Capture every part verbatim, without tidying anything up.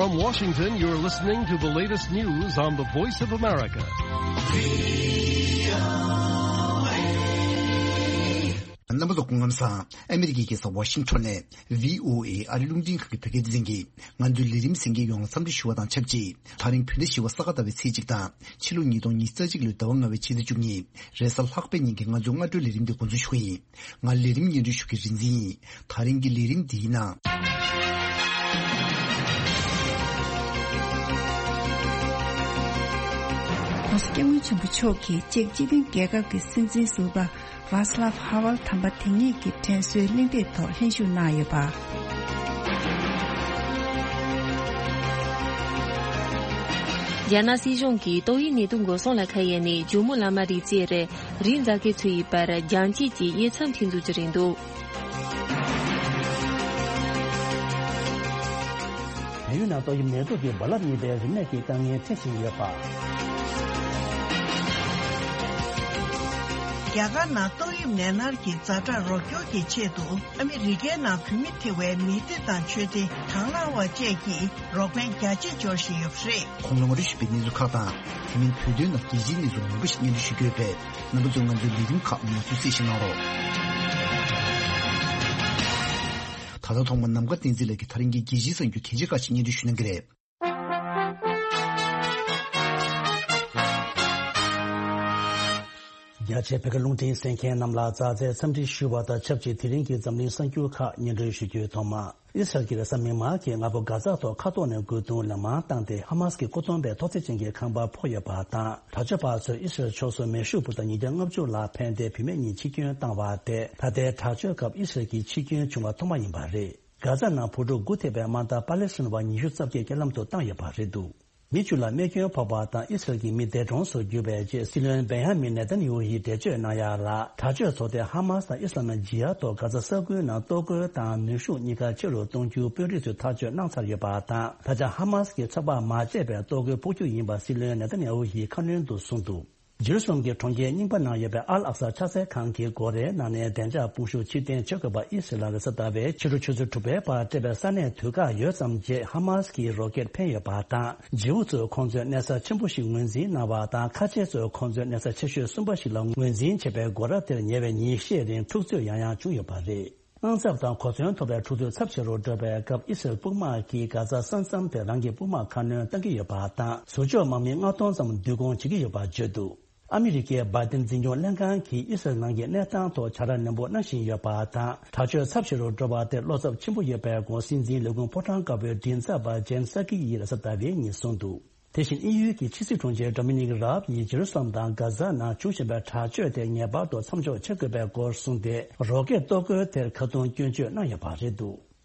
From Washington, you're listening to the latest news on the Voice of America. རྣམ་པ་ཚོ་སྐུ་ཁམས་བཟང་། ཨ་མི་རི་ཀའི་རྒྱལ་ས་ཝ་ཤིང་ཊོན་ནས་བྷི་ཨོ་ཨེ་ཨ་རི་རླུང་འཕྲིན་ཁང་གི་བོད་སྐད་སྡེ་ཚན་གྱིས་ང་ཚོའི་ལས་རིམ་གསན་མཁན་ཡོངས་ལ་འཚམས་འདྲི་ཞུ་བ་དང་ཆབས་ཅིག་ད་རིང་བོད་ཟླ་བཞི་པ་ས་ག་ཟླ་བའི་ཚེས་གཅིག་དང་ཕྱི་ལོ་ཉིས་སྟོང་ཉི་ཤུ་རྩ་གཅིག་ལོའི་ཟླ་བ་ལྔ་པའི་ཕྱི་ཟླ་བཅུ་གཉིས་རེས་གཟའ་ལྷག་པའི་ཉིན་གྱི་ང་ཚོའི་སྔ་དྲོའི་ལས་རིམ་འདི་འགོ་འཛུགས་ཞུ་གི་ཡིན། ང་ལས་རིམ་སྙན་སྒྲོན་ཞུ་མཁན་རིག་འཛིན་ཡིན། ད་རིང་གི་ལས་རིམ་འདིའི་ནང་།༸གོང་ས་༸སྐྱབས་མགོན་ཆེན་པོ་མཆོག་གིས་ཅེཀ་སྤྱི་མཐུན་རྒྱལ་ཁབ་ཀྱི་སྲིད་འཛིན་ཟུར་པ་ཝཱ་སི་ལཱབ་ཧ་ཝལ་དམ་པ་དེ་ཉིད་ཀྱི་དྲན་གསོའི་གླེང་སྟེགས་ཐོག་ལྷན་ཞུགས་གནང་ཡོད་པ། རྒྱ་ནག་སྲིད་གཞུང་གིས་ཏོག་དབྱིབས་ནད་དུག་འགོག་སྲུང་ལ་ཁ་གཡར་ནས་ཇོ་མོ་བླ་མ་རིག་རྩེ་རུ་རིགས་མཛའ་བརྒྱུད་ཚོ་ཡི་བར་རྒྱང་སྐྱོད་ཀྱི་དབྱེ་མཚམས་ཐིག་འཛུགས་ཀྱི་རེད་འདུག་བལ་ཡུལ་ནང་ཏོག་དབྱིབས་ནད་དུག་གི་རྦ་རླབས་གཉིས་པའི་རིམས་ནད་ཀྱི་དཀའ་ངལ་འཕྲད་བཞིན་ཡོད་པ། རྒྱ་གར་ནང་ཏོག་དབྱིབས་ནད་མནར་གྱི་ཛ་དྲག་རོགས་སྐྱོར་གྱི་ཆེད་དུ་ཨ་མི་རི་ཀའི་ནང་བོད་མི་ཐེ་བའི་མི་སྡེ་དང་ཆོས་སྡེ་དང་བླངས་པ་བཅས་ཀྱིས་རོགས་ཕན་རྒྱ་ཆེ་འབྱོར་བཞིན་ཡོད་པ་རེད། ཁོང་ལ་ངོ་སྤྲོད་ཞུས་པའི་གནས་ཚུལ་ཁག་དང་། དེ་མིན་བོད་དོན་ནང་རྒྱལ་སྤྱིའི་གནས་ཚུལ་མང་པོ་ཞིག་སྙན་སྒྲོན་ཞུ་རྒྱུ་ཡོད་པས། རྣམ་པ་ཚོས་ང་ཚོའི་ལས་རིམ་ཁག་མུ་མཐུད་གསན་བཞེས་གནང་རོགས། ད་ལྟ་ཐོག་མར་ནམ་མཁའ་བསྟན་འཛིན་ལགས་ཀྱིས་ད་རིང་གི་རྒྱལ་སྤྱིའི་གསར་འགྱུར་གལ་ཆེ་ཁག་ཅིག་སྙན་སྒྲོན་ཞུ་གནང་གི་རེད། རྒྱ་ཆེའི་བོད་སྐད་རླུང་འཕྲིན་གསན་མཁན་རྣམས་ལ་མཛའ་བརྩེའི་འཚམས་འདྲི་ཞུ་བ་དང་ཆབས་ཅིག་དེ་རིང་གི་འཛམ་གླིང་གསར་འགྱུར་ཁག་སྙན་སྒྲོན་ཞུ་རྒྱུའི་ཐོག་མ། ཨི་སི་རལ་གྱིས་རེས་གཟའ་མིག་དམར་གྱི་སྔ་པོ་གྷ་ཛ་ཐོག་མཁའ་ཐོག་ནས་རྒོལ་རྡུང་ལན་མང་བཏང་སྟེ་ཧ་མ་སི་གི་སྐུ་གདུང་དཔེ་ཐོག་བརྩེགས་ཅན་གྱི་ཁང་པ་ཕོག་ཡོད་པ་དང་། དྲག་སྤྱོད་པ་ཚོས་ཨི་སི་རལ་ཕྱོགས་སུ་མེ་ཤུགས་འབུད་ཐག་ཉིས་བརྒྱ་ལྔ་བཅུ་ལ་འཕེན་ཏེ་བུད་མེད་གཉིས་འཆི་སྐྱོན་བཏང་བ་དེ་ད་ལྟའི་དྲག་སྤྱོད་སྐབས་ཨི་སི་རལ་གྱི་འཆི་སྐྱོན་བྱུང་བ་ཐོག་མ་ཡིན་པ་རེད། གྷ་ཛ་ནང་བུ་ཕྲུག་དགུ་ཐེ་བའི་དམག་འཐབ་པ་ལེ་སི་ཐན་པ་ཉི་ཤུ་རྩ་བརྒྱད་བསྐྱར་ལམ་དུ་བཏང་ཡོད་པ་རེད་འདུག་མི་བཅུ་ལ་རྨས་སྐྱོན་ཕོག་པ་དང་ཨི་སི་རལ་གྱི་མི་འདས་གྲོངས་སུ་གྱུར་བའི་རྗེས། སྲིད་བློན་བེན་ཡ་མིན་ནེ་ཐན་ཡ་ཧུ་ཡིས་འགྲེལ་བརྗོད་གནང་ཡ་ལ། དྲག་སྤྱོད་ཚོགས་སྡེ་ཧ་མ་སི་དང་ཨི་སི་ལམ་ཇི་ཧ་ཐོག་གྷ་ཛ་ས་ཁུལ་ནང་གཏོར་རྒོལ་དང་མེ་ཤུགས་གཉིས་ཀ་ཆེ་རུ་གཏོང་རྒྱུ་དཔོན་རིགས་ཚོས་ཐག་གཅོད་གནང་ཚར་ཡོད་པ་དང་། ད་ཆ་ཧ་མ་སི་གིས་ཚོད་དཔག་མ་བྱས་པའི་གཏོར་རྒོལ་སྤོ་རྒྱུ་ཡིན་པ་སྲིད་བློན་ནེ་ཐན་ཡ་ཧུ་ཡིས་ཁ་སྣོན་དུ་གསུངས་འདུག་ཇེ་རུ་སོ་ལེམ་གྱི་གྲོང་ཁྱེར་རྙིང་པ་ནང་ཡོད་པའི་ཨལ་ཨག་ས་ཕྱག་འཚལ་ཁང་གི་སྒོ་རའི་ནང་ནས་བདེ་འཇགས་དཔུང་ཤུགས་ཕྱིར་འཐེན་བྱེད་དགོས་པ་ཨི་སི་རལ་ལ་རེས་གཟའ་ཟླ་བའི་ཕྱི་དྲོ་ཆུ་ཚོད་དྲུག་པའི་བར་སྤྲད་པའི་ས་གནས་དུས་བཀག་ཡོལ་ཙམ་རྗེས། ཧ་མ་སི་གིས་རོ་ཀེད་འཕེན་ཡོད་པ་དང་། ཇེའུ་ཚོས་ཁོང་ཚོའི་གནས་ས་ཆེན་པོ་ཞིག་ངོས་འཛིན་གནང་བ་དང་། ཁ་ཆེ་ཚོས་ཁོང་ཚོའི་གནས་ས་ཆེ་ཤོས་གསུམ་པ་ཞིག་ལ་ངོས་འཛིན་བྱས་པའི་སྒོ་ར་དེར་ཉེ་བའི་ཉིན་ཤས་རིང་འཁྲུག་རྩོད་ཡང་ཡང་བྱུང་ཡོད་པ་རེད། དངངས་འཚབ་དང་གོ་མཚོན་ཐོགས་པའི་འཁྲུག་རྩོད་ཚབས་ཆེ་རུ་འགྲོ་བའི་སྐབས། ཨི་སི་རལ་དཔུང་དམག་གིས་གྷ་ཛ་ས་མཚམས་དེར་རང་གི་དཔུང་དམག་ཁ་སྣོན་གཏང་གི་ཡོད་པ་དང་། ཟུར་འཇོག་དམག་མི་ལྔ་སྟོང་ཙམ་བསྡུ་སྐོང་བྱེད་ཀྱི་ཡོད་པ་བརྗོད་འདུག་ཨ་མི་རི་ཀའི་བྷའི་ཏིན་འཛིན་སྐྱོང་ལྷན་ཁང་གིས་ཨི་སི་རལ་ནང་གི་གནས་སྟངས་ཐོག་བྱ་ར་ནན་པོ་གནང་བཞིན་ཡོད་པ་དང་། དྲག་སྤྱོད་ཚབས་ཆེ་རུ་འགྲོ་བ་དེར་བློ་འཚབ་ཆེན་པོ་ཡོད་པའི་སྐོར། སྲིད་འཛིན་ལས་ཁུངས་ཕོ་བྲང་དཀར་པོའི་མགྲིན་ཚབ་པ་ཇེན་སཱ་ཀི་ཡིས་རེས་གཟའ་ཟླ་བའི་ཉིན་གསུངས་འདུག་དེ་བཞིན་དབྱིན་ཡུལ་གྱི་ཕྱི་སྲིད་དྲུང་ཆེ་ཌོ་མི་ནིག་རཱབ་ཡིས་ཇེ་རུ་སོ་ལེམ་དང་གྷ་ཛ་ནང་བྱུང་བཞིན་པའི་དྲག་སྤྱོད་དེ་ངེས་པར་དུ་མཚམས་འཇོག་བྱེད་དགོས་པའི་སྐོར་གསུངས་ཏེ། རོ་ཀེད་གཏོར་རྒོལ་དེར་ཁ་རྡུང་སྐྱོན་བརྗོད་གནང་ཡོད་པ་རེད་འདུག་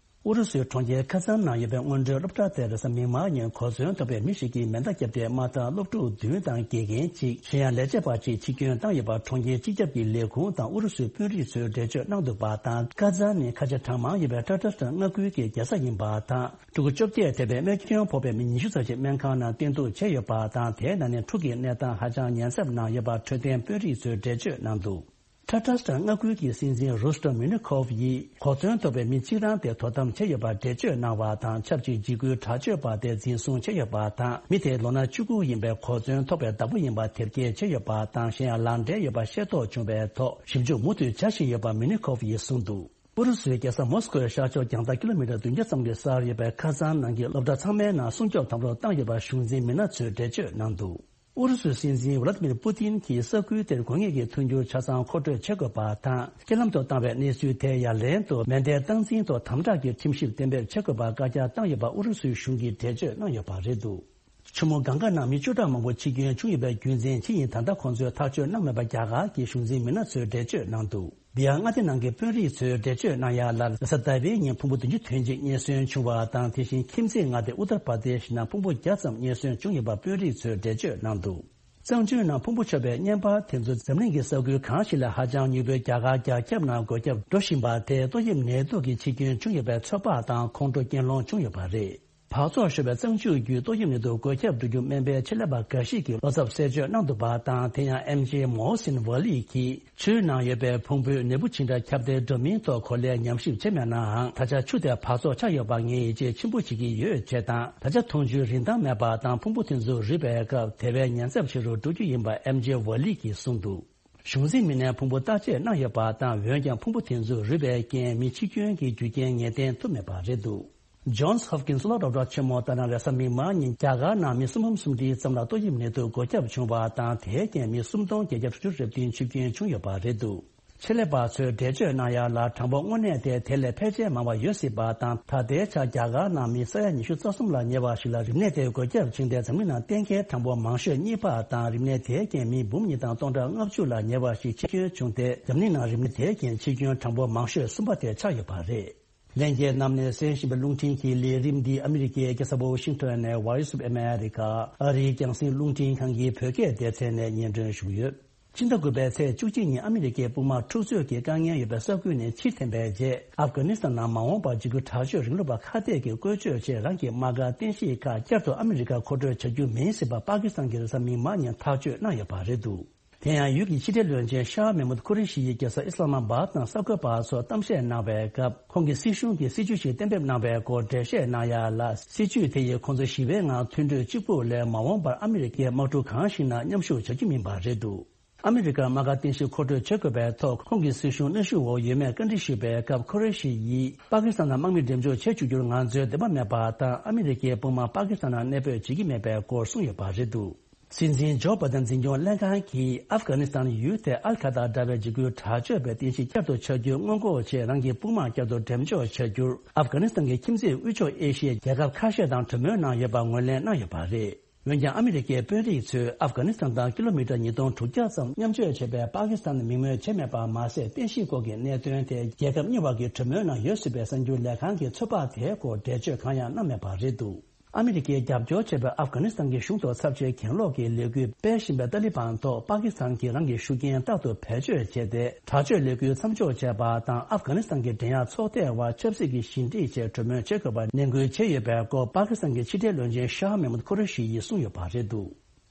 ཨུ་རུ་སུའི་གྲོང་ཁྱེར་ཁ་སང་ནང་ཡོད་པའི་སྔོན་འགྲོའི་སློབ་གྲྭ་དེར་རེས་གཟའ་མིག་དམར་ཉིན་གོ་མཚོན་ཐོགས་པའི་མི་ཞིག་གིས་མེ་མདའ་བརྒྱབ་སྟེ། དམག་འཐབ་སློབ་ཕྲུག་བདུན་དང་དགེ་རྒན་གཅིག་གཞན་ཡང་ལས་བྱེད་པ་གཅིག་འཆི་སྐྱོན་བཏང་ཡོད་པ། གྲོང་ཁྱེར་སྤྱི་ཁྱབ་ཀྱི་ལས་ཁུངས་དང་ཨུ་རུ་སུའི་དཔོན་རིགས་ཚོས་འགྲེལ་བརྗོད་གནང་འདུག་པ་དང་། གྷ་ཛ་ནི་ཁ་ཆེ་གྲངས་མང་ཡོད་པའི་ཊ་ཊར་སི་ཊན་མངའ་ཁུལ་གྱི་རྒྱལ་ས་ཡིན་པ་དང་། ཕྲུ་གུ་བཅོ་བརྒྱད་ཐེ་བའི་རྨས་སྐྱོན་ཕོག་པའི་མི་ཉི་ཤུ་ཙམ་ཞིག་སྨན་ཁང་ནང་བསྟེན་གཏུགས་བྱས་ཡོད་པ་དང་། དེའི་ནང་ནས་དྲུག་གི་གནས་སྟངས་ཧ་ཅང་ཉེན་ཚབས་ནང་ཡོད་པ་འཕྲོད་བསྟེན་དཔོན་རིགས་ཚོས་འགྲེལ་བརྗོད་གནང་འདུག་ཊ་ཊར་སི་ཊན་མངའ་ཁུལ་གྱི་སྲིད་འཛིན་རུས་ཏོ་མི་ནི་ཁོབ་ཡིས་གོ་མཚོན་ཐོགས་པའི་མི་གཅིག་རང་དེ་དོ་དམ་བྱས་ཡོད་པར་འགྲེལ་བརྗོད་གནང་བ་དང་། ཆབས་ཅིག་འཇིགས་སྐུལ་དྲག་སྤྱོད་པ་དེ་འཛིན་བཟུང་བྱས་ཡོད་པ་དང་། མི་དེ་ལོ་ན་བཅུ་དགུ་ཡིན་པའི་གོ་མཚོན་ཐོགས་པའི་བདག་པོ་ཡིན་པ་དེབ་སྐྱེལ་བྱས་ཡོད་པ་དང་། གཞན་ཡང་ལག་འབྲེལ་ཡོད་པ་ཤེས་རྟོགས་བྱུང་བའི་ཐོག་ཞིབ་འཇུག་མུ་མཐུད་བྱ་བཞིན་ཡོད་པ་མི་ནི་ཁོབ་ཡིས་གསུངས་འདུག་ཨུ་རུ་སུའི་རྒྱལ་ས་མོ་སི་ཀོའི་ཤར་ཕྱོགས་རྒྱང་ཐག་ཀི་ལོ་མི་ཊར་བདུན་བརྒྱ་ཙམ་གྱི་སར་ཡོད་པའི་ཁ་སང་ནང་གི་སློབ་གྲྭ་ཚང་མའི་ནང་སྲུང་སྐྱོབ་དམ་ལྷོད་བཏང་ཡོད་པ་གཞུང་འཛིན་མི་སྣ་ཚོས་འགྲེལ་བརྗོད་གནང་འདུག་ཨུ་རུ་སུའི་སྲིད་འཛིན་ཝ་ལ་ཏི་མིར་པུ་ཏིན་གྱིས་ས་ཁུལ་དེར་དགོས་ངེས་ཀྱི་མཐུན་འགྱུར་ཆ་ཚང་མཁོ་སྤྲོད་བྱེད་དགོས་པ་དང་། རྐྱེན་ལམ་དུ་བཏང་བའི་གནས་ཚུལ་དེ་ཡ་ལན་དུ་མེ་མདའི་སྟངས་འཛིན་ཐོག་དམ་དྲག་གི་ཁྲིམས་ཞིབ་གཏན་འབེབས་བྱེད་དགོས་པར་བཀའ་རྒྱ་བཏང་ཡོད་པ་ཨུ་རུ་སུའི་གཞུང་གིས་འགྲེལ་བརྗོད་གནང་ཡོད་པ་རེད་འདུག་ཆུ་མོ་གངྒཱ་ནང་མི་བཅུ་ཕྲག་མང་པོ་འཆི་སྐྱོན་བྱུང་ཡོད་པའི་རྒྱུ་མཚན་ཅི་ཡིན་ད་ལྟ་ཁོང་ཚོས་ཐག་གཅོད་གནང་མེད་པ་རྒྱ་གར་གྱི་གཞུང་འཛིན་མི་སྣ་ཚོས་འགྲེལ་བརྗོད་གནང་འདུག་བི་ཡ་མངའ་སྡེ་ནང་གི་དཔོན་རིགས་ཚོས་འགྲེལ་བརྗོད་གནང་ཡ་ལ། རེས་གཟའ་ཟླ་བའི་ཉིན་ཕུང་པོ་བདུན་ཅུ་དོན་གཅིག་རྙེད་སོན་བྱུང་བ་དང་། དེ་བཞིན་ཁྱིམ་མཚེས་མངའ་སྡེ་ཨུ་ཏར་པར་དེ་ཤི་ནང་ཕུང་པོ་བརྒྱ་ཙམ་རྙེད་སོན་བྱུང་ཡོད་པ་དཔོན་རིགས་ཚོས་འགྲེལ་བརྗོད་གནང་འདུག་གཙང་ཆུའི་ནང་ཕུང་པོ་ཆགས་པའི་བརྙན་པར་དེ་ཚོ་འཛམ་གླིང་གི་ས་ཁུལ་གང་ཞིག་ལས་ཧ་ཅང་མྱུར་པོའི་རྒྱ་གར་རྒྱ་ཁྱབ་ནང་འགོས་ཁྱབ་འགྲོ་བཞིན་པ་དེ་ཏོག་དབྱིབས་ནད་དུག་གི་འཆི་སྐྱོན་བྱུང་ཡོད་པའི་ཚོད་དཔག་དང་ཁོང་ཁྲོ་རྐྱེན་སློང་བྱུང་ཡོད་པ་རེད། འབག་བཙོག་ཤོར་བའི་གཙང་ཆུ་བརྒྱུད་ཏོག་དབྱིབས་ནད་དུག་འགོས་ཁྱབ་འགྲོ་རྒྱུ་སྨན་པའི་ཆེད་ལས་པ་འགའ་ཞིག་གིས་བློ་འཚབ་གསལ་བརྗོད་གནང་འདུག་པ་དང་། དེ་ཡང་ཨེམ་ཆི་མོ་ཧ་སིན་ཝ་ལི་གིས་ཆུའི་ནང་ཡོད་པའི་ཕུང་པོའི་ནད་འབུ་ཇི་འདྲ་ཁྱབ་གདལ་འགྲོ་མིན་ཐོག་གོ་ལའི་ཉམས་ཞིབ་བྱས་མེད་ནའང་། ད་ཆ་ཆུ་དེ་འབག་བཙོག་ཆགས་ཡོད་པར་ངས་ཡིད་ཆེས་ཆེན་པོ་བྱེད་ཀྱི་ཡོད་ཅེས་དང་། ད་ཆ་འཐུང་ཆུའི་རིན་ཐང་མེད་པ་དང་། ཕུང་པོ་དེ་ཚོ་རུལ་བའི་སྐབས་དེ་བས་ཉེན་ཚབས་ཆེ་རུ་འགྲོ་རྒྱུ་ཡིན་པ་ཨེམ་ཆི་ཝ་ལི་གིས་གསུངས་འདུག་གཞུང་འཛིན་མི་སྣས་ཕུང་པོ་བརྟག་དཔྱད་གནང་ཡོད་པ་དང་། འོན་ཀྱང་ཕུང་པོ་དེ་ཚོ་རུལ་བའི་རྐྱེན་མི་འཆི་སྐྱོན་གྱི་རྒྱུ་རྐྱེན་ངེས་གཏན་ཐུབ་མེད་པ་རེད་འདུག Johns Hopkins་གློ་བཀྲག་ཆེན་མོ་ལྟར་ན། རེས་གཟའ་མིག་དམར་ཉིན་རྒྱ་གར་ནང་མི་སུམ་སྟོང་སུམ་ཁྲི་ཙམ་ལ་ཏོག་དབྱིབས་ནད་དུག་འགོས་ཁྱབ་བྱུང་བ་དང་། དེའི་རྐྱེན་མི་སུམ་སྟོང་བརྒྱད་བརྒྱ་དྲུག་ཅུ་རེ་བདུན་འཆི་སྐྱོན་བྱུང་ཡོད་པ་རེད་འདུག་ཆེད་ལས་པ་ཚོས་འགྲེལ་བརྗོད་གནང་ཡ་ལ། གྲངས་འབོར་དངོས་གནས་དེ་དེ་ལས་ཕལ་ཆེར་མང་བ་ཡོད་སྲིད་པ་དང་། ད་ལྟའི་ཆར་རྒྱ་གར་ནང་མི་ས་ཡ་ཉི་ཤུ་རྩ་གསུམ་ལ་ཉེ་བ་ཞིག་ལ་རིམས་ནད་དེ་འགོས་ཁྱབ་ཕྱིན་ཏེ། འཛམ་གླིང་ནང་གཏན་འཁེལ་གྲངས་འབོར་མང་ཤོས་གཉིས་པ་དང་། རིམས་ནད་དེའི་རྐྱེན་མི་འབུམ་གཉིས་དང་སྟོང་ཕྲག་ལྔ་བཅུ་ལ་ཉེ་བ་ཞིག་འཆི་སྐྱོན་བྱུང་སྟེ། འཛམ་གླིང་ནང་རིམས་ནད་དེའི་རྐྱེན་འཆི་སྐྱོན་གྲངས་འབོར་མང་ཤོས་གསུམ་པ་དེ་ཆགས་ཡོད་པ་རེད། ལྷན་རྒྱས་རྣམས་ནས་གསན་བཞིན་པའི་རླུང་འཕྲིན་གྱི་ལས་རིམ་འདི་ཨ་མི་རི་ཀའི་རྒྱལ་ས་ཝ་ཤིང་ཊོན་ནས་Voice of America་ཨ་རིའི་རྒྱང་སྲིང་རླུང་འཕྲིན་ཁང་གི་བོད་སྐད་སྡེ་ཚན་ནས་སྙན་སྒྲོན་ཞུ་གི་ཡོད། ཕྱི་ཟླ་དགུ་པའི་ཚེས་བཅུ་གཅིག་ཉིན་ཨ་མི་རི་ཀའི་དཔུང་དམག་འཁྲུག་རྩོད་ཀྱི་དཀའ་ངལ་ཡོད་པའི་ས་ཁུལ་ནས་ཕྱིར་འཐེན་པའི་རྗེས། ཨབ་གྷ་ནི་སི་ཐན་ནང་མ་འོངས་པར་འཇིགས་སྐུལ་དྲག་སྤྱོད་རིང་ལུགས་པ་ཁ་གཏད་ཀྱིས་བཀོལ་སྤྱོད་ཆེད་རང་གི་དམག་སྒར་རྟེན་གཞི་ཁག་བསྐྱར་དུ་ཨ་མི་རི་ཀར་མཁོ་སྤྲོད་བྱ་རྒྱུ་མིན་ཟེར་བ་པ་ཀི་སི་ཐན་གྱིས་རེས་གཟའ་མིག་དམར་ཉིན་ཐག་གཅོད་གནང་ཡོད་པ་རེད་འདུག་དེ་ཡང་ཡུལ་གྱི་ཕྱི་འབྲེལ་བློན་ཆེན་ཤཱ་མེ་མུད་ཁུ་རེ་ཤི་ཡིས་རྒྱལ་ས་ཨི་སི་ལ་མ་བཱད་ནང་གསར་འགོད་པ་ཚོར་གཏམ་བཤད་གནང་བའི་སྐབས། ཁོང་གིས་སྲིད་གཞུང་གིས་སྲིད་ཇུས་ཤིག་གཏན་འབེབས་གནང་བའི་སྐོར་འགྲེལ་བཤད་གནང་ཡ་ལ། སྲིད་ཇུས་དེ་ཡིས་ཁོང་ཚོ་ཞི་བའི་ངང་མཐུན་གྲོས་གཅིག་པུ་ལས་མ་འོངས་པར་ཨ་མི་རི་ཀའི་དམག་འཁྲུག་གང་ཞིག་ནང་མཉམ་ཞུགས་བྱ་རྒྱུ་མིན་པ་རེད་འདུག་ཨ་མི་རི་ཀར་དམག་སྒར་རྟེན་གཞི་མཁོ་སྤྲོད་བྱེད་དགོས་པའི་ཐོག་ཁོང་གི་སྲིད་གཞུང་གནོན་ཤུགས་འོག་ཡོད་མེད་བཀའ་འདྲི་ཞུས་པའི་སྐབས། ཁུ་རེ་ཤི་ཡིས་པ་ཀི་སི་ཐན་ནང་དམག་མི་འགྲེམས་འཇོག་བྱེད་བཅུག་རྒྱུར་ང་ཚོའི་འདོད་པ་མེད་པ་དང་། ཨ་མི་རི་ཀའི་དཔུང་དམག་པ་ཀི་སི་ཐན་ནང་གནས་སྤོས་བྱེད་ཀྱི་མེད་པའི་སྐོར་གསུངས་ཡོད་པ་རེད་འདུག་སྲིད་འཛིན་ཇོ་བྷ་དན་འཛིན་སྐྱོང་ལྷན་ཁང་གིས་ཨབ་གྷ་ནི་སི་ཐན་ཡུལ་དེ་ཨལ་ཁ་ད་འདྲ་བའི་འཇིགས་སྐུལ་དྲག་སྤྱོད་པའི་རྟེན་གཞི་བསྐྱར་དུ་ཆགས་རྒྱུའི་སྔོན་འགོག་ཆེད་རང་གི་དཔུང་དམག་བསྐྱར་དུ་འགྲེམས་འཇོག་བྱ་རྒྱུར། ཨབ་གྷ་ནི་སི་ཐན་གྱི་ཁྱིམ་མཚེས་དབུས་ཕྱོགས་ཨེ་ཤི་ཡའི་རྒྱལ་ཁབ་ཁ་ཤས་དང་གྲོས་མོལ་གནང་ཡོད་པ་ངོས་ལེན་གནང་ཡོད་པ་རེད། འོན་ཀྱང་ཨ་མི་རི་ཀའི་དཔོན་རིགས་ཚོས་ཨབ་གྷ་ནི་སི་ཐན་དང་ཀི་ལོ་མི་ཊར་ཉིས་སྟོང་དྲུག་བརྒྱ་ཙམ་མཉམ་སྤྱོད་བྱས་པའི་པ་ཀི་སི་ཐན་མིང་སྨོས་བྱས་མེད་པ་མ་ཟད། རྟེན་གཞི་སྐོར་གྱི་གནད་དོན་དེ་རྒྱལ་ཁབ་གཉིས་བར་གྱི་གྲོས་མོལ་ནང་ཡོད་སྲིད་པའི་གསར་འགྱུར་ལས་ཁང་གིས་ཚོད་དཔག་དེའི་སྐོར་འགྲེལ་བརྗོད་གང་ཡང་གནང་མེད་པ་རེད་འདུག་ཨ་མི་རི་ཀས་རྒྱབ་སྐྱོར་བྱས་པའི་ཨབ་གྷ་ནི་སི་ཐན་གྱི་གཞུང་དང་ཚབས་ཆེའི་གྱེན་ལོག་གི་ལས་འགུལ་སྤེལ་བཞིན་པའི་ཏཱ་ལི་བན་ཐོག་པ་ཀི་སི་ཐན་གྱིས་རང་གི་ཤུགས་རྐྱེན་རྟག་ཏུ་བེད་སྤྱོད་བྱས་ཏེ། དྲག་སྤྱོད་ལས་འགུལ་མཚམས་འཇོག་བྱས་པ་དང་། ཨབ་གྷ་ནི་སི་ཐན་གྱི་འགྲན་ཡག་ཚོགས་སྡེའི་དབར་ཆབ་སྲིད་ཀྱི་ཞི་འགྲིག་ཆེད་གྲོས་མོལ་བྱེད་དགོས་པར་ནན་སྐུལ་བྱས་ཡོད་པའི་སྐོར། པ་ཀི་སི་ཐན་གྱི་ཕྱི་འབྲེལ་བློན་ཆེན་ཤཱ་མེ་མུད་ཁོ་རེ་ཤི་ཡིས་གསུངས་ཡོད་པ་རེད་འདུག་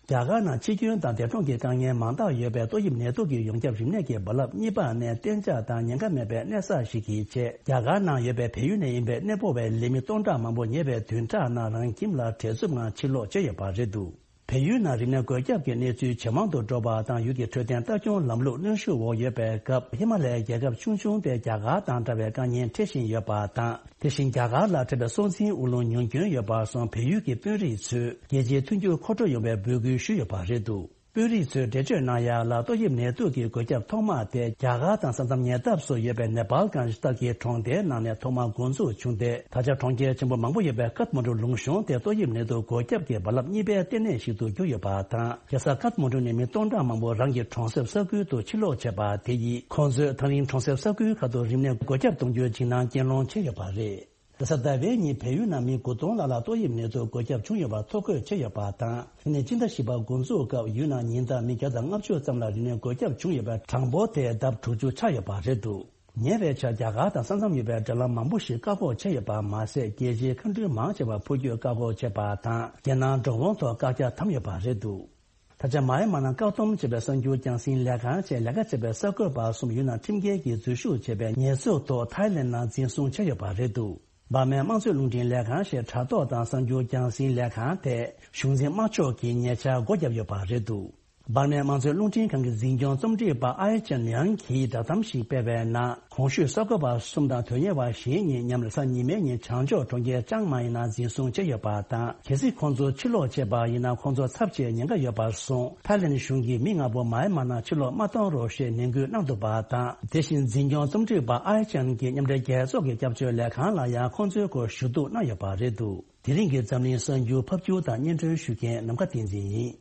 རྒྱ་གར་ནང་འཆི་སྐྱོན་དང་འདས་གྲོངས་ཀྱི་དཀའ་ངལ་མང་དག་ཡོད་པའི་ཏོག་དབྱིབས་ནད་དུག་གི་ཡོངས་ཁྱབ་རིམས་ནད་ཀྱི་རྦ་རླབས་གཉིས་པ་ནས་གཏན་འཇགས་དང་ཉེན་ཁ་མེད་པའི་གནས་ས་ཞིག་གི་ཆེད། རྒྱ་གར་ནང་ཡོད་པའི་བལ་ཡུལ་ནས་ཡིན་པའི་གནས་སྤོ་བའི་ལས་མི་སྟོང་ཕྲག་མང་པོ་ཉེ་བའི་བདུན་ཕྲག་ནང་རང་ཁྱིམ་ལ་བྲེལ་འཚུབ་ངང་ཕྱིར་ལོག་བྱས་ཡོད་པ་རེད་འདུག་བལ་ཡུལ་ནང་རིམས་ནད་འགོས་ཁྱབ་ཀྱི་གནས་ཚུལ་ཇེ་མང་དུ་འགྲོ་བ་དང་། ཡུལ་གྱི་འཕྲོད་བསྟེན་ལྟ་སྐྱོང་ལམ་ལུགས་གནོན་ཤུགས་འོག་ཡོད་པའི་སྐབས། ཧི་མ་ལ་ཡའི་རྒྱལ་ཁབ་ཆུང་ཆུང་དེ་རྒྱ་གར་དང་འདྲ་བའི་དཀའ་ངལ་འཕྲད་བཞིན་ཡོད་པ་དང་། དེ་བཞིན་རྒྱ་གར་ལ་འཕྲད་པའི་སྲོག་འཛིན་དབུགས་རླུང་ཉུང་སྐྱོན་ཡོད་པར་སོང་། བལ་ཡུལ་གྱི་དཔོན་རིགས་ཚོས་རྒྱལ་སྤྱིའི་མཐུན་འགྱུར་མཁོ་སྤྲོད་ཡོང་བའི་འབོད་སྐུལ་ཞུས་ཡོད་པ་རེད་འདུག་དཔོན་རིགས་ཚོས་འགྲེལ་བརྗོད་གནང་ཡ་ལ། ཏོག་དབྱིབས་ནད་དུག་གི་འགོས་ཁྱབ་ཐོག་མ་དེ་རྒྱ་གར་དང་ས་མཚམས་ཉེ་འདབས་སུ་ཡོད་པའི་ནེ་པཱལ་གྷན་ཇི་ལྟ་གི་གྲོང་སྡེའི་ནང་ནས་ཐོག་མར་འགོ་འཛུགས་བྱུང་སྟེ། ད་ཆ་གྲོང་ཁྱེར་ཆེན་པོ་མང་པོ་ཡོད་པའི་ཀཏ་མན་གྲུ་ལུང་གཤོང་དེ་ཏོག་དབྱིབས་ནད་དུག་འགོས་ཁྱབ་ཀྱི་རྦ་རླབས་གཉིས་པའི་ལྟེ་གནས་ཤིག་ཏུ་གྱུར་ཡོད་པ་དང་། རྒྱལ་ས་ཀཏ་མན་གྲུ་ནས་མི་སྟོང་ཕྲག་མང་པོ་རང་གི་གྲོང་གསེབ་ས་ཁུལ་དུ་ཕྱིར་ལོག་བྱས་པ་དེ་ཡིས། ཁོང་ཚོས་ཐག་རིང་གྲོང་གསེབ་ས་ཁུལ་ཁག་ཏུ་རིམས་ནད་འགོས་ཁྱབ་གཏོང་རྒྱུའི་འཇིགས་སྣང་སྐྱེ་སློང་བྱས་ཡོད་པ་རེད། རེས་གཟའ་ཟླ་བའི་ཉིན་བལ་ཡུལ་ནང་མི་དགུ་སྟོང་ལྷག་ལ་ཏོག་དབྱིབས་ནད་དུག་འགོས་ཁྱབ་བྱུང་ཡོད་པ་ཐོ་འགོད་བྱས་ཡོད་པ་དང་། དེ་ནས་སྤྱི་ཟླ་བཞི་པ་འགོ་འཛུགས་སྐབས་ཡུལ་ནང་ཉིན་ལྟར་མི་བརྒྱ་དང་ལྔ་བཅུ་ཙམ་ལ་རིམས་ནད་འགོས་ཁྱབ་བྱུང་ཡོད་པའི་གྲངས་འབོར་དེ་ལྡབ་དྲུག་ཅུ་ཆགས་ཡོད་པ་རེད་འདུག་ཉེ་བའི་ཆར་རྒྱ་གར་དང་ས་མཚམས་ཡོད་པའི་འབྲེལ་ལམ་མང་པོ་ཞིག་བཀག་འགོག་བྱས་ཡོད་པ་མ་ཟད། རྒྱལ་སྤྱིའི་མཁའ་འགྲུལ་མང་ཆེ་བ་འཕུར་སྐྱོད་བཀག་འགོག་བྱས་པ་དང་། རྒྱལ་ནང་འགྲོ་འོང་ཐོག་བཀག་རྒྱ་བསྡམས་ཡོད་པ་རེད་འདུག་ད་ཆ་མཱ་ཡན་མ་ནང་བཀག་སྡོམ་བྱས་པའི་གསར་འགྱུར་རྒྱང་སྲིང་ལས་ཁང་བཅས་ལས་ཀ་བྱེད་པའི་གསར་འགོད་པ་གསུམ་ཡུལ་ནང་ཁྲིམས་འགལ་གྱིས་འཛུལ་ཞུགས་བྱས་པའི་ཉེས་འཛུགས་ཐོག་ཐའི་ལེན་ནང་འཛིན་བཟུང་བྱས་ཡོད་པ་རེད་འདུག་འབར་མའི་དམངས་གཙོའི་རླུང་འཕྲིན་ལས་ཁང་ཞེས་དྲ་ཐོག་དང་གསར་འགྱུར་རྒྱང་སྲིང་ལས་ཁང་དེ་གཞུང་འཛིན་དམར་ཕྱོགས་ཀྱིས་ཉེ་ཆར་སྒོ་བརྒྱབ་ཡོད་པ་རེད་འདུག་འབར་མའི་དམངས་གཙོའི་རླུང་འཕྲིན་ཁང་གི་འཛིན་སྐྱོང་རྩོམ་སྒྲིག་པ་ཨའེ་ཅན་ཡང་གིས་བསྒྲགས་གཏམ་ཞིག་སྤེལ་བའི་ནང་། གོང་ཞུས་གསར་འགོད་པ་གསུམ་དང་དོན་གཉེར་བ་གཞན་གཉིས་མཉམ་རེས་གཟའ་ཉི་མའི་ཉིན་བྱང་ཕྱོགས་གྲོང་ཁྱེར་ཅང་མའི་ནང་འཛིན་བཟུང་བྱས་ཡོད་པ་དང་། གལ་སྲིད་ཁོང་ཚོ་ཕྱིར་ལོག་བྱས་པ་ཡིན་ན། ཁོང་ཚོར་ཚབས་ཆེའི་ཉེན་ཁ་ཡོད་པར་སོང་། ཐའི་ལེན་གཞུང་གིས་མི་ལྔ་པོ་མཱ་ཡན་མ་ནང་ཕྱིར་ལོག་མ་གཏོང་རོགས་ཞེས་ནན་སྐུལ་གནང་འདུག་པ་དང་། དེ་བཞིན་འཛིན་སྐྱོང་རྩོམ་སྒྲིག་པ་ཨའེ་ཅན་གྱིས་མཉམ་འབྲེལ་རྒྱལ་ཚོགས་ཀྱི་སྐྱབས་བཅོལ་ལས་ཁང་ལ་ཡང་ཁོང་ཚོའི་སྐོར་ཞུ་གཏུག་གནང་ཡོད་པ་རེད་འདུག་དེ་རིང་གི་འཛམ་གླིང་གསར་འགྱུར་ཕབ་སྒྱུར་དང་སྙན་སྒྲོན་ཞུ་མཁན་ནམ་མཁའ་བསྟན་འཛིན་ཡིན།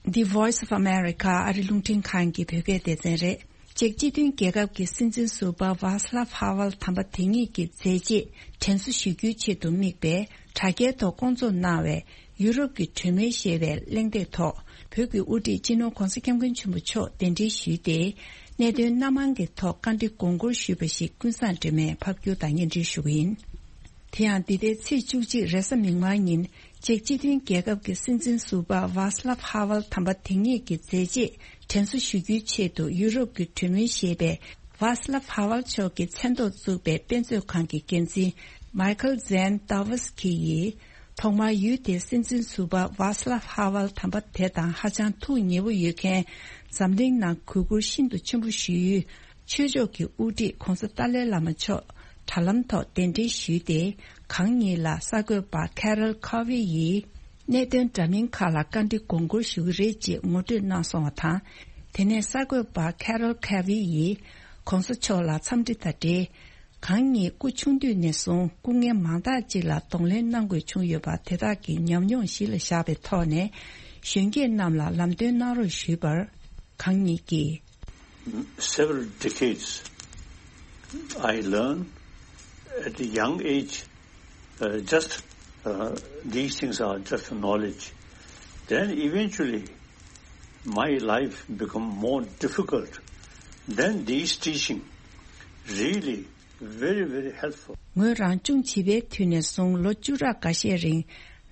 འདི་Voice of America་ཨ་རི་རླུང་འཕྲིན་ཁང་གི་བོད་སྐད་སྡེ་ཚན་རེད། ཅེཀ་སྤྱི་མཐུན་རྒྱལ་ཁབ་ཀྱི་སྲིད་འཛིན་ཟུར་པ་ཝཱ་སི་ལབ་ཧ་ཝལ་དམ་པ་དེ་ཉིད་ཀྱི་མཛད་རྗེས་དྲན་གསོ་ཞུ་རྒྱུའི་ཆེད་དུ་དམིགས་པའི་དྲ་རྒྱའི་ཐོག་བསྐོང་ཚོགས་གནང་བའི་ཡུ་རོབ་ཀྱི་གྲོས་མོལ་ཞེས་པའི་གླེང་སྟེགས་ཐོག་བོད་ཀྱི་དབུ་ཁྲིད་སྤྱི་ནོར་༧གོང་ས་༧སྐྱབས་མགོན་ཆེན་པོ་མཆོག་གདན་འདྲེན་ཞུས་ཏེ། གནད་དོན་སྣ་མང་གི་ཐོག་བཀའ་འདྲི་དགོངས་སྐོར་ཞུས་པ་ཞིག་ཀུན་བཟང་སྒྲོལ་མས་ཕབ་སྒྱུར་དང་སྙན་སྒྲོན་ཞུ་གི་ཡིན། དེ་ཡང་འདི་ཟླའི་ཚེས་བཅུ་གཅིག་རེས་གཟའ་མིག་དམར་ཉིན་ཅེཀ་སྤྱི་མཐུན་རྒྱལ་ཁབ་ཀྱི་སྲིད་འཛིན་ཟུར་པ་ཝཱ་སི་ལབ་ཧ་ཝལ་དམ་པ་དེ་ཉིད་ཀྱི་མཛད་རྗེས་དྲན་གསོ་ཞུ་རྒྱུའི་ཆེད་དུ་ཡུ་རོབ་ཀྱི་གྲོས་མོལ་ཞེས་པའི་ཝཱ་སི་ལབ་ཧ་ཝལ་མཆོག་གི་མཚན་ཐོག་བཙུགས་པའི་དཔེ་མཛོད་ཁང་གི་འགན་འཛིན་མའི་ཁལ་ཛན་ཏཱ་ཝུ་སི་ཀི་ཡིས། ཐོག་མར་ཡུལ་དེའི་སྲིད་འཛིན་ཟུར་པ་ཝཱ་སི་ལབ་ཧ་ཝལ་དམ་པ་དེ་དང་ཧ་ཅང་ཐུགས་ཉེ་པོ་ཡོད་མཁན་འཛམ་གླིང་ནང་གུས་བཀུར་ཤིན་ཏུ་ཆེན་པོ་ཞུ་ཡུལ་ཆོས་ཕྱོགས་ཀྱི་དབུ་ཁྲིད་༧གོང་ས་ཏཱ་ལའི་བླ་མ་མཆོག་དྲ་ལམ་ཐོག་གདན་འདྲེན་ཞུས་ཏེ། གང་ཉིད་ལ་གསར་འགོད་པ་ཁེ་རལ་ཁ་ཝི་ཡིས་གནད་དོན་འདྲ་མིན་ཁག་ལ་བཀའ་འདྲི་དགོངས་སྐོར་ཞུ་གི་རེད་ཅེས་ངོ་སྤྲོད་གནང་སོང་བ་དང་། དེ་ནས་གསར་འགོད་པ་ཁེ་རལ་ཁ་ཝི་ཡིས་༧གོང་ས་མཆོག་ལ་འཚམས་འདྲི་དང་འབྲེལ། གང་ཉིད་སྐུ་ཆུང་དུས་ནས་བཟུང་སྐུ་ངལ་མང་དག་ཅིག་ལ་གདོང་ལེན་གནང་དགོས་བྱུང་ཡོད་པ་དེ་དག་གི་ཉམས་མྱོང་གཞི་ལ་བཞག་པའི་ཐོག་ནས་གཞོན་སྐྱེས་རྣམས་ལ་ལམ་སྟོན་གནང་རོགས་ཞུས་པར། གང་ཉིད་ཀྱིས། Several decades I learned at a young age, uh, just uh, these things are just knowledge. Then eventually my life become more difficult. Then these teaching really very, very helpful. ངོས་རང་ཅུང་བྱིས་པའི་དུས་ནས་བཟུང་ལོ་བཅུ་ཕྲག་འགའ་ཤས་རིང་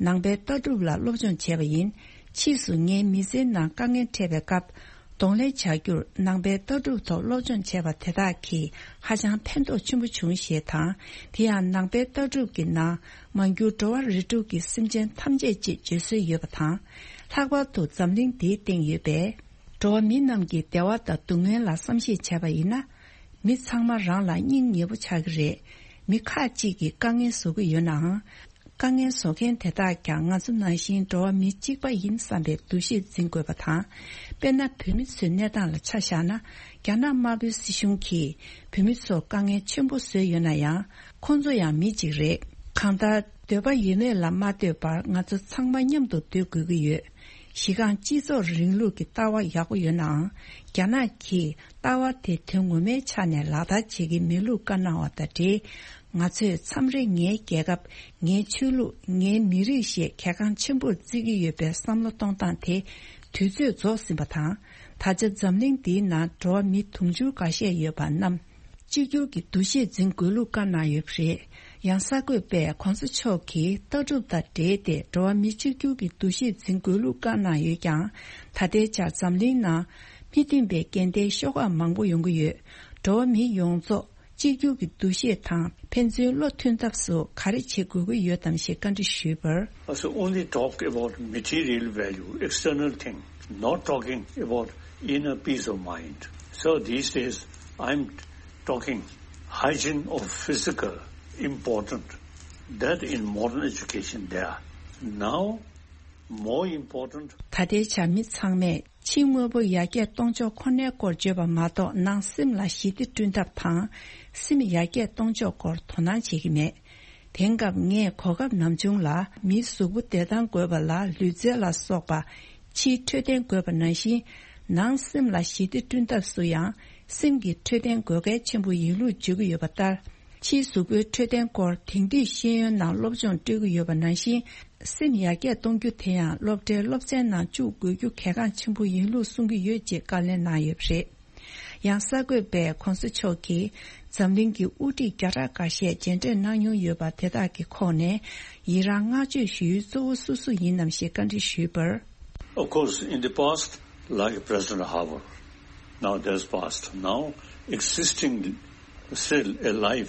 ནང་པའི་ལྟ་གྲུབ་ལ་སློབ་སྦྱོང་བྱས་པ་ཡིན། ཕྱིས་སུ་ངའི་མི་ཚེའི་ནང་དཀའ་ངལ་འཕྲད་པའི་སྐབས་གདོང་ལེན་བྱ་རྒྱུར་ནང་པའི་ལྟ་གྲུབ་ཐོག་སློབ་སྦྱོང་བྱས་པ་དེ་དག་གིས་ཧ་ཅང་ཕན་ཐོགས་ཆེན་པོ་བྱུང་ཞེས་དང་། དེ་ཡང་ནང་པའི་ལྟ་གྲུབ་ཀྱི་ནང་མ་གྱུར་འགྲོ་བ་རིགས་དྲུག་གི་སེམས་ཅན་ཐམས་ཅད་ཅེས་བརྗོད་སྲོལ་ཡོད་པ་དང་། ལྷག་པར་དུ་འཛམ་གླིང་འདིའི་སྟེང་ཡོད་པའི་འགྲོ་བ་མི་རྣམས་ཀྱི་བདེ་བ་དང་སྡུག་བསྔལ་ལ་བསམ་ཤེས་བྱས་པ་ཡིན་ན། མི་ཚང་མ་རང་ལ་སྙིང་ཉེ་པོ་ཆགས་ཀྱི་རེད། མི་ཁག་ཅིག་གིས་དཀའ་ངལ་བཟོ་གི་ཡོད་ནའང་། དཀའ་ངལ་བཟོ་མཁན་དེ་དག་ཀྱང་ང་ཚོ་ནང་བཞིན་འགྲོ་བ་མི་གཅིག་པ་ཡིན་བསམ་པའི་འདུ་ཤེས་འཛིན་དགོས་པ་དང་། དཔེར་ན་བོད་མི་ཚོའི་གནས་སྟངས་ལ་ཆ་བཞག་ན། རྒྱ་ནག་དམར་པོའི་སྲིད་གཞུང་གིས་བོད་མི་ཚོར་དཀའ་ངལ་ཆེན་པོ་བཟོས་ཡོད་ན་ཡང་། ཁོང་ཚོ་ཡང་མི་གཅིག་རེད། གང་ལྟར་འདོད་པ་ཡོད་མེད་ལ་མ་ལྟོས་པར་ང་ཚོ་ཚང་མ་མཉམ་དུ་སྡོད་དགོས་ཀྱི་ཡོད། གཞི་རྐང་སྤྱི་ཚོགས་རིང་ལུགས་ཀྱི་ལྟ་བ་ཡག་པོ་ཡོད་ནའང་། རྒྱ་ནག་གིས་ལྟ་བ་དེ་དོན་ངོ་མའི་ཆ་ནས་ལག་བསྟར་བྱེད་ཀྱི་མེད་ལུགས་བཀའ་གནང་བ་དང་འབྲེལ། ང་ཚོས་མཚམས་རེ་ངའི་རྒྱལ་ཁབ། ངའི་ཆོས་ལུགས། ངའི་མི་རིགས་ཞེས་གལ་འགངས་ཆེན་པོར་བརྩི་གི་ཡོད་པའི་བསམ་བློ་གཏོང་སྟངས་དེ་དུས་ཚོད་རྫོགས་ཟིན་པ་དང་། ད་ཆ་འཛམ་གླིང་འདིའི་ནང་འགྲོ་བ་མི་དུང་ཕྱུར་འགའ་ཤས་ཡོད་པ་རྣམས་གཅིག་གྱུར་གྱི་འདུ་ཤེས་འཛིན་དགོས་ལུགས་བཀའ་གནང་ཡོད་པ་རེད། ཡང་གསར་འགོད་པས་གོང་ས་མཆོག་གིས་ལྟ་གྲུབ་དང་འབྲེལ་ཏེ་འགྲོ་བ་མི་གཅིག་གྱུར་གྱི་འདུ་ཤེས་འཛིན་དགོས་ལུགས་བཀའ་གནང་ཡོད་ཀྱང་། ད་ལྟའི་ཆར་འཛམ་གླིང་ནང་མི་མཐུན་པའི་འགལ་ཟླའི་ཤོག་ཁག་མང་པོ་ཡོང་གི་ཡོད། འགྲོ་བ་མི་ཡོངས་རྫོགས་གཅིག་གྱུར་གྱི་འདུ་ཤེས་དང་ཕན་ཚུན་བློ་མཐུན་ཐབས་སུ་ག་རེ་བྱེད་དགོས་ཀྱི་ཡོད་དམ་ཞེས་བཀའ་འདྲི་ཞུས་པར། Also only talk about material value, external thing, not talking about inner peace of mind. So these days, I'm talking hygiene of physical important. That in modern education there. Now, more important. ད་ལྟའི་ཆར་མི་ཚང་མས་ཕྱི་དངོས་པོ་ཡར་རྒྱས་གཏོང་ཕྱོགས་ཁོ་ནའི་སྐོར་བརྗོད་པ་མ་གཏོགས་ནང་སེམས་ལ་ཞི་བདེ་བསྐྲུན་ཐབས་དང་། སེམས་ཡར་རྒྱས་གཏོང་ཕྱོགས་སྐོར་དོ་སྣང་བྱེད་ཀྱི་མེད། དེང་སྐབས་ངས་གོ་སྐབས་ནམ་བྱུང་ལ་མིའི་གཟུགས་པོ་བདེ་ཐང་དགོས་པ་ལ་ལུས་རྩལ་ལ་སོགས་པ་ཕྱིའི་འཕྲོད་བསྟེན་དགོས་པ་ནང་བཞིན། ནང་སེམས་ལ་ཞི་བདེ་བསྐྲུན་ཐབས་སུ་ཡང་སེམས་ཀྱི་འཕྲོད་བསྟེན་དགོས་གལ་ཆེན་པོ་ཡིན་ལུགས་བརྗོད་ཀྱི་ཡོད་པ་ལྟར། ཕྱིའི་གཟུགས་པོའི་འཕྲོད་བསྟེན་སྐོར་དེང་དུས་ཤེས་ཡོན་ནང་སློབ་སྦྱོང་སྤྲོད་ཀྱི་ཡོད་པ་ནང་བཞིན། སེམས་ཡར་རྒྱས་གཏོང་རྒྱུ་དེ་ཡང་སློབ་གྲྭའི་སློབ་ཚན་ནང་བཅུག་དགོས་རྒྱུ་གལ་འགངས་ཆེན་པོ་ཡིན་ལུགས་གསུང་གི་ཡོད་ཅེས་བཀའ་ལན་གནང་ཡོད་པ་རེད། ཡང་གསར་འགོད་པས་གོང་ས་མཆོག་གིས་འཛམ་གླིང་གི་དབུ་ཁྲིད་བརྒྱ་ཕྲག་འགའ་ཤས་མཇལ་འཕྲད་གནང་མྱོང་ཡོད་པ་དེ་དག་གི་ཁོངས་ནས་ཡི་རང་བསྔགས་བརྗོད་ཞུ་ཡུལ་གཙོ་བོ་སུ་སུ་ཡིན་ནམ་ཞེས་བཀའ་འདྲི་ཞུས་པར། Of course, in the past, like President Havel, now that's past. Now, existing, still alive,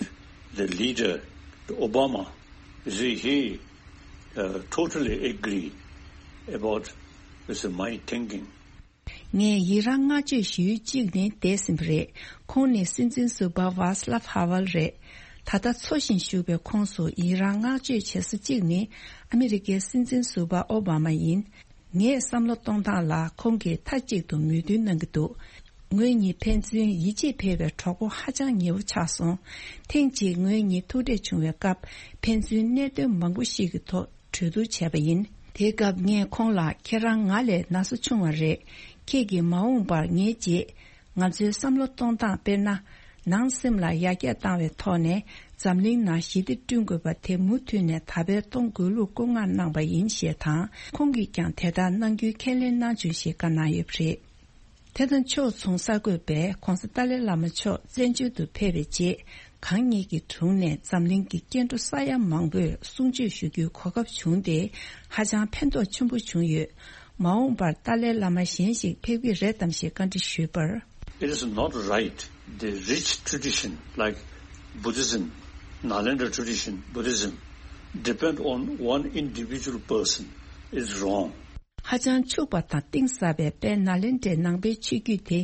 the leader, Obama, you see, he uh, totally agree about this, my thinking. ངས་ཡི་རང་བསྔགས་བརྗོད་ཞུ་ཡུལ་གཅིག་ནི་འདས་ཟིན་པ་རེད། ཁོང་ནི་སྲིད་འཛིན་ཟུར་པ་ཝཱ་སི་ལབ་ཧ་ཝལ་རེད། ད་ལྟ་འཚོ་ཞིང་བཞུགས་པའི་ཁོངས་སུ་ཡི་རང་བསྔགས་བརྗོད་བྱེད་ས་གཅིག་ནི་ཨ་མི་རི་ཀའི་སྲིད་འཛིན་ཟུར་པ་ཨོ་བྷ་མ་ཡིན། ངས་བསམ་བློ་གཏོང་སྟངས་ལ་ཁོང་གིས་མཐའ་གཅིག་ཏུ་མོས་མཐུན་གནང་གི་འདུག་ངོས་གཉིས་ཕན་ཚུན་ཡིད་ཆེས་འཕེར་བའི་གྲོགས་པོ་ཧ་ཅང་ཉེ་བོ་ཆགས་སོང་། ཐེངས་གཅིག་ངོས་གཉིས་ཐུག་འཕྲད་བྱུང་བའི་སྐབས་ཕན་ཚུན་གནད་དོན་མང་པོ་ཞིག་གི་ཐོག་གྲོས་བསྡུར་བྱས་པ་ཡིན། དེའི་སྐབས་ངས་ཁོང་ལ་ཁྱེད་རང་ང་ལས་ན་ཚོད་ཆུང་བ་རེད། ཁྱེད་ཀྱིས་མ་འོངས་པར་ངའི་རྗེས། ང་ཚོའི་བསམ་བློ་གཏོང་སྟངས་དཔེར་ན། ནང་སེམས་ལ་ཡར་རྒྱས་བཏང་བའི་ཐོག་ནས་འཛམ་གླིང་ནང་ཞི་བདེ་བསྐྲུན་དགོས་པ་དེ་མུ་མཐུད་ནས་དར་སྤེལ་གཏོང་དགོས་ལུགས་བཀོད་མངགས་གནང་བ་ཡིན་ཞེས་དང་། ཁོང་གིས་ཀྱང་དེ་ལྟར་གནང་རྒྱུའི་ཁས་ལེན་གནང་བྱུང་ཞེས་བཀའ་གནང་ཡོད་པ་རེད། དེ་དང་ཕྱོགས་མཚུངས་གསར་འགོད་པས་༧གོང་ས་ཏཱ་ལའི་བླ་མ་མཆོག་བཙན་བྱོལ་དུ་ཕེབས་པའི་རྗེས། གང་ཉིད་ཀྱི་དྲུང་ནས་འཛམ་གླིང་གི་སྐྱེ་འགྲོ་ས་ཡ་མང་པོས་གསུང་ཆོས་ཞུ་རྒྱུའི་གོ་སྐབས་བྱུང་སྟེ། ཧ་ཅང་ཕན་ཐོགས་ཆེན་པོ་བྱུང་ཡོད། མ་འོངས་པར་ཏཱ་ལའི་བླ་མ་གཞན་ཞིག་ཕེབས་ཀྱི་རེད་དམ་ཞེས་བཀའ་འདྲི་ཞུས་པར། It is not right. The rich tradition like Buddhism, Nalanda tradition, Buddhism, depend on one individual person is wrong. ཧ་ཅང་ཕྱུག་པ་དང་གཏིང་ཟབ་པའི་དཔལ་ནཱ་ལེནྡྲའི་ནང་པའི་ཆོས་བརྒྱུད་དེ།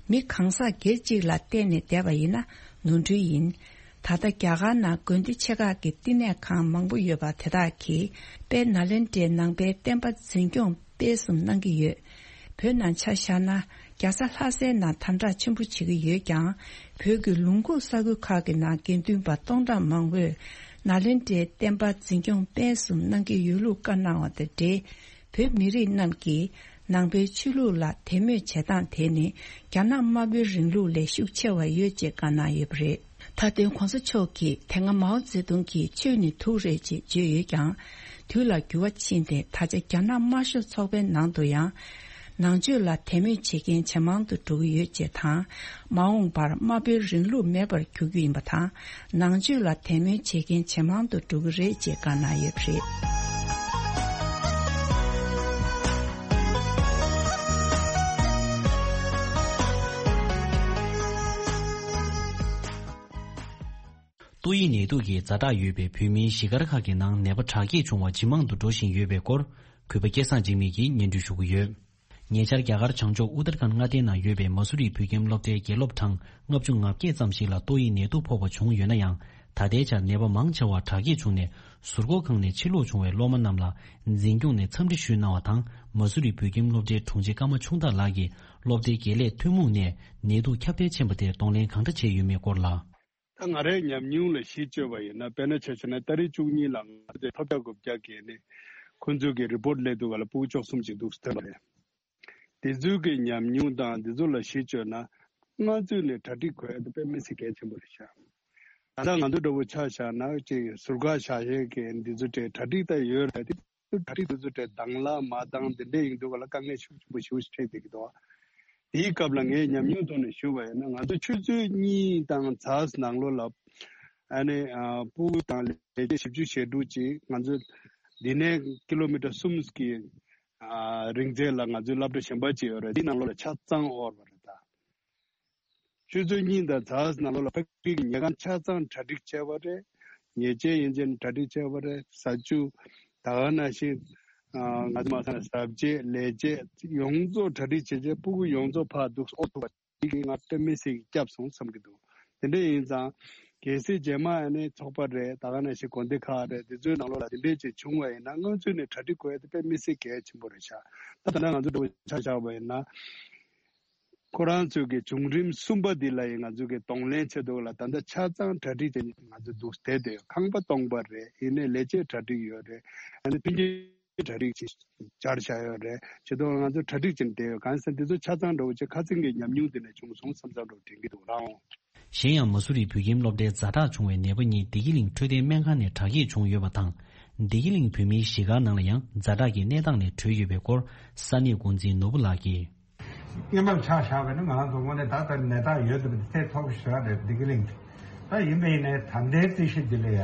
མི་གང་ཟག་སྒེར་གཅིག་ལ་བརྟེན་ནས་བསྡད་པ་ཡིན་ན་ནོར་འཁྲུལ་ཡིན། ད་ལྟ་རྒྱ་གར་ནང་དགོན་སྡེ་ཆེ་ཁག་གི་བསྟི་གནས་ཁང་མང་པོ་ཡོད་པ་དེ་དག་གིས་དཔལ་ནཱ་ལེནྡྲའི་ནང་པའི་བསྟན་པ་འཛིན་སྐྱོང་སྤེལ་གསུམ་གནང་གི་ཡོད། བོད་ནང་ཆ་བཞག་ན། རྒྱལ་ས་ལྷ་སའི་ནང་དམ་དྲག་ཆེན་པོ་བྱེད་ཀྱི་ཡོད་ཀྱང་། བོད་ཀྱི་ལུང་ཁུག་ས་ཁུལ་ཁག་གི་ནང་དགེ་འདུན་པ་སྟོང་ཕྲག་མང་པོས་ནཱ་ལེནྡྲའི་བསྟན་པ་འཛིན་སྐྱོང་སྤེལ་གསུམ་གནང་གི་ཡོད་ལུགས་བཀའ་གནང་བ་དང་འབྲེལ། བོད་མི་རིགས་རྣམས་ཀྱིས་ནང་པའི་ཆོས་ལུགས་ལ་དད་མོས་བྱེད་སྟངས་དེ་ནི་རྒྱ་ནག་དམར་པོའི་རིང་ལུགས་ལས་ཤུགས་ཆེ་བ་ཡོད་ཅེས་བཀའ་གནང་ཡོད་པ་རེད། མཐའ་དོན་གོང་ས་མཆོག་གིས་དེ་སྔ་མའོ་ཙེ་ཏུང་གིས་ཆོས་ནི་དུག་རེད་ཅེས་བརྗོད་ཡོད་ཀྱང་། དུས་ལ་འགྱུར་བ་ཕྱིན་ཏེ། ད་ཆ་རྒྱ་ནག་དམར་ཤོག་ཚོགས་པའི་ནང་དུ་ཡང་། ནང་ཆོས་ལ་དད་མོས་བྱེད་མཁན་ཇེ་མང་དུ་འགྲོ་གི་ཡོད་ཅེས་དང་། མ་འོངས་པར་དམར་པོའི་རིང་ལུགས་མེད་པར་འགྱུར་རྒྱུ་ཡིན་པ་དང་། ནང་ཆོས་ལ་དད་མོས་བྱེད་མཁན་ཇེ་མང་དུ་འགྲོ་གི་རེད་ཅེས་བཀའ་གནང་ཡོད་པ་རེད། ཏོག་དབྱིབས་ནད་དུག་གི་ཛ་དྲག་ཡོད་པའི་བོད་མིའི་གཞིས་སྒར་ཁག་གི་ནང་ནད་པ་དྲག་སྐྱེད་བྱུང་བ་ཇེ་མང་དུ་འགྲོ་བཞིན་ཡོད་པའི་སྐོར། གུས་པ་སྐལ་བཟང་འཇིགས་མེད་ཀྱིས་སྙན་སྒྲོན་ཞུ་གི་ཡོད། ཉེ་ཆར་རྒྱ་གར་བྱང་ཕྱོགས་ཨུ་ཏར་ཁཱན་མངའ་སྡེའི་ནང་ཡོད་པའི་མ་སུ་རི་བོད་ཁྱིམ་སློབ་གྲྭའི་དགེ་སློབ་གྲངས་ལྔ་བཅུ་ང་བརྒྱད་ཙམ་ཞིག་ལ་ཏོག་དབྱིབས་ནད་དུག་ཕོག་པ་བྱུང་ཡོད་ན་ཡང་། ད་ལྟའི་ཆར་ནད་པ་མང་ཆེ་བ་དྲག་སྐྱེད་བྱུང་ནས། ཟུར་འཁོར་ཁང་ནས་ཕྱིར་ལོག་བྱུང་བའི་སློབ་མ་རྣམས་ལ་འཛིན་སྐྱོང་ནས་འཚམས་འདྲི་ཞུས་གནང་བ་དང་། མ་སུ་རི་བོད་ཁྱིམ་སློབ་གྲྭའི་དྲུང་ཆེ་ཀརྨ་ཆུང་བདག་ལགས་ཀྱིས་སློབ་གྲྭའི་དགེ་ལས་ཐུན་མོང་ནས་ནད་དུག་ཁྱབ་གདལ་ཕྱིན་པ་དེར་གདོང་ལེན་གང་འདྲ་བྱས་ཡོད་མེད་སྐོར་ལ། ད་ང་རའི་ཉམས་མྱོང་ལ་གཞི་བཅོལ་བ་ཡིན་ན། དཔེར་ན་ཆ་བཞག་ན་ཏ་རིག་བཅུ་གཉིས་ལ་ང་ཚོས་ཐོབ་ཆ་དགུ་བརྒྱ་བརྒལ་ནས་ཁོང་ཚོས་ཀྱི་རི་པོར་ཊི་སླེབས་དུས་སྒང་ལ་སྤུ་གུ་བཅུ་གསུམ་ཅིག་འདུག་ཐོན་པ་རེད། དེ་ཚོའི་གི་ཉམས་མྱོང་དང་དེ་ཚོ་ལ་གཞི་བཅོལ་ན། སྔ་ཚོད་ནས་གྲ་སྒྲིག་དགོས་ཡ་དེ་དཔེ་མི་སྲིད་གལ་ཆེན་པོ་རེད་ཤག་ད་ལྟ་ང་ཚོ་འདྲ་བོ་ཆ་བཞག་ན་ཅིག་ཟུར་བཀག་བཞག་ཡས་ཀྱི་འདི་ཚོ་དེ་གྲ་སྒྲིག་ད་ཡོད་རེད་དེ། གྲ་སྒྲིག་དེ་ཚོ་དེ་དང་བླངས་མ་བཏང་དེ་འདྲས་ཡིན་དུས་སྒང་ལ་དཀའ་ངལ་ཤུགས་ཆེན་པོ་ཞེ་པོ་ཞིག་འཕྲད་བསྡད་ཀྱི་འདུག་དེའི་སྐབས་ལ་ངས་ཉམས་མྱོང་ཐོག་ནས་ཞུ་བ་ཡིན་ན། ང་ཚོ་ཆུ་ཚོད་གཉིས་དང་ཚ་ནང་ལོགས་ལ་ཨ་ནི་ཨ་སྤུ་གུ་དང་ལས་བྱེད་བཞི་བཅུ་ཞེ་དྲུག་ཅིག་ང་ཚོ་འདི་ནས་ཀི་ལོ་མི་ཊར་གསུམ་གྱི་ཨ་རིང་ཚད་ལ་ང་ཚོའི་སློབ་གྲྭ་གཞན་པ་ཅིག་ཡོད་རེད། འདི་ནང་ལོགས་ལ་ཆ་ཚང་དབོར་བ་རེད་ད། ཆུ་ཚོད་གཉིས་དང་ཚ་ནང་ལོགས་ལ་ཕ་གི་གི་ཉལ་ཁང་ཆ་ཚང་གྲ་སྒྲིག་བྱས་པ་རེད། ཉལ་ཆས་ཡན་ཆད་གྲ་སྒྲིག་བྱས་པ་རེད། ཟ་རྒྱུ་ད་ག་ནང་བཞིན་ཨ་ང་ཚོ་མ་ཟ་ན་ཟ་བྱེད་ལས་བྱེད་ཡོངས་རྫོགས་གྲ་སྒྲིག་བྱས་རྗེས་སྤུ་གུ་ཡོངས་རྫོགས་ཕར་འདུག་ཨོ་ཐུག་པ་དེ་གི་ང་དཔེ་མི་སྲིད་སྐྱབས་སོང་བསམ་གྱི་འདུག་དེ་འདྲ་ཡིན་ཙང་གལ་སྲིད་རྗེས་མ་ཨ་ནི་ཚོགས་པ་རེད། ད་ག་ནང་བཞིན་དགོན་སྡེ་ཁག་རེད། དེ་ཚོའི་ནང་ལོགས་ལ་དེ་འདྲས་ཅིག་བྱུང་བ་ཡིན་ན་སྔོན་ཚུད་ནས་གྲ་སྒྲིག་དགོས་ཡ་དེ་དཔེ་མི་སྲིད་གལ་ཆེན་པོ་རེད་ཤག་ད་ད་ལྟ་ང་ཚོ་འདྲ་བོ་ཆ་བཞག་པ་ཡིན་ན། ཁོ་རང་ཚོའི་གི་བྱུང་རིམ་གསུམ་པ་འདི་ལ་ཡང་ང་ཚོས་གི་གདོང་ལེན་བྱེད་དུས་ལ་ད་ལྟ་ཆ་ཚང་གྲ་སྒྲིག་བྱས་ནས་ང་ཚོ་འདུག་བསྡད་དེ། ཁང་པ་སྟོང་པ་རེད། ཡིན་ནའི་ལས་བྱེད་གྲ་སྒྲིག་ཡོད་རེད། ཨ་ནི་མཐུན་རྐྱེན་གྲ་སྒྲིག་ཅིག་སྦྱར་བཞག་ཡོད་རེད། བྱེད་དུས་ང་ཚོ་གྲ་སྒྲིག་བྱས་ནས་བསྡད་ཡོད། གང་ཟེར་ན་འདི་ཚོ་ཆ་ཚང་འདྲ་བོ་ཅིག་ཁ་སང་གི་ཉམས་མྱོང་འདི་ནས་བྱུང་སོང་བསམ་བསམ་འདྲ་བོ་དྲན་གྱི་འདུག་རང་། གཞན་ཡང་མ་སུ་རི་བོད་ཁྱིམ་སློབ་གྲྭའི་ཛ་དྲག་བྱུང་བའི་ནད་པ་གཉིས་བདེ་སྐྱིད་གླིང་འཕྲོད་བསྟེན་སྨན་ཁང་ནས་དྲག་སྐྱེད་བྱུང་ཡོད་པ་དང་། བདེ་སྐྱིད་གླིང་བོད་མིའི་གཞིས་སྒར་ནང་ལ་ཡང་ཛ་དྲག་གི་གནས་སྟངས་ནས་གྲོལ་ཡོད་པའི་སྐོར་ས་གནས་འགོ་འཛིན་ནོར་བུ་ལགས་ཀྱིས། སྔོན་མ་ཆ་བཞག་པ་ཡིན་ན་ང་རང་ཚོ་དངོས་གནས་ད་ལྟ་ནད་རྟགས་ཡོད་བསྡད་པ་དེ་ཐད་མཐོ་པོ་ཞེ་དྲག་རེད། བདེ་སྐྱིད་གླིང་དེ། ད་ཡིན་པ་ཡིན་ནའི་ད་ལྟའི་རྩིས་གཞི་འདི་ལ་ཡ་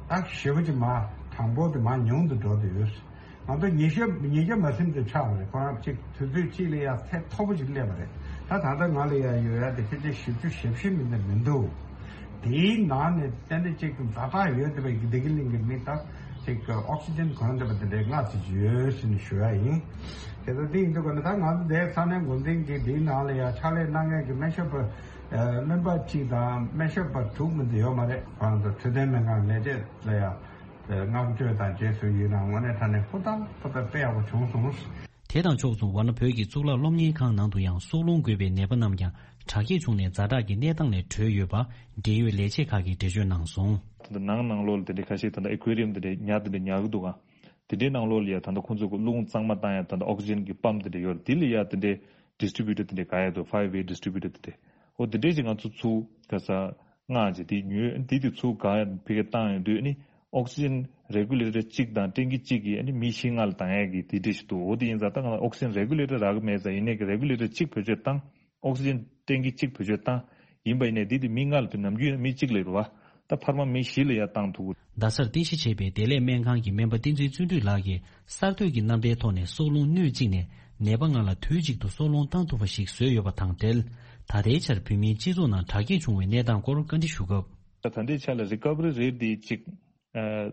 ད་ཞེ་པོ་ཅིག་མར་གྲངས་འབོར་དེ་མར་ཉུང་དུ་འགྲོ་བསྡད་ཡོད། ང་ཚོ་ཉིས་བརྒྱ་ཉིས་བརྒྱ་མ་ཟིན་དུ་ཆགས་པ་རེད། ཁོ་རང་གཅིག་དུས་ཚོད་གཅིག་ལ་ཡ་ཚད་མཐོ་པོ་ཅིག་སླེབས་པ་རེད། ད་ད་ལྟ་ང་ལ་ཡ་ཡོད་ཡ་དེ་ཕལ་ཆེར་བཞི་བཅུ་ཞེ་བཞི་མིན་ན་མི་འདུག་དེའི་ནང་ནས་ཏན་ཏན་གཅིག་ཛ་དྲག་ཡོད་བསྡད་པའི་བདེ་སྐྱིད་གླིང་གི་མི་ད་གཅིག་ཨོག་སི་ཇན་གོན་བསྡད་པ་དེ་འདྲའི་ལྔ་ཙམ་ཅིག་ཡོད་ཟེར་ནས་ཞུ་ཡ་ཡིན། དེ་ཚོ་འདི་ཡིན་དུས་ཀ་ནི་ད་ང་ཚོ་འདིའི་ས་གནས་འགོ་འཛིན་གྱིས་འདིའི་ནང་ལ་ཡ་ཕྱག་ལས་གནང་མཁན་གྱི་སྨན་ཞབས་པ་སྨན་པ་གཅིག་དང་སྨན་ཞབས་པ་དྲུག་མིན་དུ་ཡོད་མ་རེད། ཁོ་རང་ཚོ་འཕྲོད་བསྟེན་སྨན་ཁང་ལས་བྱེད་ལ་ཡ་བསྔགས་བརྗོད་དང་རྗེས་སུ་ཡི་རང་དངོས་གནས་དྲང་གནས་ཧུར་ཐག་ཧུར་ཐག་དཔེ་ཡག་པོ་བྱུང་སོང་། དེ་དང་ཕྱོགས་མཚུངས་ཝཱ་ཎ་བོད་ཀྱི་གཙུག་ལག་སློབ་གཉེར་ཁང་ནང་དུ་ཡང་སྲོག་རླུང་རྒོད་པའི་ནད་པ་རྣམས་ཀྱང་དྲག་སྐྱེད་བྱུང་ནས་ཛ་དྲག་གི་གནས་སྟངས་ལས་གྲོལ་ཡོད་པ་འབྲེལ་ཡོད་ལས་བྱེད་ཁག་གིས་འགྲེལ་བརྗོད་གནང་སོང་། ད་ནང་ནང་ལོགས་ལ་དེ་འདྲའི་ཁ་ཤས་ད་ལྟ་ཨེ་ཁུ་ཨེ་རི་ཡམ་དེ་འདྲའི་ཉ་དེ་འདྲའི་ཉར་གི་འདུག་ག་དེ་འདྲའི་ནང་ལོགས་ལ་ཡ་ད་ལྟ་ཁོང་ཚོ་གི་རླུང་གཙང་མ་བཏང་ཡ་ད་ལྟ་ཨོག་སི་ཇན་གྱི་པམ་དེ་འདྲ་ཡོད་རེད། དེ་ལ་ཡ་དེ་འདྲའི་ཌིས་ཊི་རི་བྷིའུ་ཊར་དེ་འདྲའི་ག་ཡ་འདུག་ཕའི་ཝེ་ཌིས་ཊི་རི་བྷིའུ་ཊར་དེ་འདྲའི། འོ་དེ་འདྲའི་ཅིག་ང་ཚོ་ཚུར་ག་ས་མངགས་བྱས་དེ་ཉོས་དེ་དེ་ཚུར་ག་ཡ་ཕ་གིར་བཏང་ཡོང་དུས་ནི་ ཨོག་སི་ཇན་རེ་གུ་ལེ་ཊར་གཅིག་དང་ཊེང་ཀི་གཅིག་གིས་ཨ་ནི་མི་བཞི་ལྔ་ལ་བཏང་ཡས་ཀྱི་དེ་འདྲ་ཞིག་འདུག་འོ་དེ་ཡིན་ཙང་ད་ང་ལ་ཨོག་སི་ཇན་རེ་གུ་ལེ་ཊར་རག་གི་མེད་ཙང་ཡིན་ནའི་གི་རེ་གུ་ལེ་ཊར་གཅིག་བེད་སྤྱོད་བཏང་། ཨོག་སི་ཇན་ཊེང་ཀི་གཅིག་བེད་སྤྱོད་བཏང་། ཡིན་པ་ཡིན་ནའི་འདི་དེ་མི་ལྔ་ལ་བེད་ནམ་རྒྱུན་ཡང་མི་གཅིག་ལ་རེད་བ། ད་འཕར་མ་མི་བཞི་ལ་ཡར་བཏང་ཐུབ། རྡ་སར་རྟེན་གཞི་བྱས་པའི་བདེ་ལེགས་སྨན་ཁང་གི་སྨན་པ་བསྟན་འཛིན་བརྩོན་འགྲུས་ལགས་ཀྱིས་གསར་གཏོད་ཀྱི་རྣམ་པའི་ཐོག་ནས་སྲོག་རླུང་སྣོད་བཅིངས་ནས་ནད་པ་ལྔ་ལ་དུས་གཅིག་ཏུ་སྲོག་རླུང་བཏང་ཐུབ་པ་ཞིག་བཟོས་ཡོད་པ་དང་འབྲེལ། ད་ལྟའི་ཆར་བོད་མིའི་སྤྱི་ཚོགས་ནང་དྲག་སྐྱེད་བྱུང་བའི་གནས་སྟངས་སྐོར་བཀའ་འདྲི་ཞུ་སྐབས། ད་ལྟའི་ཆ་ལ་རི་ཀ་བ་རི་རེ་ཊི་འདི་གཅིག་ཨ།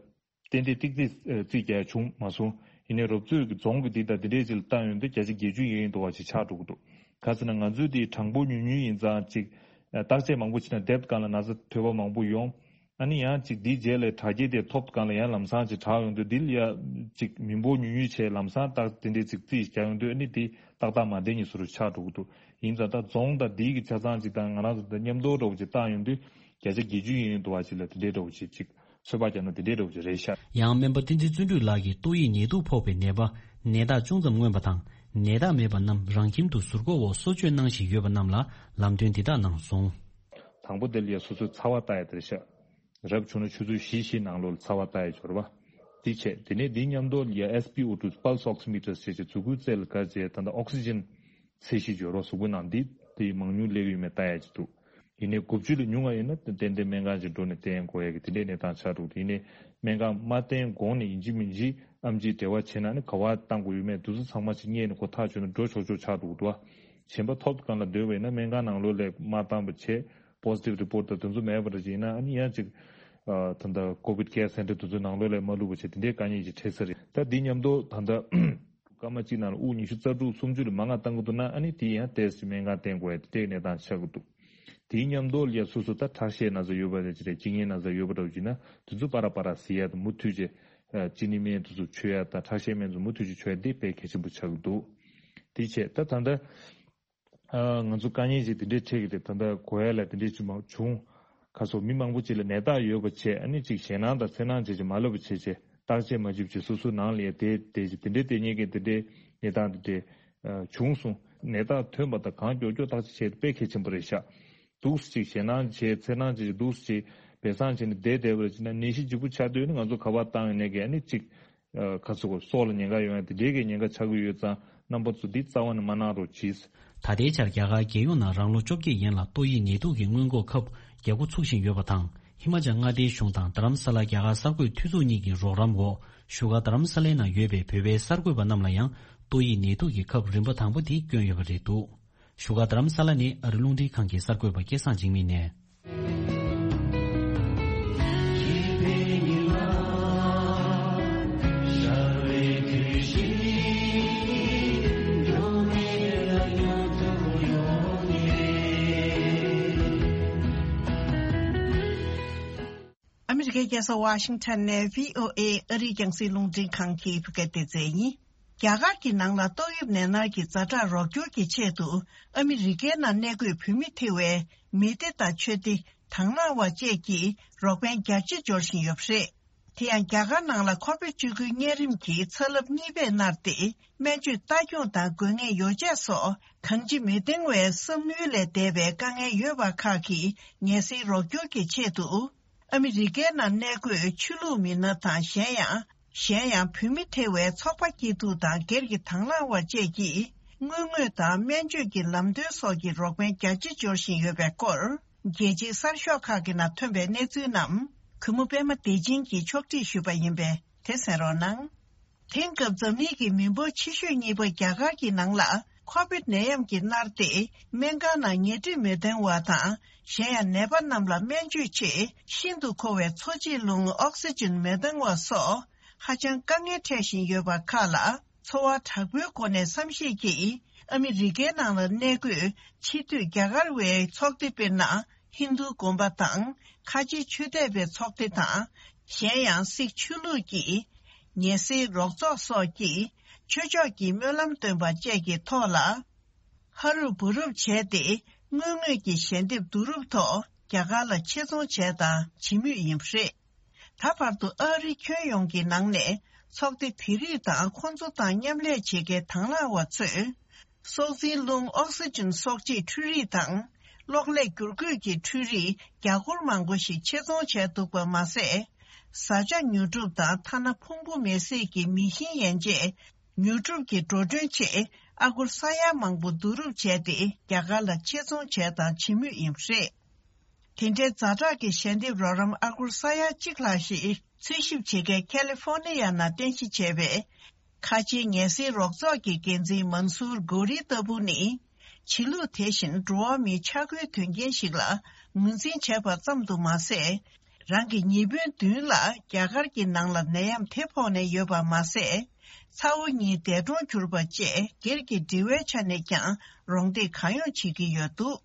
ཏན་ཏན་ཏིག་ཏིག་ཨ། རྩིས་རྒྱག་བྱུང་མ་སོང་། ཡིན་ནའི་རོབ་ཙོག་གི་རྫོང་གི་འདི་དང་འདི་འདྲའི་ཅིག་ལ་བཏང་ཡོང་དུས་བརྒྱ་ཆ་བརྒྱད་ཅུ་ཡན་ཡོད་འདུག་བ་ཅིག་ཆགས་འགྲོ་གི་འདུག་ག་ཟེར་ན་ང་ཚོའི་འདི་གྲངས་འབོར་ཉུང་ཉུང་ཡིན་ཙང་ཅིག་ཨ། བརྟག་དཔྱད་མང་པོ་བྱས་ན་བདེ་པོ་སྒང་ལ་ན་ཚ་དོད་པ་མང་པོ་ཡོང་། ཨ་ནི་ཡང་ཅིག་འདིའི་རྗེས་ལ་དྲག་སྐྱེད་དེ་ཐོབ་སྒང་ལ་ཡང་ལམ་སང་ཅིག་དྲག་ཡོང་དུས་འདི་ལ་ཡ་ཅིག་མི་འབོར་ཉུང་ཉུང་བྱས་ལམ་སང་བརྟག་དེ་འདྲའི་ཅིག་རྩིས་རྒྱག་ཡོང་དུས་ཨ་ནི་འདི་ཏག་ཏག་མ་བསྡད་ནི་བཟོ་འདྲ་ཆགས་འགྲོ་གི་འདུག་ཡིན་ཙང་ད་རྫོང་དང་འདི་གི་ཆ་ཚང་ཅིག་དང་ང་རང་ཚོ་ད་མཉམ་དུ་འདྲ་བོ་ཅིག་བཏང་ཡོང་དུས་བརྒྱ་ཆ་བརྒྱད་ཅུ་ཡན་ཡོད་འདུག་བ་ཅིག་ལ་དེ་འདྲའི་འདྲ་བོ་ཅིག་ཅིག་ཚོད་དཔག་བརྒྱབ་ན་དེ་འདྲའི་འདྲ་བོ་ཅིག་རེད་ཤག་ཡང་སྨན་པ་བསྟན་འཛིན་བརྩོན་འགྲུས་ལགས་ཀྱིས་ཏོག་དབྱིབས་ནད་དུག་ཕོག་པའི་ནད་པ་ནད་རྟགས་ཅུང་ཙམ་མངོན་པ་དང་ནད་རྟགས་མེད་པ་རྣམས་རང་ཁྱིམ་དུ་ཟུར་བཀག་འོག་གསོ་བཅོས་གནང་བཞིན་ཡོད་པ་རྣམས་ལ་ལམ་སྟོན་འདི་དག་གནང་སོང་། དང་པོ་དེ་ལ་ཡ་སོ་སོའི་ཚ་བ་ལྟ་ཡ་དེ་རེད་ཤག་རབ་བྱུང་ན་ཆུ་ཚོད་བཞི་བཞི་ནང་ལོགས་ལ་ཚ་བ་ལྟ་ཡ་སྦྱོར་བ། དེ་བྱས་དེ་ནས་འདིའི་མཉམ་དུ་ལ་ཡ་ཨེས་པི་ཨོ་ཊུ་pulse oximeters བྱས་བྱས་མཛུབ་གུའི་རྩེ་ལ་བཀལ་བྱས་ད་ལྟ་ཨོག་སི་ཇན་ཚད་གཞི་སྦྱོར་བ་གཟུགས་པོའི་ནང་འདི་དེ་མང་ཉུང་སླེབས་ཡོད་མེད་ལྟ་ཡ་ཅིག་འདུག་ཡིན་ནའི་དགུ་བཅུ་ལས་ཉུང་བ་ཡིན་ན་ཏན་ཏན་སྨན་ཁང་ཅིག་འགྲོ་ནས་བསྟེན་དགོས་ཡ་གི་དེ་འདྲའི་གནས་སྟངས་ཆགས་འདུག་ཡིན་ནའི་སྨན་ཁང་མ་བསྟེན་གོང་ནས་ཡིན་གཅིག་མིན་གཅིག་ཨེམ་ཆིས་འབྲེལ་བ་བྱས་ན་ནི་ག་པར་བཏང་དགོས་ཡོད་མེད་དེ་ཚོ་ཚང་མ་ཅིག་རྙེད་ནས་གོ་ཐག་ཆོད་ན་འགྲོ་ཆོག་ཆོག་ཆགས་འདུག་འདུག་བ། གཞན་པ་ཐོབ་སྒང་ལ་སྡོད་པ་ཡིན་ན་སྨན་ཁང་ནང་ལོགས་ལ་མ་བཏང་བ་བྱས་positive report དང་དེ་ཚོ་མེད་པ་འདྲ་ཅིག་ཡིན་ན་ཨ་ནི་ཡང་ཅིག་ཨ། ད་ལྟ་COVID care center དེ་ཚོའི་ནང་ལོགས་ལ་མ་བླུགས་པ་བྱས་དེ་འདྲའི་དཀའ་ངལ་ཅིག་འཕྲད་ས་རེད། ད་འདི་མཉམ་དུ་ད་ལྟ་སྐར་མ་གཅིག་ནང་ལ་དབུགས་ཉི་ཤུ་རྩ་དྲུག་སུམ་ཅུ་ལས་མང་བ་བཏང་གི་འདུག་ན་ཨ་ནི་དེ་ཡང་ཏོག་ཙམ་སྨན་ཁང་བསྟེན་དགོས་ཡ་དེ་འདྲའི་གནས་སྟངས་ཆགས་ཀྱི་འདུག་དེའི་མཉམ་དུ་ལ་ཡ་སོ་སོ་ད་ཁྲག་ཤེད་ན་ཚ་ཡོད་པ་རེད་ཅི་རེད་གཅིན་སྙི་ན་ཚ་ཡོད་པ་འདྲ་བོ་ཅིག་ན་དེ་ཚོ་པར་པར་ཟེར་ཡ་དང་མུ་མཐུད་བྱས་གཅིན་སྙི་སྨན་དེ་ཚོ་མཆོད་ཡ་དང་ཁྲག་ཤེད་སྨན་ཚོ་མུ་མཐུད་བྱས་མཆོད་ཡ་འདི་དཔེ་གལ་ཆེན་པོ་ཆགས་ཀྱི་འདུག་དེ་བྱས་ད་ད་ལྟ་ང་ཚོ་དཀའ་ངལ་ཅིག་དེ་འདྲའི་འཕྲད་ཀྱི་རེད། ད་ལྟ་གོ་ཡ་ལ་དེ་འདྲའི་ཅིག་མ་བྱུང་། ཁ་སོ་མི་མང་པོ་ཅིག་ལ་ནད་རྟགས་ཡོད་པ་བྱས་ཨ་ནི་ཅིག་ཞེད་སྣང་དང་འཚེར་སྣང་བྱས་ཅིག་མ་ལབ་པ་བྱས་བྱས་བརྟག་དཔྱད་མ་བྱེད་བྱས་སོ་སོ་ནང་ལ་ཡ་དེ་དེ་ཅིག་དེ་འདྲའི་དེ་ཉེས་ཀྱི་དེ་འདྲའི་གནས་སྟངས་དེ་འདྲའི་བྱུང་སོང་། ནད་རྟགས་ཐོན་པ་དང་གང་མགྱོགས་མགྱོགས་བརྟག་དཔྱད་བྱས་དཔེ་གལ་ཆེན་པོ་རེད་ཤག་འདུག་སེ་ཅིག་ཞེད་སྣང་བྱས་འཚེར་སྣང་བྱས་ཅིག་འདུག་སེ་ཅིག་སྦས་གསང་བྱས་ནས་བསྡད་བསྡད་པ་རེད་ཅེ་ན་ནད་གཞི་ལྗིད་པོ་ཆགས་དུས་ནི་ང་ཚོ་ག་པར་བཏང་ཡོད་ནས་ཀྱི་ཨ་ནི་ཅིག་ཁ་ཚུགས་སྲོག་ལ་ཉེན་ཁ་ཡོང་ཡ་དེ་འདྲའི་གི་ཉེན་ཁ་ཆགས་ཀྱི་ཡོད་ཙང་རྣམ་པ་ཚོ་འདི་རྩ་བ་ནས་མ་གནང་རོགས་གྱིས། ད་ལྟའི་ཆར་རྒྱ་གར་རྒྱལ་ཡོངས་ནང་རང་ལོ་བཅོ་བརྒྱད་ཡན་ལ་ཏོག་དབྱིབས་ནད་དུག་གི་སྔོན་འགོག་ཁབ་བརྒྱ་དགུ་ཚུགས་བཞིན་ཡོད་པ་དང་། ཧི་མ་ཅལ་མངའ་སྡེའི་གཞུང་དང་རྡ་རམ་ས་ལ་རྒྱ་གར་གསར་འགོད་འཐུས་ཚོགས་གཉིས་ཀྱི་རོགས་རམ་འོག་བཞུགས་སྒར་རྡ་རམ་ས་ལའི་ནང་ཡོད་པའི་བོད་པའི་གསར་འགོད་པ་རྣམས་ལ་ཡང་ཏོག་དབྱིབས་ནད་དུག་གི་ཁབ་རིམ་པ་དང་པོ་དེ་བསྐྱོན་ཡོད་པ་རེད་འདུག་བཞུགས་སྒར་རྡ་རམ་ས་ལ་ནས་ཨ་རི་རླུང་འཕྲིན་ཁང་གི་གསར་འགོད་པ་སྐལ་བཟང་འཇིགས་མེད་ནས། ཨ་མི་རི་ཀའི་རྒྱལ་ས་ཝ་ཤིང་ཊོན་ནས་བྷི་ཨོ་ཨེ་ཨ་རིའི་རྒྱང་སྲིང་རླུང་འཕྲིན་ཁང་གི་བོད་སྐད་སྡེ་ཚན་ཡིན། རྒྱ་གར་གྱི་ནང་ལ་ཏོག་དབྱིབས་ནད་མནར་གྱི་ཛ་དྲག་རོགས་སྐྱོར་གྱི་ཆེད་དུ་ཨ་མི་རི་ཀའི་ནང་གནས་འཁོད་བོད་མི་ཐེ་བའི་མི་སྡེ་དང་ཆོས་སྡེ། དང་བླངས་པ་བཅས་ཀྱིས་རོགས་ཕན་རྒྱ་ཆེ་འབྱོར་བཞིན་ཡོད་པ་རེད། དེ་ཡང་རྒྱ་གར་ནང་ལ་ཁོ་བིད་བཅུ་དགུ་གཉན་རིམས་ཀྱི་ཚ་རླབས་གཉིས་པས་མནར་ཏེ་སྨན་བཅོས་ལྟ་སྐྱོང་དང་དགོས་ངེས་ཡོ་བྱད་སོགས་གང་ཅི་མི་འདང་བའི་བསམ་ནུས་ལས་འདས་པའི་དཀའ་ངལ་ཡོད་པ་ཁག་གི་ངལ་སེལ་རོགས་སྐྱོར་གྱི་ཆེད་དུ། ཨ་མི་རི་ཀའི་ནང་གནས་འཁོད་ཆོས་ལུགས་མི་སྣ་དང་གཞན་ཡང་། གཞན་ཡང་བོད་མི་ཐེ་བའི་ཚོགས་པ་སྐྱིད་སྡུག་དང་སྒེར་གྱི་དང་བླངས་པ་བཅས་ཀྱིས་དངུལ་དངོས་དང་སྨན་བཅོས་ཀྱི་ལམ་སྟོན་སོགས་ཀྱི་རོགས་ཕན་རྒྱ་ཆེ་འབྱོར་བཞིན་ཡོད་པའི་སྐོར། རྒྱལ་སྤྱིའི་གསར་ཤོག་ཁག་གི་ནང་ཐོན་པའི་གནས་ཚུལ་རྣམས་གུས་མོ་པད་མ་བདེ་ཆེན་གྱིས་ཕྱོགས་སྒྲིག་ཞུས་པ་ཡིན་པས་དེ་གསན་རོགས་གནང་། དེང་སྐབས་འཛམ་གླིང་གི་མི་འབོར་ཆེ་ཤོས་གཉིས་པ་རྒྱ་གར་གྱི་ནང་ལ་ཁོ་བིད་ནད་ཡམས་ཀྱིས་མནར་ཏེ་སྨན་ཁང་ནང་ཉལ་ཁྲི་མི་འདང་བ་དང་གཞན་ཡང་ནད་པ་རྣམས་ལ་སྨན་བཅོས་ཆེད་ཤིན་ཏུ་མཁོ་བའི་འཚོ་བྱེད་རླུང་ཨོག་སི་ཅིན་མི་འདང་བ་སོགས་ཧ་ཅང་དཀའ་ངལ་འཕྲད་བཞིན་ཡོད་པ་ཁག་ལ་འཚོ་བ་དྲག་པོའི་སྒོ་ནས་བསམ་ཤེས་ཀྱིས་ཨ་མི་རི་ཀའི་ནང་ལ་གནས་འཁོད་ཕྱི་སྡོད་རྒྱ་གར་བའི་ཚོགས་སྡེ་དཔེར་ན། ཧིན་རྡུ་དགོན་པ་དང་ཁ་ཆེ་ཆོས་དད་པའི་ཚོགས་སྡེ་དང་། གཞན་ཡང་སིག་ཆོས་ལུགས་ཀྱི་ངལ་སེལ་རོགས་ཚོགས་སོགས་ཀྱིས་ཆོས་ཕྱོགས་ཀྱི་སྨོན་ལམ་འདོན་པ་བཅས་ཀྱི་ཐོག་ལ་ཧ་རུབ་བུ་རུབ་བྱས་ཏེ་དངུལ་དངོས་ཀྱི་ཞལ་འདེབས་བསྡུ་རུབ་ཐོག་རྒྱ་གར་ལ་ཆེད་ཚོང་བྱས་དང་བྱེད་མུས་ཡིན་པ་རེད། ད་བར་དུ་ཨ་རི་ཁྱོན་ཡོངས་ཀྱི་ནང་ནས་ཚོགས་སྡེ་དེ་རིགས་དང་ཁོང་ཚོ་དང་མཉམ་ལས་བྱེད་མཁན་དང་བླངས་པ་ཚོས། སྲོག་འཛིན་རླུང་ཨོག་སི་ཅིན་གསོག་བྱེད་འཕྲུལ་རིགས་དང་། གློག་ཀླད་བསྒྱུར་བཀོད་ཀྱི་འཕྲུལ་རིགས་རྒྱ་སྒོར་མང་པོ་ཞིག་ཆེད་ཚོང་བྱས་འདུག་པ་མ་ཟད། བཟའ་བཅའ་ཉོ་སྒྲུབ་དང་ཐ་ན་ཕུང་པོ་མེ་བསྲེགས་ཀྱི་མེ་ཤིང་ཡན་ཆད་ཉོ་སྒྲུབ་ཀྱི་འགྲོ་གྲོན་ཆེད་ཨ་སྒོར་ས་ཡ་མང་པོ་བསྡུ་རུབ་བྱས་ཏེ་རྒྱ་གར་ལ་ཆེད་ཚོང་བྱས་དང་བྱེད་མུས་ཡིན་པ་རེད། དེ་འདྲའི་ཛ་དྲག་གི་ཞལ་འདེབས་རོགས་རམ་ཨ་སྒོར་ས་ཡ་གཅིག་ལྷག་ཞིག་འཚོལ་ཞིབ་བྱེད་མཁན་ཁ་ལི་ཧྥོ་ནི་ཡ་ནང་རྟེན་གཞི་བྱས་པའི་ཁ་ཆེའི་ངལ་སེལ་རོགས་ཚོགས་ཀྱི་འགན་འཛིན་མན་སུར་གོ་རི་ལྟ་བུ་ནི། བྱེད་ལུགས་དེ་བཞིན་འགྲོ་བ་མིའི་ཆག་སྒོའི་དོན་རྐྱེན་ཞིག་ལ་ངོས་འཛིན་བྱས་པ་ཙམ་དུ་མ་ཟད། རང་གི་ཉེ་སྤུན་བདུན་ལ་རྒྱ་གར་གྱི་ནང་ལ་ནད་ཡམས་དེ་ཕོག་ནས་ཡོད་པ་མ་ཟད། ཚ་བོ་གཉིས་འདས་གྲོངས་གྱུར་པ་བཅས་སྒེར་གྱི་འབྲེལ་བའི་ཆ་ནས་ཀྱང་རོགས་འདེགས་གང་ཡོང་བྱེད་ཀྱི་ཡོད་འདུག་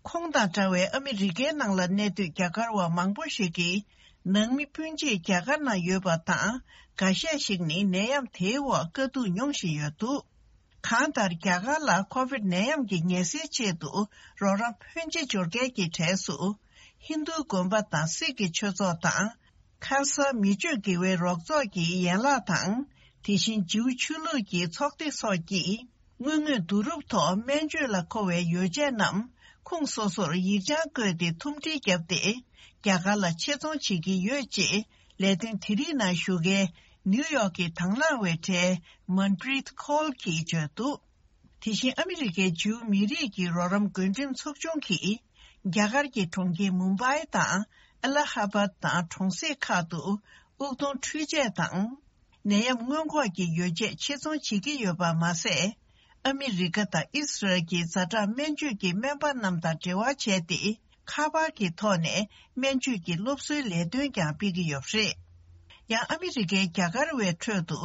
ཁོང་དང་འདྲ་བའི་ཨ་མི་རི་ཀའི་ནང་ལ་གནས་སྡོད་རྒྱ་གར་བ་མང་པོ་ཞིག་གིས་ནང་མི་སྤུན་མཆེད་རྒྱ་གར་ནང་ཡོད་པ་དང་། འགའ་ཤས་ཤིག་ནི་ནད་ཡམས་དེའི་འོག་དཀའ་སྡུག་མྱོང་བཞིན་ཡོད་འདུག་གང་ལྟར། རྒྱ་གར་ལ་ཁོ་བིད་ནད་ཡམས་ཀྱི་ངལ་སེལ་ཆེད་དུ་རོགས་རམ་ཕོན་ཆེ་འབྱོར་མཁན་གྱི་གྲས་སུ། ཧིན་རྡུ་དགོན་པ་དང་སིག་གི་ཆོས་ཚོགས་དང་། ཁ་སང་མི་སྤྱོད་དགེ་བའི་རོགས་ཚོགས་ཀྱི་ཡན་ལག་དང་། དེ་བཞིན་ཇིའུ་ཆོས་ལུགས་ཀྱི་ཚོགས་སྡེ་སོགས་ཀྱིས། དངུལ་དངོས་བསྡུ་རུབ་ཐོག་སྨན་བཅོས་ལ་མཁོ་བའི་ཡོ་བྱད་རྣམས་ཁོངས་སོ་སོར་ཡིག་བྱང་བཀོད་དེ་ཐུམ་སྒྲིལ་བརྒྱབ་སྟེ། རྒྱ་གར་ལ་ཆེད་ཚོང་བྱེད་ཀྱི་ཡོད་ཅེས་ལས་དོན་དེ་རིགས་ནང་ཞུགས་མཁན་ནིའུ་ཡོག་གི་དང་བླངས་པའི་གྲས་Manpreet Kaur གྱིས་བརྗོད་འདུག་དེ་བཞིན་ཨ་མི་རི་ཀའི་ཇིའུ་མི་རིགས་ཀྱི་རོགས་རམ་བགོ་འགྲེམས་ཚོགས་ཆུང་གིས། རྒྱ་གར་གྱི་གྲོང་ཁྱེར་མུམ་བྷའི་དང་ཨ་ལ་ཧ་བཱད་དང་གྲོང་གསེབ་ཁག་ཏུ་དབུགས་གཏོང་འཕྲུལ་ཆས་དང་། ནད་ཡམས་སྔོན་འགོག་གི་ཡོ་བྱད་ཆེད་ཚོང་བྱེད་ཀྱི་ཡོད་པ་མ་ཟད། ཨ་མི་རི་ཀ་དང་ཨི་སི་རལ་གྱི་ཛ་དྲག་སྨན་བཅོས་ཀྱི་སྨན་པ་རྣམས་དང་འབྲེལ་བ་བྱས་ཏེ། ཁ་པར་གྱི་ཐོག་ནས་སྨན་བཅོས་ཀྱི་སློབ་གསོའི་ལས་དོན་ཀྱང་སྤེལ་གྱི་ཡོད་པ་རེད། ཡང་ཨ་མི་རི་ཀའི་རྒྱ་གར་བའི་ཁྲོད་དུ་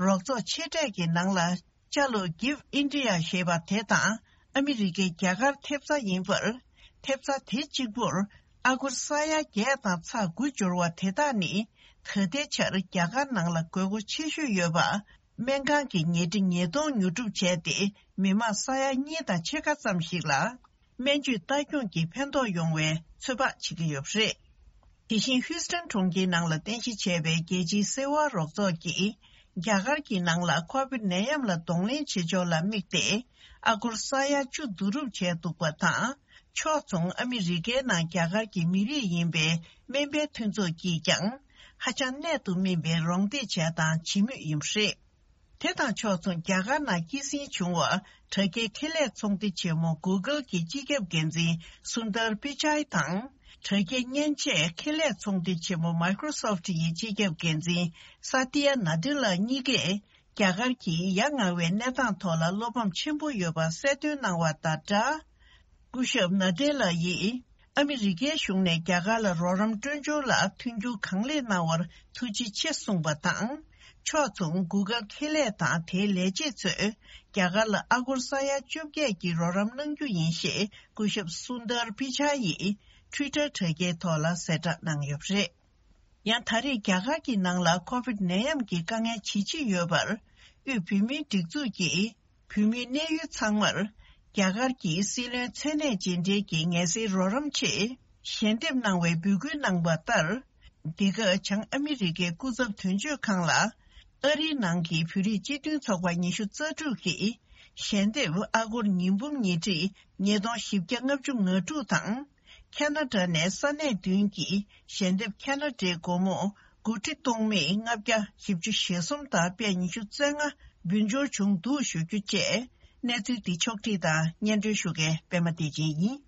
རོགས་ཚོགས་ཆེ་གྲས་ཀྱི་ནང་ལ། ཅ་ལོ་Give India ཞེས་པ་དེ་དང་ཨ་མི་རི་ཀའི་རྒྱ་གར་ཐེབས་རྩ་ཡིན་པར། ཐེབས་རྩ་དེ་གཅིག་པུར་ཨ་སྒོར་ས་ཡ་བརྒྱད་དང་ཚེག་དགུ་འབྱོར་བ་དེ་དག་ནི་ད་ལྟའི་ཆར་རྒྱ་གར་ནང་ལ་དགོས་མཁོ་ཆེ་ཤོས་ཡོད་པ། སྨན་ཁང་གི་ཉལ་ཁྲི་ཉིས་སྟོང་ཉོ་སྒྲུབ་བྱས་ཏེ། མི་མང་ས་ཡ་གཉིས་དང་ཕྱེད་ཀ་ཙམ་ཞིག་ལ། སྨན་བཅོས་ལྟ་སྐྱོང་གི་ཕན་ཐོགས་ཡོང་བའི་ཚོད་དཔག་བྱེད་ཀྱི་ཡོད་པ་རེད། དེ་བཞིན་ཧུའུ་སྟན་གྲོང་ཁྱེར་ནང་ལ་རྟེན་གཞི་བྱས་པའི་རྒྱལ་སྤྱིའི་སེལ་བ་རོགས་ཚོགས་ཀྱིས། རྒྱ་གར་གྱི་ནང་ལ་ཁོ་བིད་ནད་ཡམས་ལ་གདོང་ལེན་བྱེད་ཕྱོགས་ལ་དམིགས་ཏེ། ཨ་སྒོར་ས་ཡ་བཅུ་བསྡུ་རུབ་བྱས་འདུག་པ་དང་། ཕྱོགས་མཚུངས་ཨ་མི་རི་ཀའི་ནང་རྒྱ་གར་གྱི་མི་རིགས་ཡིན་པའི་སྨན་པའི་མཐུན་ཚོགས་ཀྱིས་ཀྱང་། ཧ་ཅང་གནད་དུ་སྨིན་པའི་རོགས་འདེགས་བྱས་དང་བྱེད་མུས་ཡིན་པ་རེད། དེ་དང་ཕྱོགས་མཚུངས། རྒྱ་གར་ནང་སྐྱེད་སྲིང་བྱུང་བ་དྲ་རྒྱའི་ཁེ་ལས་ཚོང་སྡེ་ཆེན་མོ་Google གྱི་སྤྱི་ཁྱབ་འགན་འཛིན་Sundar Pichai དང་། དྲ་རྒྱའི་མཉེན་ཆས་ཁེ་ལས་ཚོང་སྡེ་ཆེན་མོ་Microsoft ཡི་སྤྱི་ཁྱབ་འགན་འཛིན་Satya Nadella གཉིས་ཀས། རྒྱ་གར་གྱིས་ཡ་ང་བའི་གནས་སྟངས་ཐོག་ལ་བློ་ཕམ་ཆེན་པོ་ཡོད་པ་གསལ་སྟོན་གནང་བ་དང་སྦྲགས། སྐུ་ཞབས་ན་ཏེ་ལ་ཡིས། ཨ་མི་རི་ཀའི་གཞུང་ནས་རྒྱ་གར་ལ་རོགས་རམ་སྤྲོད་འབྱོར་ལ་མཐུན་འགྱུར་གང་ལེགས་གནང་བར་ཐུགས་རྗེ་ཆེ་གསུངས་པ་དང་། ཕྱོགས་མཚུངས། Google ཁེ་ལས་དང་དེའི་ལས་བྱེད་ཚོས། རྒྱ་གར་ལ་ཨ་སྒོར་ས་ཡ་བཅོ་བརྒྱད་ཀྱི་རོགས་རམ་གནང་རྒྱུ་ཡིན་ཞེས། སྐུ་ཞབས་སུན་དར་པི་ཆཱ་ཡིས། Twitter དྲ་རྒྱའི་ཐོག་ལ་གསལ་བསྒྲགས་གནང་ཡོད་པ་རེད། ཡང་ད་རེས་རྒྱ་གར་གྱི་ནང་ལ་ཁོ་བིད་ནད་ཡམས་ཀྱི་དཀའ་ངལ་ཇི་ཆེ་ཡོད་པར། དབུས་བོད་མིའི་སྒྲིག་འཛུགས་ཀྱིས། བོད་མིའི་གནས་ཡུལ་ཚང་མར། རྒྱ་གར་གྱི་སྲིད་བློན་མཚན་གནས་རྗེས་འབྲེལ་གྱི་ངལ་སེལ་རོགས་རམ་ཆེད། ཞལ་འདེབས་གནང་བའི་འབོད་སྐུལ་གནང་བ་ལྟར། འདི་ག་བྱང་ཨ་མི་རི་ཀའི་སྐུ་ཚབ་དོན་གཅོད་ཁང་ལ། ཨ་རིའི་ནང་གི་བོད་རིགས་སྤྱི་མཐུན་ཚོགས་པ་ཉི་ཤུ་རྩ་དྲུག་གིས། ཞལ་འདེབས་ཨ་སྒོར་ཉིས་འབུམ་ཉིས་ཁྲི་ཉིས་སྟོང་བཞི་བརྒྱ་ལྔ་བཅུ་ང་དྲུག་དང་། ཁ་ན་ཌ་ནས་ས་གནས་བདུན་གྱིས་ཞལ་འདེབས་ཁ་ན་ཌའི་སྒོར་མོ་དགུ་ཁྲི་སྟོང་མེད་ལྔ་བརྒྱ་བཞི་བཅུ་ཞེ་གསུམ་དང་པད་ཉི་ཤུ་རྩ་ལྔ་འབུལ་འབྱོར་བྱུང་འདུག་ཞུ་རྒྱུ་བཅས། གནས་ཚུལ་འདི་ཕྱོགས་བསྒྲིགས་དང་སྙན་སྒྲོན་ཞུ་མཁན་པད་མ་བདེ་ཆེན་ཡིན།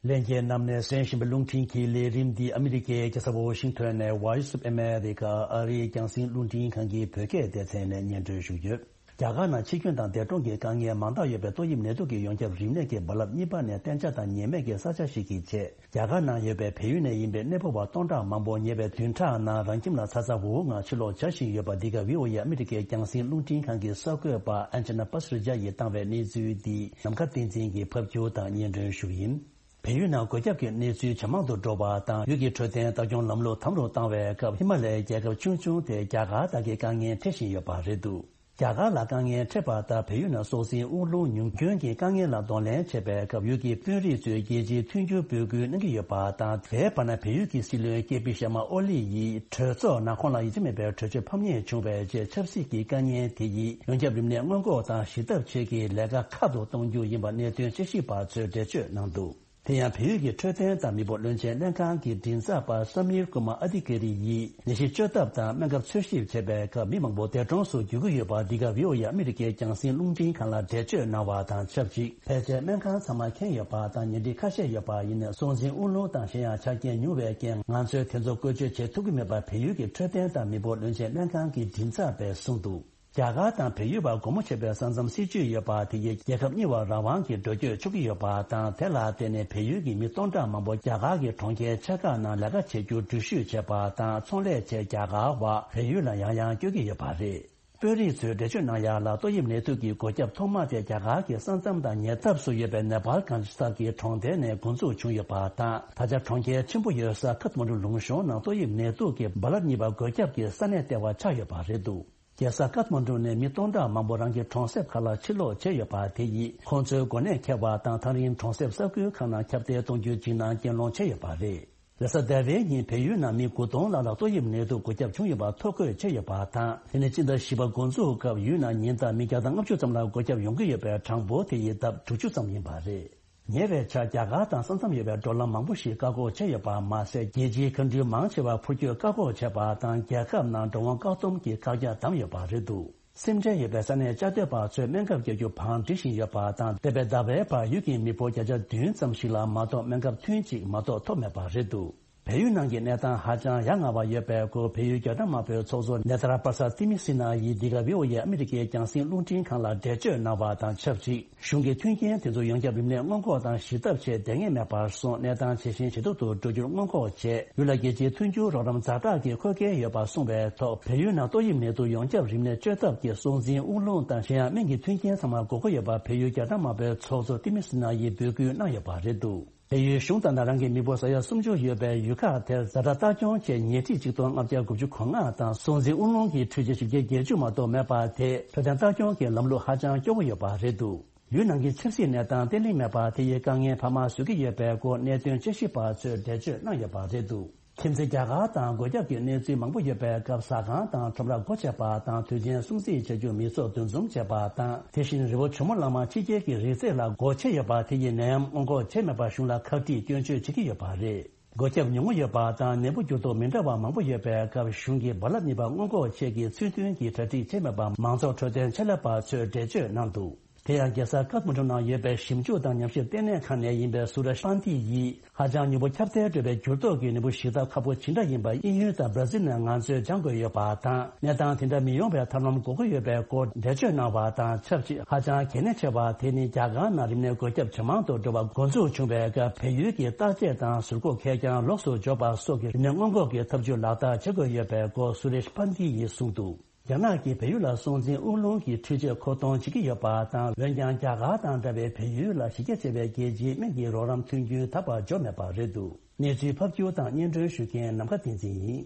ལྷན་རྒྱས་རྣམས་ནས་གསན་བཞིན་པའི་རླུང་འཕྲིན་གྱི་ལས་རིམ་འདི་ཨ་མི་རི་ཀའི་རྒྱལ་ས་ཝ་ཤིང་ཐོན་ནས་Voice of America ཨ་རིའི་རྒྱང་སྲིང་རླུང་འཕྲིན་ཁང་གི་བོད་སྐད་སྡེ་ཚན་ནས་སྙན་སྒྲོན་ཞུ་རྒྱུ། རྒྱ་གར་ནང་འཆི་སྐྱོན་དང་འདས་གྲོངས་ཀྱི་དཀའ་ངལ་མང་དག་ཡོད་པའི་ཏོག་དབྱིབས་ནད་དུག་གི་ཡོངས་ཁྱབ་རིམས་ནད་ཀྱི་རྦ་རླབས་གཉིས་པ་ནས་གཏན་འཇགས་དང་ཉེན་མེད་ཀྱི་ས་ཆ་ཞིག་གི་ཆེད། རྒྱ་གར་ནང་ཡོད་པའི་བལ་ཡུལ་ནས་ཡིན་པའི་གནས་སྤོ་བ་སྟོང་ཕྲག་མང་པོ་ཉེ་བའི་བདུན་ཕྲག་ནང་རང་ཁྱིམ་ལ་ཚ་ཚ་འུར་འུར་ངང་ཕྱིར་ལོག་བྱ་བཞིན་ཡོད་པ། འདི་ག་བྷི་ཨོ་ཨེ་ཨ་མི་རི་ཀའི་རྒྱང་སྲིང་རླུང་འཕྲིན་ཁང་གི་གསར་འགོད་པ་ཨན་ཅི་ན་པ་སི་རི་ཇ་ཡིས་བཏང་བའི་གནས་ཚུལ་འདི་ནམ་མཁའ་བསྟན་འཛིན་གྱིས་ཕབ་སྒྱུར་དང་སྙན་སྒྲོན་ཞུ་གི་ཡིན། བལ་ཡུལ་ནང་འགོས་ཁྱབ་ཀྱི་གནས་ཚུལ་ཇེ་མང་དུ་འགྲོ་བ་དང་། ཡུལ་གྱི་འཕྲོད་བསྟེན་ལྟ་སྐྱོང་ལམ་ལུགས་དམ་རུ་བཏང་བའི་སྐབས། ཧི་མ་ལ་ཡའི་རྒྱལ་ཁབ་ཆུང་ཆུང་དེ་རྒྱ་གར་དག་གི་དཀའ་ངལ་འཕྲད་བཞིན་ཡོད་པ་རེད་འདུག་རྒྱ་གར་ལ་དཀའ་ངལ་འཕྲད་པ་ལྟར་བལ་ཡུལ་ནང་སྲོག་འཛིན་དབུགས་རླུང་ཉུང་སྐྱོན་གྱི་དཀའ་ངལ་ལ་གདོང་ལེན་བྱེད་པའི་སྐབས་ཡུལ་གྱི་དཔོན་རིགས་ཚོས་རྒྱལ་སྤྱིའི་མཐུན་འགྱུར་འབོད་སྐུལ་གནང་གི་ཡོད་པ་དང་། དེའི་བར་ན་བལ་ཡུལ་གྱི་སྲིད་བློན་ཀེ་པི་ཤར་མ་ཨོ་ལི་ཡིས་གྲོས་ཚོགས་ནང་ཁོང་ལ་ཡིད་ཆེས་མེད་པའི་གྲོས་ཆོད་ཕབ་ཉེས་བྱུང་བའི་རྗེས་ཆབ་སྲིད་ཀྱི་དཀའ་ངལ་དེ་ཡིས་ཡོངས་ཁྱབ་རིམས་ནད་སྔོན་འགོག་དང་ཞི་ཐབས་ཆེད་ཀྱི་ལས་ཀ་ཁ་ཐུག་གཏོང་རྒྱུ་ཡིན་པ་གནད་དོན་དཔྱད་ཞིབ་པ་ཚོས་འགྲེལ་བརྗོད་གནང་འདུག་དེ་ཡང་བལ་ཡུལ་གྱི་འཕྲོད་བསྟེན་དང་མི་འབོར་བློན་ཆེན་ལྷན་ཁང་གི་མགྲིན་ཚབ་པ་ས་མིར་ཀུ་མ་ཨ་དྷི་ཀེ་རི་ཡིས་ནད་གཞི་བཅོས་ཐབས་དང་སྨན་ཁབ་འཚོལ་ཞིབ་བྱེད་པའི་སྐབས་མི་མང་པོ་འདས་གྲོངས་སུ་འགྱུར་གྱི་ཡོད་པ་འདི་ག་བྷི་ཨོ་ཨེ་ཨ་མི་རི་ཀའི་རྒྱང་སྲིང་རླུང་འཕྲིན་ཁང་ལ་འགྲེལ་བརྗོད་གནང་བ་དང་ཆབས་ཅིག་ཕལ་ཆེར་སྨན་ཁང་ཚང་མ་མཁྱེན་ཡོད་པ་དང་ཉེ་འཁྲིས་ཁ་ཤས་ཡོད་པ་ཡིན་ནའི་སྲོག་འཛིན་དབུགས་རླུང་དང་གཞན་ཡང་ཆ་རྐྱེན་ཉུང་བའི་རྐྱེན་ང་ཚོས་དེ་ཚོ་བཀོལ་སྤྱོད་བྱེད་ཐུབ་ཀྱི་མེད་པ་བལ་ཡུལ་གྱི་འཕྲོད་བསྟེན་དང་མི་འབོར་བློན་ཆེན་ལྷན་ཁང་གི་མགྲིན་ཚབ་པས་གསུངས་འདུག་རྒྱ་གར་དང་བལ་ཡུལ་བར་སྒོ་མོ་ཕྱེ་བའི་ས་མཚམས་སྲིད་ཇུས་ཡོད་པ་དེ་ཡིས་རྒྱལ་ཁབ་གཉིས་བར་རང་དབང་གི་འགྲོ་སྐྱོད་ཆོག་གི་ཡོད་པ་དང་། དེ་ལ་བརྟེན་ནས་བལ་ཡུལ་གྱི་མི་སྟོང་ཕྲག་མང་པོ་རྒྱ་གར་གྱི་གྲོང་ཁྱེར་ཆེ་ཁག་ནང་ལས་ཀ་བྱེད་རྒྱུར་འགྲུལ་བཞུད་བྱེད་པ་དང་། ཚོང་ལས་ཆེད་རྒྱ་གར་བ་བལ་ཡུལ་ལ་ཡང་ཡང་བསྐྱོད་ཀྱི་ཡོད་པ་རེད། དཔོན་རིགས་ཚོས་འགྲེལ་བརྗོད་གནང་ཡག་ལ། ཏོག་དབྱིབས་ནད་དུག་གི་འགོས་ཁྱབ་ཐོག་མ་དེ་རྒྱ་གར་གྱི་ས་མཚམས་དང་ཉེ་འདབས་སུ་ཡོད་པའི་ནེ་པཱལ་གངས་ཅན་ས་གི་གྲོང་རྡལ་ནས་འགོ་འཛུགས་བྱུང་ཡོད་པ་དང་། ད་ཆ་གྲོང་ཁྱེར་ཆེན་པོ་ཡོད་ས་ཁ་ཐ་མན་གྲུ་ལུང་གཤོང་ནང་ཏོག་དབྱིབས་ནད་དུག་གི་རྦ་རླབས་གཉིས་པ་འགོས་ཁྱབ་ཀྱི་ས་གནས་ལྟེ་བ་ཆགས་ཡོད་པ་རེད་འདུག་རྒྱལ་ས་ཀཐ་མན་གྲུ་ནས་མི་སྟོང་ཕྲག་མང་པོ་རང་གི་གྲོང་གསེབ་ཁག་ལ་ཕྱིར་ལོག་བྱས་ཡོད་པ་དེ་ཡིས་ཁོང་ཚོའི་གོ་གནས་འཁེལ་བ་དང་། ཐག་རིང་གྲོང་གསེབ་ས་ཁུལ་ཁག་ནང་ཁྱབ་གདལ་གཏོང་རྒྱུའི་འཇིགས་སྣང་རྐྱེན་སློང་བྱས་ཡོད་པ་རེད། རེས་གཟའ་ཟླ་བའི་ཉིན་བལ་ཡུལ་ནང་མི་དགུ་སྟོང་ལྷག་ལ་ཏོག་དབྱིབས་ནད་དུག་འགོས་ཁྱབ་བྱུང་ཡོད་པ་ཐོ་འགོད་བྱས་ཡོད་པ་དང་། དེ་ནས་སྤྱི་ཟླ་བཞི་པ་འགོ་འཛུགས་སྐབས་ཡུལ་ནང་ཉིན་ལྟར་མི་བརྒྱ་དང་ལྔ་བཅུ་ཙམ་ལ་འགོས་ཁྱབ་ཡོང་གི་ཡོད་པའི་གྲངས་འབོར་དེ་ཡི་ལྡབ་དྲུག་ཅུ་ཙམ་ཡིན་པ་རེད། ཉེ་བའི་ཆར་རྒྱ་གར་དང་ས་མཚམས་ཡོད་པའི་འགྲོ་ལམ་མང་པོ་ཞིག་བཀག་འགོག་བྱས་ཡོད་པ་མ་ཟད། རྒྱལ་སྤྱིའི་མཁའ་འགྲུལ་མང་ཆེ་བ་འཕུར་སྐྱོད་བཀག་འགོག་བྱས་པ་དང་། རྒྱལ་ཁབ་ནང་འགྲོ་འོང་བཀག་སྡོམ་གྱི་བཀག་རྒྱ་བསྡམས་ཡོད་པ་རེད་འདུག་སེམས་ཁྲལ་ཡོད་པའི་ས་གནས་བཅའ་སྡོད་པ་ཚོས་སྨན་ཁབ་བརྒྱབ་རྒྱུ་བང་སྒྲིག་བཞིན་ཡོད་པ་དང་། འདས་པའི་ཟླ་བའི་བར་ཡུལ་གྱི་མི་འབོར་བརྒྱ་ཆ་བདུན་ཙམ་ཞིག་ལ་མ་གཏོགས་སྨན་ཁབ་ཐུན་གཅིག་མ་གཏོགས་ཐོབ་མེད་པ་རེད་འདུག་བལ་ཡུལ་ནང་གི་གནས་སྟངས་ཧ་ཅང་ཡ་ང་བ་ཡོད་པའི་སྐོར་བལ་ཡུལ་རྒྱལ་ཕྲན་དམར་པོའི་ཚོགས་གཙོ་ནེ་ཏ་ར་པ་སར་ཏི་མི་སི་ན་ཡིས་འདི་ག་བྷི་ཨོ་ཨེ་ཨ་མི་རི་ཀའི་རྒྱང་སྲིང་རླུང་འཕྲིན་ཁང་ལ་འགྲེལ་བརྗོད་གནང་བ་དང་ཆབས་ཅིག་གཞུང་གི་མཐུན་རྐྱེན་དེ་ཚོ་ཡོངས་ཁྱབ་རིམས་ནད་སྔོན་འགོག་དང་ཞི་ཐབས་ཆེད་འདང་ངེས་མེད་པར་སོང་། གནས་སྟངས་ཇེ་ཞན་ཇེ་སྡུག་ཏུ་འགྲོ་རྒྱུར་སྔོན་འགོག་ཆེད་ཡུལ་ལ་རྒྱལ་སྤྱིའི་མཐུན་འགྱུར་རོགས་རམ་ཛ་དྲག་གི་མཁོ་གལ་ཡོད་པ་གསུངས་པའི་ཐོག་བལ་ཡུལ་ནང་ཏོག་དབྱིབས་ནད་དུག་ཡོངས་ཁྱབ་རིམས་ནད་བཅོས་ཐབས་ཀྱི་སྲོག་འཛིན་དབུགས་རླུང་དང་གཞན་ཡང་སྨན་གྱི་མཐུན་རྐྱེན་ཚང་མ་དགོས་མཁོ་ཡོད་པ་བལ་ཡུལ་རྒྱལ་ཕྲན་དམར་པོའི་ཚོགས་གཙོ་ཏི་མི་སི་ན་ཡིས་འབོད་སྐུལ་གནང་ཡོད་པ་རེད་འདུག་བལ་ཡུལ་གཞུང་ལྟར་ན། རང་གི་མི་འབོར་ས་ཡ་སུམ་ཅུ་ཡོད་པའི་ཡུལ་ཁག་དེར་ཛ་དྲག་ལྟ་སྐྱོང་ཆེད་ཉལ་ཁྲི་གཅིག་སྟོང་ལྔ་བརྒྱ་དགུ་བཅུ་གོ་ལྔ་དང་། སྲོག་འཛིན་དབུགས་རླུང་གི་འཕྲུལ་ཆས་བཞི་བརྒྱ་བརྒྱད་ཅུ་མ་གཏོགས་མེད་པ། དེས་འཕྲོད་བསྟེན་ལྟ་སྐྱོང་གི་ལམ་ལུགས་ཧ་ཅང་སྐྱོ་བོ་ཡོད་པ་རེད་འདུག་ཡུལ་ནང་གི་ཆབ་སྲིད་གནས་སྟངས་བརྟན་ལྷིང་མེད་པ་དེ་ཡིས་དཀའ་ངལ་འཕར་མ་བཟོ་གི་ཡོད་པའི་སྐོར་གནད་དོན་དཔྱད་ཞིབ་པ་ཚོས་འགྲེལ་བརྗོད་གནང་ཡོད་པ་རེད་འདུག་ཁྱིམ་མཚེས་རྒྱ་གར་དང་སྒོ་རྒྱབ་ཀྱི་གནས་ཚུལ་མང་པོ་ཡོད་པའི་སྐབས། ཟ་ཁང་དང་ཁྲོམ་ར་སྒོ་ཕྱེ་བ་དང་། དུས་ཆེན་སྲུང་བརྩི་བྱ་རྒྱུར་མི་ཚོགས་འདུ་འཛོམས་བྱེད་པ་དང་། དེ་བཞིན་རི་བོ་ཇོ་མོ་གླང་མ་ཕྱི་རྒྱལ་གྱི་རི་རྩེ་ལ་སྒོ་ཕྱེ་ཡོད་པ་དེ་ཡི་ནད་ཡམས་སྔོན་འགོག་བྱས་མེད་པར་གཞུང་ལ་ཁག་དཀྲིས་སྐྱོན་བརྗོད་བྱེད་ཀྱི་ཡོད་པ་རེད། སྒོ་ཁྱབ་ཉུང་ངུ་ཡོད་པ་དང་། ནད་འབུ་འགྱུར་ལྡོག་མི་འདྲ་བ་མང་པོ་ཡོད་པའི་སྐབས། གཞུང་གིས་རྦ་རླབས་གཉིས་པ་སྔོན་འགོག་ཆེད་ཀྱི་ཚུལ་མཐུན་གྱི་གྲ་སྒྲིག་བྱས་མེད་པར། མང་ཚོགས་འཕྲོད་བསྟེན་ཆེད་ལས་པ་ཚོས་འགྲེལ་བརྗོད་གནང་འདུག་དེ་ཡང་རྒྱལ་ས་ཀཐ་མན་ཌུ་ནང་ཡོད་པའི་ཞིབ་འཇུག་དང་ཉམས་ཞིབ་ལྟེ་གནས་ཁང་ནས་ཡིན་པའི་སུ་རེཤ་པན་ཏི་ཡིས། ཧ་ཅང་མྱུར་པོ་ཁྱབ་གདལ་འགྲོ་བའི་འགྱུར་ལྡོག་གི་ནད་འབུ་ཞི་དག་ཁག་པོ་ཇི་འདྲ་ཡིན་པ་དབྱིན་ཡུལ་དང་བྷ་ར་ཟིལ་ནས་ང་ཚོས་སྦྱང་དགོས་ཡོད་པ་དང་། གནས་སྟངས་དེ་འདྲ་མི་ཡོང་བའི་ཐབས་ལམ་དགོས་ཀྱི་ཡོད་པའི་སྐོར་འགྲེལ་བརྗོད་གནང་བ་དང་ཆབས་ཅིག་ཧ་ཅང་གལ་གནད་ཆེ་བ་དེ་ནི། རྒྱ་གར་ནང་རིམས་ནད་འགོས་ཁྱབ་ཇེ་མང་དུ་འགྲོ་བ་འགོ་འཛུགས་བྱུང་བའི་སྐབས། བལ་ཡུལ་གྱི་བརྟག་དཔྱད་དང་ཟུར་འགོག་གད་རྒྱངས་ལོགས་སུ་འཇོག་པ་སོགས་ཀྱི་རིམས་ནད་སྔོན་འགོག་གི་ཐབས་ཇུས་ལག་བསྟར་བྱེད་དགོས་ཡོད་པའི་སྐོར་སུ་རེཤ་པན་ཏི་ཡིས་གསུངས་འདུག་རྒྱ་ནག་གིས་བལ་ཡུལ་ལ་སྲོག་འཛིན་དབུགས་རླུང་གི་འཕྲུལ་ཆས་མཁོ་གཏོང་བྱེད་ཀྱི་ཡོད་པ་དང་། འོན་ཀྱང་རྒྱ་གར་དང་འདྲ་བའི་བལ་ཡུལ་ལ་གཞི་རྒྱ་ཆེ་བའི་རྒྱལ་སྤྱིའི་སྨན་གྱི་རོགས་རམ་མཐུན་རྐྱེན་ད་བར་འབྱོར་མེད་པ་རེད་འདུག་གནས་ཚུལ་ཕབ་སྒྱུར་དང་སྙན་སྒྲོན་ཞུ་མཁན་ནམ་མཁའ་བསྟན་འཛིན་ཡིན།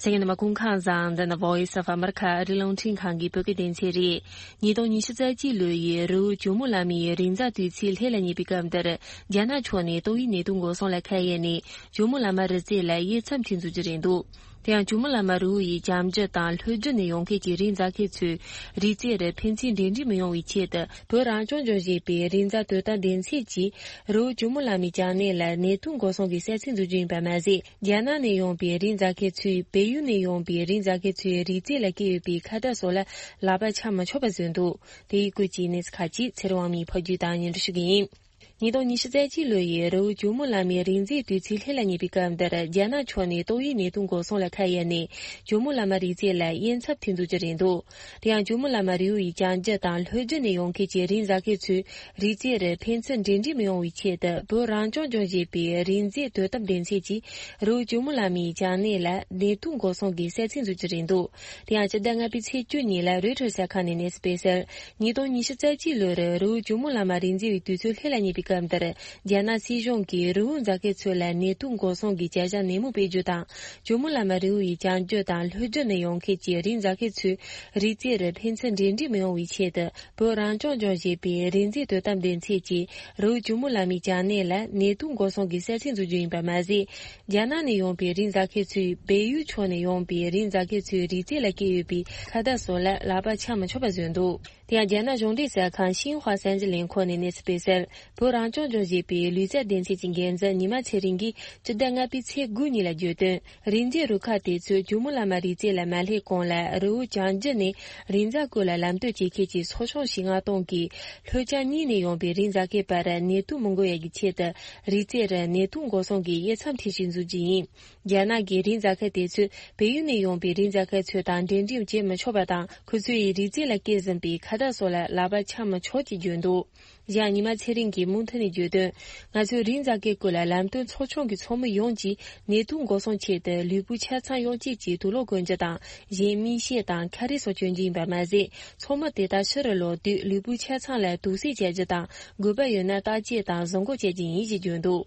གསན་མཁན་རྣམ་པ་སྐུ་ཁམས་བཟང་། འདི་ནི་Voice of America ཨ་རིའི་རླུང་འཕྲིན་ཁང་གི་བོད་སྐད་སྡེ་ཚན་རེད། ཉིས་སྟོང་ཉི་ཤུ་རྩ་གཅིག་ལོའི་རི་བོ་ཇོ་མོ་གླང་མའི་རིག་རྩལ་དུས་ཚིགས་ལྷོད་ལ་ཉེ་བའི་སྐབས་འདིར། རྒྱ་ནག་ཕྱོགས་ནས་ཏོག་དབྱིབས་ནད་དུག་འགོས་སོང་ལ་ཁ་གཡར་ནས། ཇོ་མོ་གླང་མ་རི་རྩེ་ལ་དབྱེ་མཚམས་ཁྲིད་འཛུགས་ཀྱི་རེད་འདུག་དེ་ཡང་ཇོ་མོ་གླང་མ་རི་བོ་ཡི་བྱང་རྒྱུད་དང་ལྷོ་རྒྱུད་ནས་ཡོང་མཁན་གྱི་རིགས་མཛའ་མཁན་ཚོས་རི་རྩེར་ཕན་ཚུན་འབྲེལ་འདྲིས་མི་ཡོང་བའི་ཆེད་དུ། བོད་རང་སྐྱོང་ལྗོངས་ཞེས་པའི་རིག་རྩལ་དོ་དམ་སྡེ་ཚན་གྱིས་རི་བོ་ཇོ་མོ་གླང་མའི་བྱང་སྣེ་ལ་ནད་དུག་འགོས་སོང་གི་གསལ་ཚིགས་འཛུགས་རྒྱུ་ཡིན་པ་མ་ཟད། རྒྱ་ནག་ནས་ཡོང་པའི་རིགས་མཛའ་མཁན་ཚོས་བལ་ཡུལ་ནས་ཡོང་པའི་རིགས་མཛའ་མཁན་ཚོའི་རི་རྩེ་ལ་བཀལ་ཡོད་པའི་ཁ་བཏགས་སོགས་ལ་ལག་པ་འཆང་མི་ཆོག་པ་བཟོས་འདུག་དེའི་སྐོར་གྱི་གནས་ཚུལ་ཁག་ཅིག་ཚེ་རིང་དབང་མོས་ཕབ་སྒྱུར་དང་སྙན་སྒྲོན་ཞུ་གི་ཡིན། ཉིས་སྟོང་ཉི་ཤུ་རྩ་གཅིག་ལོ་ཡི་རི་བོ་ཇོ་མོ་གླང་མའི་རིག་རྩལ་དུས་ཚིགས་ལྷོད་ལ་ཉེ་བའི་སྐབས་འདིར། རྒྱ་ནག་ཕྱོགས་ནས་ཏོག་དབྱིབས་ནད་དུག་འགོས་སོང་ལ་ཁ་གཡར་ནས། ཇོ་མོ་གླང་མ་རི་རྩེ་ལ་དབྱེ་མཚམས་ཁྲིད་འཛུགས་ཀྱི་རེད་འདུག་དེ་ཡང་ཇོ་མོ་གླང་མ་རི་བོ་ཡི་བྱང་རྒྱུད་དང་ལྷོ་རྒྱུད་ནས་ཡོང་མཁན་གྱི་རིགས་མཛའ་མཁན་ཚོས་རི་རྩེར་ཕན་ཚུན་འབྲེལ་འདྲིས་མི་ཡོང་བའི་ཆེད་དུ། བོད་རང་སྐྱོང་ལྗོངས་ཞེས་པའི་རིག་རྩལ་དོ་དམ་སྡེ་ཚན་གྱིས་རི་བོ་ཇོ་མོ་གླང་མའི་བྱང་སྣེ་ལ་ནད་དུག་འགོས་སོང་གི་གསལ་ཚིགས་འཛུགས་ཀྱི་རེད་འདུག་དེ་ཡང་སྤྱི་ཟླ་ལྔ་པའི་ཚེས་བཅུ་ཉིན་ལ་རོའི་ཊར་གསར་ཁང་ནས་གནས་ཚུལ་སྤེལ་གསལ། ཉིས་སྟོང་ཉི་ཤུ་རྩ་གཅིག་ལོར་རི་བོ་ཇོ་མོ་གླང་མ་རིག་རྩལ་བའི་དུས་ཚོད་ལྷོད་ལ་ཉེ་བའི། སྐབས་འདིར། རྒྱ་ནག་སྲིད་གཞུང་གིས་རི་བོ་མཛའ་བཤེས་ཚོ་ལ་ནད་དུག་འགོག་སྲུང་གི་བྱ་གཞག་ནན་མོ་སྤེལ་རྒྱུ་དང་། ཇོ་མོ་བླ་མ་རི་བོ་ཡི་བྱང་རྒྱུད་དང་ལྷོ་རྒྱུད་ནས་ཡོང་མཁན་གྱི་རི་མཛའ་བཤེས་ཚོའི་རི་རྩེ་རུ་ཕན་ཚུན་འབྲེལ་འདྲིས་མི་ཡོང་བའི་ཆེད་དུ། བོད་རང་སྐྱོང་ལྗོངས་ཞེས་པའི་རི་འཛིན་དོ་དམ་སྡེ་ཚན་གྱིས་རི་བོ་ཇོ་མོ་བླ་མའི་བྱང་སྣེ་ལ་ནད་དུག་འགོག་སྲུང་གི་ས་ཚིགས་འཛུགས་རྒྱུ་ཡིན་པ་མ་ཟད། རྒྱ་ནག་ནས་ཡོང་པའི་རི་མཛའ་བཤེས་ཚོས་བལ་ཡུལ་ཕྱོགས་ནས་ཡོང་པའི་རི་མཛའ་བཤེས་ཚོའི་རི་རྩེ་ལ་བཀལ་ཡོད་པའི་ཁ་བརྡ་སོགས་ལ་ལག་པ་འཆང་མི་ཆོག་པ་བཟོས་འདུག་དེ་ཡང་རྒྱ་ནག་གཞུང་འབྲེལ་གསར་ཁང་ཤིན་ཧྭ་གསར་འགྱུར་ལས་ཁུངས་ནས་གནས་ཚུལ་སྤེལ་གསལ། བོད་རང་སྐྱོང་ལྗོངས་ཞེས་པའི་ལུས་རྩལ་སྡེ་ཚན་གྱི་འགན་འཛིན་ཉི་མ་ཚེ་རིང་གིས་སྤྱི་ཟླ་ལྔ་པའི་ཚེས་དགུ་ཉིན་ལ་བརྗོད་དོན། རི་འཛེག་རུ་ཁག་དེ་ཚོས་ཇོ་མོ་བླ་མ་རི་རྩེ་ལ་མ་སླེབས་གོང་ལ་རི་བོ་བྱང་རྒྱུད་ནས་རི་འཛེག་སྐོར་ལ་ལམ་སྟོན་བྱེད་མཁན་གྱི་ཚོགས་ཆུང་ཞིག་མངགས་གཏོང་གིས། ལྷོ་བྱང་གཉིས་ནས་ཡོང་པའི་རི་མཛའ་བཤེས་བར་ནད་དུག་མི་འགོ་ཡ་གི་ཆེད་དུ། རི་རྩེ་རུ་ནད་དུག་འགོག་སྲུང་གི་དབྱེ་མཚམས་འཐེན་ཞིག་འཛུགས་རྒྱུ་ཡིན། རྒྱ་ནག་གིས་རི་མཛའ་བཤེས་དེ་ཚོས་བལ་ཡུལ་ནས་ཡོང་པའི་རི་མཛའ་བཤེས་ཚོ་དང་འབྲེལ་འདྲིས་བྱེད་མི་ཆོག་པ་དང་། ཁོ་ཚོ་ཡིས་རི་རྩེ་ལ་བཀལ་ཟིན་པའི་ཁ་བརྡ་སོགས་ལ་ལག་པ་འཆང་མི་ཆོག་ཅེས་བརྗོད་འདུག་གཞན་ཉི་མ་ཚེ་རིང་གིས་མུ་མཐུད་ནས་བརྗོད་དོན། ང་ཚོའི་རི་མཛའ་བཤེས་སྐོར་ལ་ལམ་སྟོན་ཚོགས་ཆུང་གི་ཚོགས་མི་ཡོངས་ཀྱིས་ནད་དུག་འགོག་སྲུང་ཆེད་དུ་ལུས་པོའི་ཆ་ཚང་ཡོང་ཆེད་ཀྱི་དུག་ལོག་གོན་རྒྱུ་དང་གཞན་མིག་ཤེལ་དང་ཁ་རས་སོགས་གྱོན་རྒྱུ་ཡིན་པ་མ་ཟད། ཚོགས་མི་དེ་དག་ཕྱི་རུ་ལོག་དུས་ལུས་པོའི་ཆ་ཚང་ལ་དུག་སེལ་བྱ་རྒྱུ་དང་དགོས་པ་ཡོད་ན་བརྟག་དཔྱད་དང་བཟང་གོ་བྱ་རྒྱུ་ཡིན་ཞེས་བརྗོད་འདུག་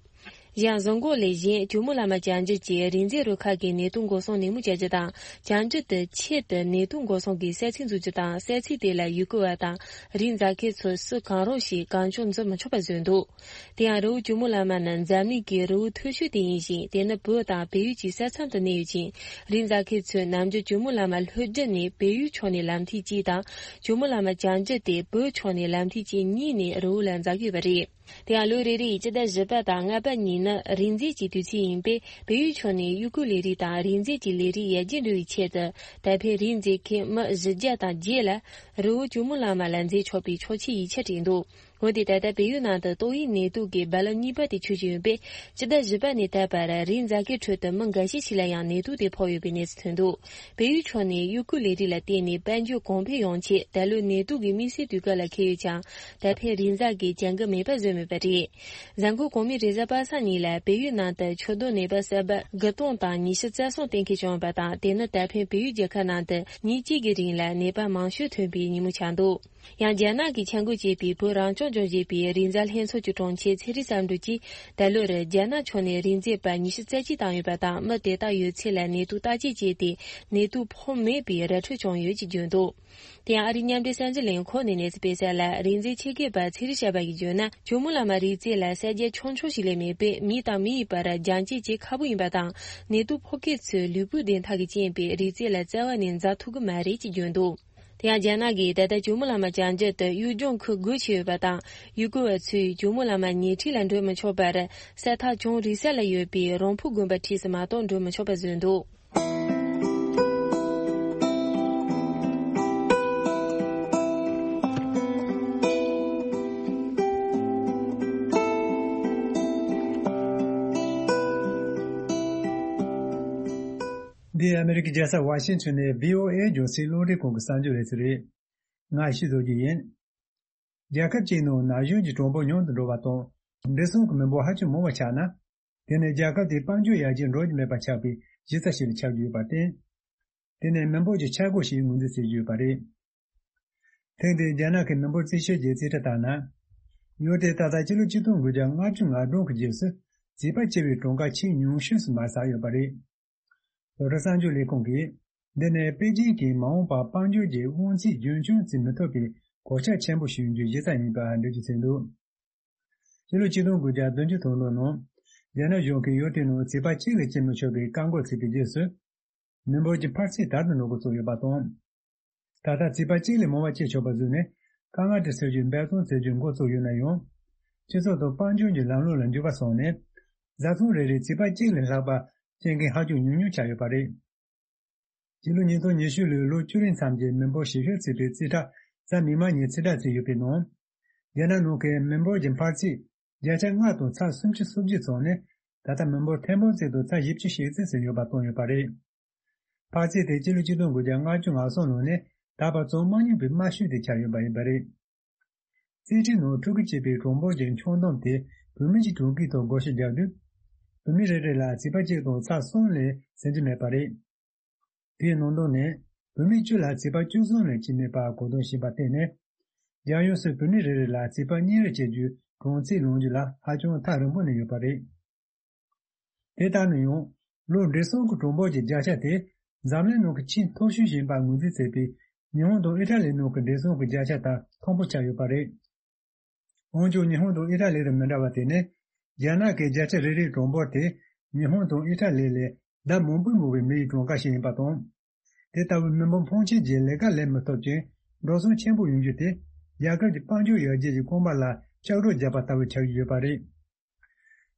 གཞན་བཟང་གོ་ལས་གཞན་ཇོ་མོ་བླ་མ་བྱང་རྒྱུད་ཀྱི་རི་འཛེག་རུ་ཁག་གི་ནད་དུག་འགོག་སྲུང་ནན་མོ་བྱ་རྒྱུ་དང་། བྱང་རྒྱུད་དུ་ཆེད་དུ་ནད་དུག་འགོག་སྲུང་གི་ས་ཚིགས་འཛུགས་རྒྱུ་དང་། ས་ཚིགས་དེ་ལ་ཡུལ་སྐོར་བ་དང་རི་མཛའ་བཤེས་ཚོ་སུ་གང་རུང་ཞིག་གང་བྱུང་འཛུལ་མི་ཆོག་པ་བཟོས་འདུག་དེ་ཡང་རི་བོ་ཇོ་མོ་བླ་མ་ནི་འཛམ་གླིང་གི་རི་བོ་མཐོ་ཤོས་དེ་ཡིན་ཞིང་། དེ་ནི་བོད་དང་བལ་ཡུལ་གྱི་ས་མཚམས་དུ་གནས་ཡོད་ཅིང་། རི་མཛའ་བཤེས་ཚོས་ནམ་རྒྱུན་ཇོ་མོ་བླ་མ་ལྷོ་རྒྱུད་ནས་བལ་ཡུལ་ཕྱོགས་ནས་ལམ་ཐིག་གཅིག་དང་། ཇོ་མོ་བླ་མ་བྱང་རྒྱུད་དེ་བོད་ཕྱོགས་ནས་ལམ་ཐིག་གཅིག་གཉིས་ནས་རི་བོ་ལ་འཛེག་ཡོད་པ་རེད། དེ་ཡང་ལོ་རེ་རེའི་སྤྱི་ཟླ་བཞི་པ་དང་ལྔ་པ་གཉིས་ནི་རི་འཛེག་གི་དུས་ཚིགས་ཡིན་པས། བལ་ཡུལ་ཕྱོགས་ནས་གཡུག་རྒོལ་ལས་རིགས་དང་རི་འཛེག་གི་ལས་རིགས་ཡར་རྒྱས་འགྲོ་བའི་ཆེད་དུ། ད་ཕན་རི་འཛེག་མཁན་མི་བཞི་བརྒྱ་དང་བརྒྱད་ལ་རི་བོ་ཇོ་མོ་གླང་མ་ལ་འཛེག་ཆོག་པའི་ཆོག་མཆན་ཡིག་ཆ་སྤྲད་འདུག་འོན་ཏེ་ད་ལྟ་བལ་ཡུལ་ནང་དུ་ཏོག་དབྱིབས་ནད་དུག་གི་རྦ་རླབས་གཉིས་པ་དེ་འཕྱུར་བཞིན་ཡོད་པས། སྤྱི་ཟླ་བཞི་པ་ནས་ད་བར་རི་འཛེག་མཁན་ཁྲོད་དུ་མི་འགའ་ཤས་ཤིག་ལ་ཡང་ནད་དུག་དེ་ཕོག་ཡོད་པའི་གནས་ཚུལ་ཐོན་འདུག་བལ་ཡུལ་ཕྱོགས་ནས་གཡུག་རྒོལ་ལས་རིགས་ལ་བརྟེན་ནས་དཔལ་འབྱོར་གོང་འཕེལ་ཡོང་ཆེད། ད་ལོའི་ནད་དུག་གི་དམིགས་བསལ་དུས་སྐབས་ལ་འཁེལ་ཡོད་ཀྱང་། ད་ཕན་རི་འཛེག་གི་གྱང་གུད་མེད་པ་བཟོས་མེད་པ་རེད། གཟའ་འཁོར་གོང་མའི་རེས་གཟའ་པ་སངས་ཉིན་ལ་བལ་ཡུལ་ནང་དུ་ཆུ་རྡོ་ནད་པ་གསར་པ་དགུ་སྟོང་དང་ཉི་ཤུ་རྩ་གསུམ་གཏན་འཁེལ་བྱུང་ཡོད་པ་དང་། དེ་ནི་ད་ཕན་བལ་ཡུལ་རྒྱལ་ཁབ་ནང་དུ་ཉིན་གཅིག་གི་རིང་ལ་ནད་པ་མང་ཤོས་ཐོན་པའི་ཉིན་མོ་ཆགས་འདུག་ཡང་རྒྱ་ནག་གིས་འཆར་འགོད་བྱས་པའི་བོད་རང་སྐྱོང་ལྗོངས་ཞེས་པའི་རི་འཛེག་ལྷན་ཚོགས་ཀྱི་དྲུང་ཆེ་ཚེ་རིང་བསམ་གྲུབ་ཀྱིས། ད་ལོར་རྒྱ་ནག་ཕྱོགས་ནས་རི་འཛེག་པ་ཉི་ཤུ་རྩ་གཅིག་བཏང་ཡོད་པ་དང་། མི་དེ་དག་ཡོད་ཚད་ལ་ནད་དུག་བརྟག་དཔྱད་བྱས་ཏེ། ནད་དུག་ཕོག་མེད་པའི་ར་འཕྲོད་བྱུང་ཡོད་ཅེས་བརྗོད་འདུག་དེ་ཡང་ཨ་རིའི་མཉམ་འབྲེལ་གསར་འགྱུར་ལས་ཁུངས་ནས་གནས་ཚུལ་སྤེལ་གསལ་ལ། རི་འཛེག་ཆེད་མཁས་པ་ཚེ་རིང་ཞབས་པ་ཡིས་བརྗོད་ན། ཇོ་མོ་གླང་མ་རི་རྩེ་ལ་གསལ་རྒྱལ་ཆུང་ཆུང་ཞིག་ལས་མེད་པས། མི་དང་མི་ཡི་བར་རྒྱང་བཀྱེད་བྱེད་ཁག་པོ་ཡིན་པ་དང་། ནད་དུག་ཕོག་མཁན་ཚོའི་ལུས་པོའི་བདེ་ཐང་གི་རྐྱེན་པས། རི་རྩེ་ལ་རྩ་བ་ནས་འཛེག་ཐུབ་ཀྱི་མ་རེད་ཅེས་བརྗོད་འདུག་དེ་ཡང་རྒྱ་ནག་གིས་ད་ལྟ་ཇོ་མོ་གླང་མ་བྱང་རྒྱུད་དུ་གཡུལ་ལྗོངས་ཁུལ་དགོས་ཆེ་ཡོད་པ་དང་། གཡུག་རྒོལ་བ་ཚོས་ཇོ་མོ་གླང་མ་ཉེ་འཁྲིས་ལ་འགྲོ་མི་ཆོག་པར། ས་ཐག་ཅུང་རིང་ས་ལ་ཡོད་པའི་རོང་ཕུ་དགོན་པ་འཁྲིས་སུ་མ་གཏོགས་འགྲོ་མི་ཆོག་པ་བཟོས་འདུག་འདི་ཨ་མེ་རི་ཀའི་རྒྱལ་ས་ཝ་ཤིང་ཊོན་ནས་བྷི་ཨོ་ཨེ་རྒྱང་སྲིང་རླུང་འཕྲིན་ཁང་གི་གསར་འགྱུར་ལས་ཚན་རེད། ང་ཡེ་ཤེས་རྡོ་རྗེ་ཡིན། རྒྱལ་ཁབ་ཅིག་ནང་ན་གཞོན་གྱི་གྲངས་འབོར་ཉུང་དུ་འགྲོ་བ་དང་། འབྲི་སྲུང་གི་མི་འབོར་ཧ་ཅང་མང་བ་ཆགས་ན། དེ་ནི་རྒྱལ་ཁབ་དེའི་དཔལ་འབྱོར་ཡར་རྒྱས་འགྲོ་རྒྱུ་མེད་པ་ཆགས་པའི་གཞི་རྩ་ཞིག་ལ་ཆགས་ཀྱི་ཡོད་པར་བརྟེན། དེ་ནི་མི་འབོར་གྱི་འཆར་སྒོ་ཞིག་ངོས་འཛིན་བྱེད་ཀྱི་ཡོད་པ་རེད། ཐེངས་འདིའི་རྒྱ་ནག་གི་མི་འབོར་རྩིས་དཔྱད་ཀྱི་རྩིས་ཁྲ་ལྟར་ན། ཡུལ་དེས་ད་ལྟ་སྤྱི་ལོ་ཆིག་སྟོང་དགུ་བརྒྱ་ལྔ་བཅུ་ང་དྲུག་གི་རྗེས་སུ་བྱིས་པ་སྐྱེ་བའི་གྲངས་ཀ་ཆེས་ཉུང་ཤོས་སུ་མར་ཟགས་ཡོད་པ་རེད། རོའི་ཊར་གསར་འགྱུར་ལས་ཁང་གིས། འདི་ནི་པེ་ཅིང་གིས་མ་འོངས་པར་དཔལ་འབྱོར་གྱི་དབང་ཚད་རྒྱུན་འཁྱོངས་བྱེད་མི་ཐུབ་པའི་གོད་ཆག་ཆེན་པོ་ཞིག་ཡོང་རྒྱུའི་གཞི་རྩ་ཡིན་པ་འགྲེལ་བརྗོད་བྱས་འདུག་སྤྱི་ལོ་ཆིག་སྟོང་དགུ་བརྒྱ་བདུན་ཅུ་དོན་དགུ་ནང་། རྒྱ་ནག་གཞུང་གིས་ཡུལ་དེའི་ནང་བྱིས་པ་གཅིག་ལས་སྐྱེ་མི་ཆོག་པའི་བཀག་འགོག་བྱས་པའི་རྗེས་སུ། མི་འབོར་གྱི་འཕར་ཚད་དལ་དུ་འགྲོ་འགོ་བཙུགས་ཡོད་པ་དང་། ད་ལྟ་བྱིས་པ་གཅིག་ལས་མང་བ་སྐྱེ་ཆོག་པ་བཟོས་ནས་དཀའ་ངལ་དེ་སེལ་རྒྱུའི་འབད་བརྩོན་བྱེད་རྒྱུ་འགོ་བཙུགས་ཡོད་ན་ཡང་། སྤྱི་ཚོགས་དང་དཔལ་འབྱོར་གྱི་ལམ་ལུགས་ལ་འགྱུར་བ་སོང་ནས། བཟའ་ཚང་རེ་རེར་བྱིས་པ་གཅིག་ལས་ལྷག་པ་སྐྱེ་མཁན་ཧ་ཅང་ཉུང་ཉུང་ཆགས་ཡོད་པ་རེད། སྤྱི་ལོ་ཉིས་སྟོང་ཉི་ཤུ་ལོའི་ལོ་བཅུ་རིང་མཚམས་ཀྱི་མི་འབོར་ཞིབ་བཤེར་བྱས་པའི་རྩིས་ཁྲ་གཟའ་མིག་དམར་ཉིན་ཕྱིར་བསྒྲགས་བྱས་ཡོད་པའི་ནང་། རྒྱ་ནག་ནང་གི་མི་འབོར་གྱི་འཕར་ཚད་བརྒྱ་ཆ་ལྔ་དང་ཚེག་སུམ་ཅུ་སོ་བརྒྱད་ཙམ་ནས། ད་ལྟ་མི་འབོར་ཐེར་འབུམ་ཙམ་དང་ཚེག་བཞི་བཅུ་ཞེ་གཅིག་ཙམ་ཡོད་པ་བཏང་ཡོད་པ་རེད། འཕར་ཚད་དེ་སྤྱི་ལོ་ཆིག་སྟོང་དགུ་བརྒྱ་ལྔ་བཅུ་ང་གསུམ་ལོ་ནས་ད་བར་བྱུང་མ་མྱོང་པའི་དམའ་ཤོས་དེ་ཆགས་ཡོད་པ་ཡིན་པ་རེད། རྩིས་ཁྲའི་ནང་ཕྲུ་གུ་སྐྱེས་པའི་གྲངས་འབོར་གྱི་འཁྱོངས་བསྡོམས་དེ་བོད་མི་གཅིག་གྲངས་ཀའི་ཐོག་བགོ་བཤའ་བརྒྱབ་དུས། བོད་མི་རེ་རེ་ལ་བྱིས་པ་གཅིག་དང་ཚེག་གསུམ་ལས་ཟིན་གྱི་མེད་པ་རེད། དེའི་ནང་དོན་ནི། བོད་མི་བཅུ་ལ་བྱིས་པ་བཅུ་གསུམ་ལས་བྱིན་མེད་པ་གོ་སྟོན་བྱས་པར་བརྟེན་ནས། རྒྱལ་ཡོངས་སུ་བོད་མི་རེ་རེ་ལ་བྱིས་པ་གཉིས་རེ་སྐྱེ་རྒྱུའི་ གྲངས་ཚད་ལོངས་རྒྱུ་ལ་ཧ་ཅང་ཐག་རིང་པོ་ནས་ཡོད་པ་རེད། དེ་ལྟར་ན་ཡང་། ལོ་འདས་སོང་གི་གྲངས་འབོར་གྱི་བརྒྱ་ཆ་དེ། འཛམ་གླིང་ནང་གི་ཆེས་མཐོ་ཤོས་ཤིག་ཡིན་པར་ངོས་འཛིན་བྱས་པའི་ཉི་ཧོང་དང་ཨི་ཊ་ལི་ནང་གི་འདས་སོང་གི་བརྒྱ་ཆ་དང་མཐོན་པོ་ཆགས་ཡོད་པ་རེད། འོན་ཀྱང་ཉི་ཧོང་དང་ཨི་ཊ་ལི་དང་མི་འདྲ་བ་དེ་ནི། རྒྱ་ནག་གི་བརྒྱ་ཆ་རེ་རེའི་གྲངས་འབོར་དེ་ཉི་ཧོང་དང་ཨི་ཊ་ལི་ལས་ལྡབ་མང་པོས་མང་བའི་མི་ཡི་གྲངས་ཀ་ཞིག་ཡིན་པ་དང་། དེ་ལྟ་བུའི་མི་འབོར་ཕོན་ཆེན་གྱིས་ལས་ཀ་ལས་མི་ཐུབ་ཅིང་འགྲོ་སོང་ཆེན་པོ་ཡོང་རྒྱུ་དེ། རྒྱལ་ཁབ་ཀྱི་དཔལ་འབྱོར་ཡར་རྒྱས་ཀྱི་རྐང་པ་ལ་ལྕགས་སྒྲོག་བརྒྱབ་པ་ལྟ་བུ་ཆགས་ཀྱི་ཡོད་པ་རེད།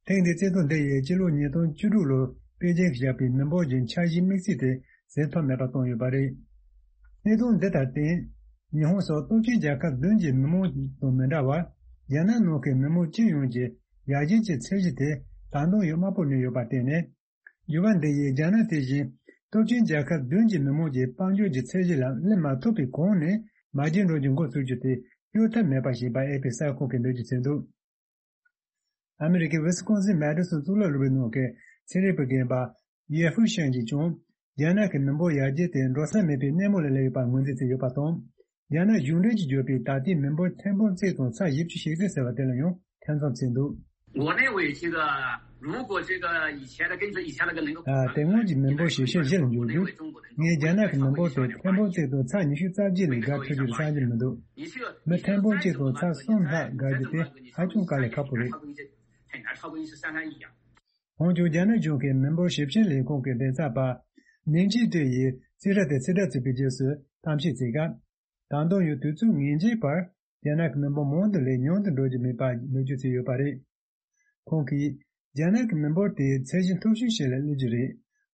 ཐེངས་འདིའི་རྩིས་ཐོ་འདི་ཡིས་སྤྱི་ལོ་ཉིས་སྟོང་བཅུ་དྲུག་ལོར་པེ་ཅིང་གིས་བཞག་པའི་མི་འབོར་གྱི་འཆར་གཞིའི་དམིགས་ཚད་དེ་ཟིན་ཐབས་མེད་པར་བཏང་ཡོད་པ་རེད། གནད་དོན་འདི་ལྟར་བརྟེན། ཉི་ཧོང་སོགས་སྟོབས་ཆེན་རྒྱལ་ཁབ་བདུན་གྱི་མི་མང་དང་མི་འདྲ་བར། རྒྱ་ནག་ནང་གི་མི་མང་སྤྱི་ཡོངས་ཀྱི་ཡར་རྒྱས་ཀྱི་ཚད་གཞི་དེ་ད་དུང་ཡང་དམའ་པོར་གནས་ཡོད་པར་བརྟེན་ནས། འགྱུར་བ་འདི་ཡིས་རྒྱ་ནག་དེ་བཞིན་སྟོབས་ཆེན་རྒྱལ་ཁབ་བདུན་གྱི་མི་མང་གི་དཔལ་འབྱོར་གྱི་ཚད་གཞི་ལ་སླེབས་མ་ཐུབ་པའི་གོང་ནས་མར་རྒྱས་འགྲོ་རྒྱུ་འགོ་ཚུགས་རྒྱུ་དེ་གཡོལ་ཐབས་མེད་པ་ཞིག་ཡིན་པ་ཨེ་ཕི་གསར་ཁང་གིས་འགྲེལ་བརྗོད་བྱས་འདུག་ཨ་མི་རི་ཀའི་ཝི་སི་ཀོན་སིན་མེ་ཌི་སོན་གཙུག་ལག་སློབ་གྲྭའི་ནང་གི་ཚན་རིག་པའི་རྒན་པ་ཡེ་ཧྥུ་ཤན་གྱིས་ཀྱང་། རྒྱ་ནག་གི་མི་འབོར་ཡར་རྒྱས་དེ་འགྲོ་ས་མེད་པའི་གནས་མོ་ལ་སླེབས་ཡོད་པར་ངོས་འཛིན་བྱས་ཡོད་པ་དང་། རྒྱ་ནག་གཞུང་འབྲེལ་གྱིས་བརྗོད་པའི་ད་ལྟའི་མི་འབོར་ཐེར་འབུམ་གཅིག་དང་ཚེག་བཞི་བཅུ་ཞེ་གཅིག་ཟེར་བ་དེ་ལ་ཡང་ཐེ་ཚོམ་བྱས་འདུག 国内为这个，如果这个以前的跟着以前那个能够 ཨ། དེ་སྔོན་གྱི་མི་འབོར་ཞེ་ཆེར་གཞི་ལ་འཇོག་རྒྱུ། ངས་རྒྱ་ནག་གི་མི་འབོར་དེ་ཐེར་འབུམ་གཅིག་དང་ཚེག་ཉི་ཤུ་རྩ་བརྒྱད་ལས་བརྒལ་ཐུབ་རྒྱུར་བསམ་གྱི་མི་འདུག་མི་ཐེར་འབུམ་གཅིག་དང་ཚེག་གསུམ་ལྷག་བརྒལ་རྒྱུ་དེ་ཧ་ཅང་དཀའ་ལས་ཁག་པོ་རེད། འོན་ཀྱང་རྒྱ་ནག་གཞུང་གི་མི་འབོར་ཞིབ་བཤེར་ལས་ཁུངས་ཀྱི་མགྲིན་ཚབ་པ་ནིང་ཅི་ཏུའེ་ཡིས་རྩིས་ཁྲ་དེ་ཕྱིར་བསྒྲགས་བྱས་པའི་རྗེས་སུ་གཏམ་བཤད་བྱེད་སྐབས། ད་དུང་ཡང་དུས་ཚོད་ངེས་ཅན་བར་རྒྱ་ནག་གི་མི་འབོར་མང་དུ་ལས་ཉུང་དུ་འགྲོ་རྒྱུ་མེད་པ་ལོ་རྒྱུས་བྱས་ཡོད་པ་རེད། ཁོང་གིས། རྒྱ་ནག་གི་མི་འབོར་དེ་ཚད་གཞི་མཐོ་ཤོས་ཤིག་ལ་སླེབས་རྒྱུ་རེད།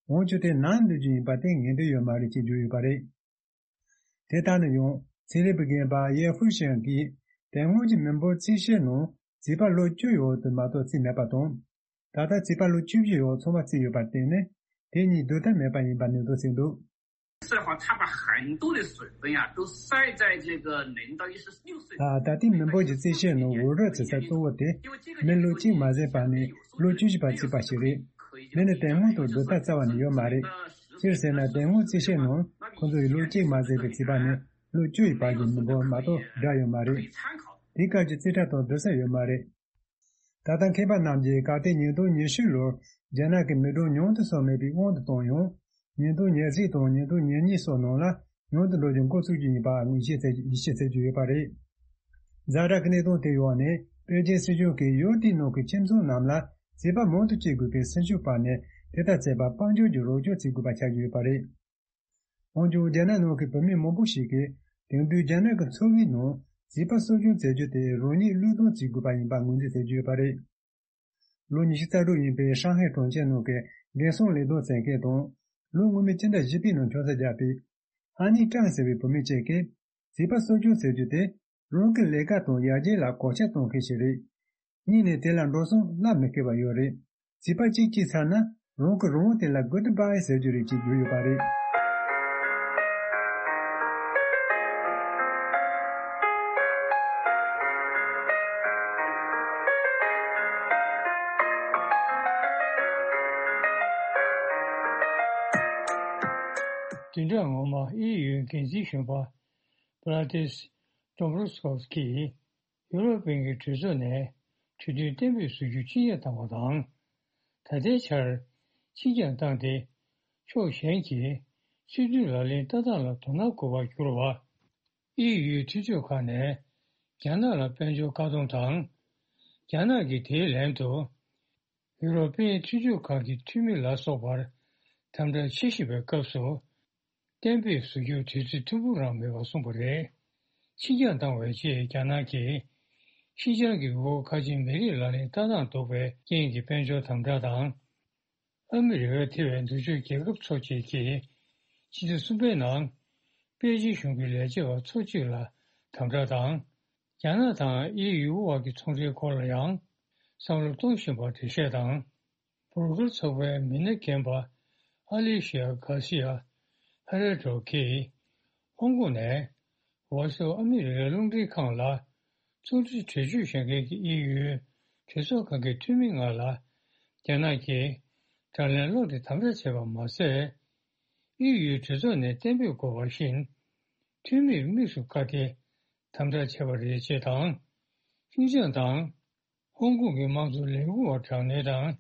འོན་ཀྱང་དེ་ནམ་སླེབས་རྒྱུ་ཡིན་པ་དེ་ངེས་འདོད་ཡོད་མ་རེད་ཅེས་བརྗོད་ཡོད་པ་རེད། དེ་ལྟར་ན་ཡང་ཚན་རིག་པའི་རྒན་པ་ཡེ་ཧྥུ་ཤན་གྱིས་དེ་སྔོན་གྱི་མི་འབོར་རྩིས་བཤེར་ནང་བྱིས་པ་ལོ་བཅུ་ཡི་འོག་ཏུ་མ་གཏོགས་བརྩིས་མེད་པ་དང་། ད་ལྟ་བྱིས་པ་ལོ་བཅུ་བཞི་ཡི་འོག་ཚང་མ་བརྩིས་ཡོད་པར་བརྟེན་ནས་དེ་གཉིས་བསྡུར་ཐབས་མེད་པ་ཡིན་པར་ནན་སྟོན་བྱས་འདུག 是哈，他把很多的水分呀，都塞在这个零到一十六岁。 ཨ། ད་ལྟའི་མི་འབོར་གྱི་རྩིས་བཤེར་ནང་འུར་སྒྲོག་བྱེད་ས་གཙོ་བོ་དེ། མི་ལོ་གཅིག་མ་ཟིན་པ་ནས་ལོ་བཅུ་བཞི་བར་བརྩིས་པ་ཞིག་རེད། འདི་ནི་དེ་སྔོན་དང་བསྡུར་ཐབས་རྩ་བ་ནས་ཡོད་མ་རེད། སྤྱིར་ཟེར་ན་དེ་སྔོན་རྩིས་བཤེར་ནང་ཁོང་ཚོ་ཡི་ལོ་གཅིག་མ་ཟིན་པའི་བྱིས་པ་ནས་ལོ་བཅུ་ཡི་བར་གྱི་མི་འབོར་མ་གཏོགས་བསྒྲགས་ཡོད་མ་རེད། དེའི་སྐབས་ཀྱི་རྩིས་ཁྲ་དང་བསྡུར་ས་ཡོད་མ་རེད། ད་ལྟ་མཁས་པ་རྣམས་ཀྱིས་གལ་ཏེ་ཉིས་སྟོང་ཉི་ཤུ་ལོར་རྒྱ་ནག་གི་མི་གྲངས་ཉུང་དུ་སོང་མེད་པའི་དབང་དུ་བཏང་ཡང་། ཉིས་སྟོང་ཉེར་གཅིག་དང་ཉིས་སྟོང་ཉེར་གཉིས་སོགས་ནང་ལ་ཉུང་དུ་འགྲོ་རྒྱུ་འགོ་ཚུགས་རྒྱུ་ཡིན་པ་ཡིད་ཆེས་བྱེད་ཡིད་ཆེས་བྱེད་རྒྱུ་ཡོད་པ་རེད། ཛ་དྲག་གི་གནད་དོན་དེའི་འོག་ནས་པེ་ཅིན་སྲིད་གཞུང་གིས་ཡུལ་དེའི་ནང་གི་ཁྱིམ་ཚང་རྣམས་ལ་བྱིས་པ་མང་དུ་སྐྱེ་དགོས་པའི་སྲིད་ཇུས་སྤར་ནས་དེ་ལྟར་བྱས་པར་དཔལ་འབྱོར་གྱི་རོགས་སྐྱོར་བྱེད་དགོས་པ་ཆགས་ཀྱི་ཡོད་པ་རེད། འོན་ཀྱང་རྒྱ་ནག་ནང་གི་བུད་མེད་མང་པོ་ཞིག་གིས་དེང་དུས་རྒྱ་ནག་གི་འཚོ་བའི་ནང་བྱིས་པ་གསོ་སྐྱོང་བྱེད་རྒྱུ་དེ་རང་ཉིད་བློས་གཏོང་བྱེད་དགོས་པ་ཡིན་པ་ངོས་འཛིན་བྱེད་ཀྱི་ཡོད་པ་རེད། ལོ་ཉི་ཤུ་རྩ་དྲུག་ཡིན་པའི་ཧྲང་ཧའེ་གྲོང་ཁྱེར་ནང་གི་འགྲན་སོང་ལས་དོན་བྱེད་མཁན་དང་། ལོ་སྔོན་མའི་ཕྱི་ཟླ་བཞི་པའི་ནང་ཆང་ས་བརྒྱབ་པའི་ཧ་ནི་ཀྲང་ཟེར་བའི་བུད་མེད་ཅིག་གིས། བྱིས་པ་གསོ་སྐྱོང་ཟེར་རྒྱུ་དེ་རང་གི་ལས་ཀ་དང་ཡར་རྒྱས་ལ་གོད་ཆག་གཏོང་མཁན་ཞིག་རེད། གཉིས་ནས་དེ་ལ་འགྲོ་སོང་རླབས་མི་ཁེ་བ་ཡོད་རེད། བྱིས་པ་གཅིག་སྐྱེས་ཚར་ན་རང་གི་རང་དབང་དེ་ལ་གུཌ་བྷའི་ཟེར་རྒྱུ་རེད་ཅེས་བརྗོད་ཡོད་པ་རེད། བདུན་ཕྲག་སྔོན་མ་ཨི་ཡུའི་འགན་འཛིན་གཞོན་པ་བྷ་ལ་ཏིས་ཌོམ་བྷྲོ་སི་ཀོབ་སི་ཀིས་ཡུ་རོབ་པའི་གྲོས་ཚོགས་ནས་གྲོས་མཐུན་གཏན་འབེབས་བཟོ་རྒྱུ་ཕྱིར་འགྱངས་བཏང་བ་དང་། ད་ལྟའི་ཆར་ཕྱིར་འགྱངས་བཏང་སྟེ། ཕྱོགས་གཞན་གྱིས་སྲིད་དོན་ལག་ལེན་ལྟ་སྟངས་ལ་དོ་སྣང་དགོས་པར་གྱུར་བ། ཨི་ཡུའི་འཐུས་ཚོགས་ཁག་ནས་རྒྱ་ནག་ལ་དཔལ་འབྱོར་བཀག་སྡོམ་དང་། རྒྱ་ནག་གིས་དེའི་ལན་དུ། ཡུ་རོབ་པའི་འཐུས་ཚོགས་ཁག་གི་འཐུས་མི་ལ་སོགས་པར་དམ་དྲག་བྱེད་བཞིན་པའི་སྐབས་སུ། གཏན་འབེབས་བཟོ་རྒྱུར་དུས་ཚོད་ཐུང་ངུ་རང་མེད་པར་གསུངས་པ་རེད། ཕྱིར་འགྱངས་བཏང་བའི་རྗེས་རྒྱ་ནག་གིས་ཤིན་ཅང་གི་འོག་ཁ་ཆེའི་མི་རིགས་ལག་ལེན་ལྟ་སྟངས་སྡུག་པའི་རྐྱེན་གྱིས་དཔལ་འབྱོར་དམ་དྲག་དང་། ཨ་མི་རི་ཀ་ཐེ་བའི་ནུབ་ཕྱོགས་རྒྱལ་ཁབ་ཚོ་བཅས་ཀྱིས་ཕྱི་ཟླ་གསུམ་པའི་ནང་པེ་ཅིན་གཞུང་གི་ལས་བྱེད་པ་ཚོ་གཅིག་ལ་དམ་དྲག་དང་། རྒྱ་ནག་དང་ཨི་ཡུ་དབར་གྱི་ཚོང་འབྲེལ་སྐོར་ལ་ཡང་བསམ་བློ་གཏོང་བཞིན་པར་འགྲེལ་བཤད་དང་། བོད་སྒར་ཚོགས་པའི་མི་སྣ་རྒན་པ་ཨ་ལི་ཤི་ཡ་གྷ་སི་ཡ་ཧེ་རེ་ཏྲོ་གིས་ཧོང་ཀོང་ནས་ཝ་སོ་ཨ་མི་རི་ཀའི་རླུང་འཕྲིན་ཁང་ལ་གཙོ་འགྲེལ་གྲོས་ཆོད་བཞེས་མཁན་གྱི་ཨི་ཡུའི་གྲོས་ཚོགས་ཁང་གི་འཐུས་མི་ལྔ་ལ་རྒྱ་ནག་གིས་དགྲར་ལན་སློག་སྟེ་དམ་དྲག་བྱས་པ་མ་ཟད། ཨི་ཡུའི་གྲོས་ཚོགས་ནས་གཏན་འབེབས་དགོས་པ་བཞིན། འཐུས་མིར་དམིགས་སུ་བཀར་ཏེ་དམ་དྲག་བྱས་པ་རེད་ཅེས་དང་། ཤིན་ཅང་དང་ ཧོང་ཀོང་གི་དམངས་གཙོ་ལས་འགུལ་བ་དྲག་གནོན་དང་།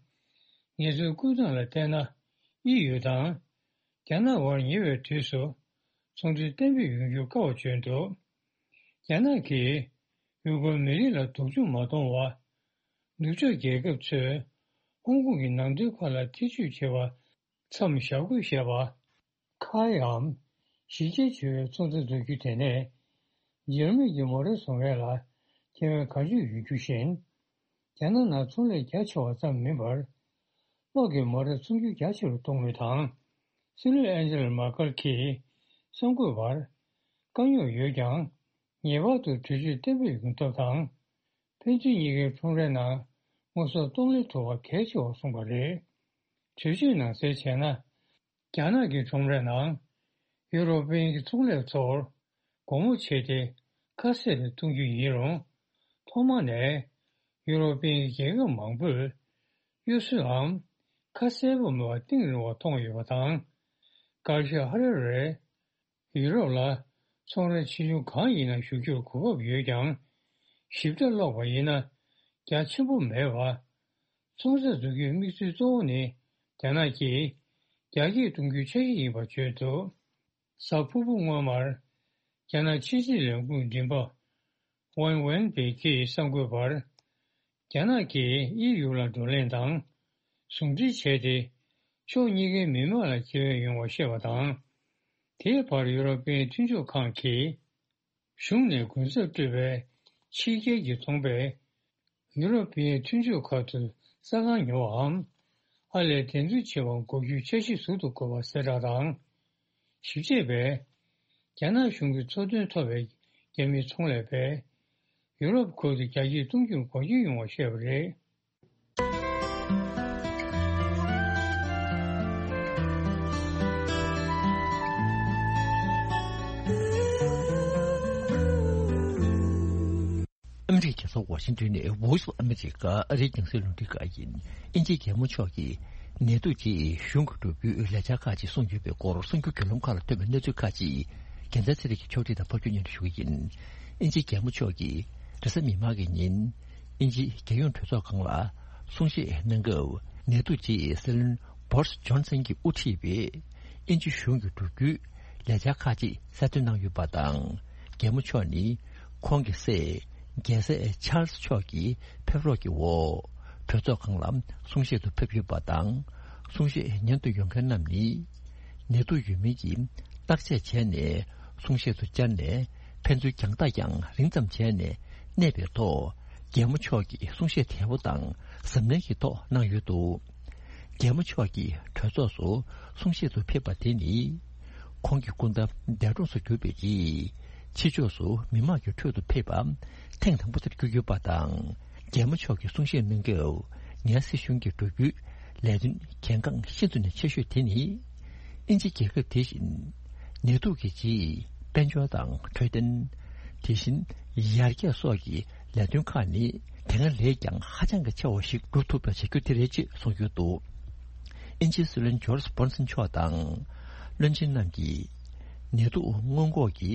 ངལ་རྩོལ་སྐུལ་སྟངས་ལ་བལྟས་ན། དབྱིན་ཡུལ་དང་རྒྱ་ནག་དབར་ཉེ་བའི་དུས་སུ་ཚོང་འབྲེལ་གཏན་འབེབས་ཡོང་རྒྱུ་དཀའ་བ་བརྗོད་འདུག་རྒྱ་ནག་གིས་ཡུ་གུར་མི་རིགས་ལ་སྡུག་སྦྱོང་མ་གཏོང་བར། ནུབ་ཕྱོགས་རྒྱལ་ཁབ་ཚོས་ཧོང་ཀོང་གི་ནང་དོན་ཁག་ལ་ཐེ་བྱུས་བྱེད་པ་མཚམས་བཞག་དགོས་ཞེས་པ། ཁའེ་འམ་གཞིས་བྱེས་བརྗེ་པོའི་ཚོགས་འདུ་འཛུགས་རྒྱུ་དེ་ནས། འཇར་མན་གྱི་མོ་ཊ་བཟོ་མཁན་ལ་ཁེ་ཕན་གང་ཡོང་ཡོད་རྒྱུ་བཞིན། རྒྱ་ནག་ནང་ཚོང་ལས་རྒྱ་ཆེ་བ་ཙམ་མིན་པར། གློག་གི་མོ་ཊ་ཚོང་རྒྱུ་རྒྱ་ཆེ་རུ་གཏོང་མུས་དང་། སྲིད་བློན་ཨན་ཇེ་ལ་མར་ཀལ་གྱིས་གསར་འགོད་པར། དཀའ་རྙོག་ཡོད་ཀྱང་། ངེས་པར་དུ་གྲོས་ཆོད་གཏན་འབེབས་ཡོང་ཐབས་དང་། ཕན་ཚུན་གཉིས་ཀའི་ཁྲོམ་རའི་ནང་དངོས་ཟོག་གཏོང་ལེན་ཐུབ་པ་གལ་ཆེ་བར་གསུངས་པ་རེད། གྲོས་ཆོད་ནང་གསལ་བྱས་ན། རྒྱ་ནག་གི་ཁྲོམ་རའི་ནང་ཡུ་རོབ་པའི་ཚོང་ལས་ཚོར་སྒོ་མོ་ཕྱེ་སྟེ་ཁ་གསལ་རུ་གཏོང་རྒྱུ་ཡིན་རུང་། ཐོག་མ་ནས་ཡུ་རོབ་པའི་རྒྱལ་ཁབ་མང་པོས་གཡོ་ཟོལ་འམ་ཁ་གསལ་པོ་མེད་པར་གཏིང་རིང་བ་མཐོང་ཡོད་པ་དང་། བཀའ་ཤག་ཧ་རེ་རེས་ཡུ་རོབ་ལ་ཚོང་ར་ཆེ་ཆུང་གང་ཡིན་ན་ཞུགས་རྒྱུར་གོ་སྐབས་ཡོད་ཀྱང་། ཞིབ་ཕྲ་ཀློག་པ་ཡིན་ན་རྒྱ་ཆེན་པོ་མེད་པ། ཚོང་ར་འཛུགས་རྒྱུའི་དམིགས་ཚད་གཙོ་བོ་ནི་རྒྱ་ནག་གིས་རྒྱ་སྐྱེད་གཏོང་རྒྱུའི་འཆར་གཞི་ཡིན་པ་བརྗོད་འདུག་གཟའ་ཕུར་བུ་སྔོན་མར་རྒྱ་ནག་ཕྱི་སྲིད་ལས་ཁུངས་མགྲིན་པ་ཝན་ཝན་པེ་གིས་གསར་འགོད་པར། རྒྱ་ནག་གིས་དབྱིན་ཡུལ་ལ་བགྲོ་གླེང་དང་ཟུང་འབྲེལ་བྱས་ཏེ། ཕྱོགས་གཉིས་ཀའི་མི་དམངས་ལ་ཁེ་ཕན་ཡོང་བ་བཤད་པ་དང་། དེའི་བར་ཡུ་རོབ་པའི་མཐུན་ཕྱོགས་ཁང་གིས། གཞུང་ནས་གུན་གསབ་སྤྲོད་པའི་ཕྱི་རྒྱལ་གྱི་ཚོང་པས་ཡུ་རོབ་པའི་མཐུན་ཕྱོགས་ཁག་ཏུ་ས་ཁང་ཉོ་བའམ་ཨ་ལས་འགྲན་བསྡུར་བྱེད་པར་འགོག་རྒྱུའི་འཆར་གཞི་ཟུར་དུ་བཀོད་པ་གསལ་བསྒྲགས་དང་། ཞིབ་དཔྱད་པས། རྒྱ་ནག་གཞུང་གི་འཚོ་དོན་ཐོབ་པའི་རྒྱ་མིའི་ཚོང་ལས་པས་ཡུ་རོབ་ཁུལ་དུ་རྒྱ་སྐྱེད་གཏོང་རྒྱུར་འགོག་རྐྱེན་ཡོང་བར་བཤད་པ་རེད། ཨ་མི་རི་ཀའི་རྒྱལ་ས་ཝ་ཤིང་ཏོན་ནས་Voice of America ཨ་རིའི་རྒྱང་སྲིང་རླུང་འཕྲིན་ཁང་ཡིན། དབྱིན་ཇིའི་རྒྱལ་མོ་མཆོག་གིས་ནེ་ཏུ་ཅེས་གཞུང་གི་སྒྲུབ་རྒྱུའི་ལས་འཆར་ཁག་ཅིག་གསུངས་ཡོད་པའི་སྐོར་གསར་འགྱུར་བརྒྱུད་ལམ་ཁག་ལ་ཐོན་པའི་གནས་ཚུལ་ཁག་ཅིག་རྒྱལ་མཚན་ཚེ་རིང་གིས་ཕྱོགས་སྒྲིག་དང་ཕབ་སྒྱུར་སྙན་སྒྲོན་ཞུ་གི་ཡིན། དབྱིན་ཇིའི་རྒྱལ་མོ་མཆོག་གིས་རེས་གཟའ་མིག་དམར་གྱི་ཉིན། དབྱིན་ཇིའི་རྒྱལ་ཡོངས་གྲོས་ཚོགས་ཁང་ལ་གསུང་བཤད་གནང་སྐབས། ནེ་ཏུ་ཅེས་སྲིད་བློན་བོ་རིས་ཇོན་སན་གྱིས་དབུ་ཁྲིད་པའི་དབྱིན་ཇི་གཞུང་གི་བསྒྲུབ་རྒྱུའི་ལས་འཆར་ཁག་ཅིག་གསལ་སྟོན་གནང་ཡོད་པ་དང་། རྒྱལ་མོ་མཆོག་ནི་ཁོང་གི་སྲས་རྒྱལ་སྲས་ཆཱལ་སི་མཆོག་གི་ཕེབས་རོགས་ཀྱི་འོག་གྲོས་ཚོགས་ཁང་ལ་གསུང་བཤད་དུ་ཕེབས་ཡོད་པ་དང་། གསུང་བཤད་ཉན་དུ་ཡོང་མཁན་རྣམས་ནི། ནད་དུག་ཡོད་མིན་གྱི་བརྟག་དཔྱད་བྱས་ནས་གསུང་བཤད་དུ་བཅར་ནས། ཕན་ཚུན་རྒྱང་ཐག་ཀྱང་རིང་ཙམ་བྱས་ནས་གནས་པའི་ཐོག་རྒྱལ་མོ་མཆོག་གིས་གསུང་བཤད་དལ་པོ་དང་གཟབ་ནན་གྱི་ཐོག་གནང་ཡོད་འདུག་རྒྱལ་མོ་མཆོག་གིས་གྲོས་ཚོགས་སུ་གསུང་བཤད་དུ་ཕེབས་པ་དེ་ནི། ཁོང་གི་སྐུ་ཟླ་འདས་གྲོངས་སུ་གྱུར་པའི་རྗེས། ཕྱི་ཕྱོགས་སུ་མི་མང་གི་ཁྲོད་དུ་ཕེབས་པ་ཐེངས་དང་པོ་དེར་གྱུར་ཡོད་པ་དང་། རྒྱལ་མོ་མཆོག་གིས་གསུང་བཤད་གནང་སྐབས། ངའི་སྲིད་གཞུང་གི་འགྲོ་རྒྱུའི་ལས་དོན་གལ་འགངས་ཤིན་ཏུ་ནས་ཆེ་ཤོས་དེ་ནི། དབྱིན་ཇི་རྒྱལ་ཁབ་དེ་བཞིན་ནད་དུག་གི་རྗེས་དཔལ་འབྱོར་དང་འཕྲོད་བསྟེན། དེ་བཞིན་ཡར་རྒྱས་སོགས་ཀྱི་ལས་དོན་ཁག་ནི་དེ་སྔ་ལས་ཀྱང་ཧ་ཅང་གི་ཆེ་བ་ཞིག་སྒྲུབ་ཐུབ་པར་བྱ་རྒྱུ་དེ་རེད་ཅེས་གསུངས་ཡོད་འདུག་དབྱིན་ཇིའི་སྲིད་བློན་ཇོར་ཇི་བྷོན་སན་མཆོག་དང་། བློན་ཆེན་རྣམས་ཀྱིས་ནད་དུག་སྔོན་འགོག་གི་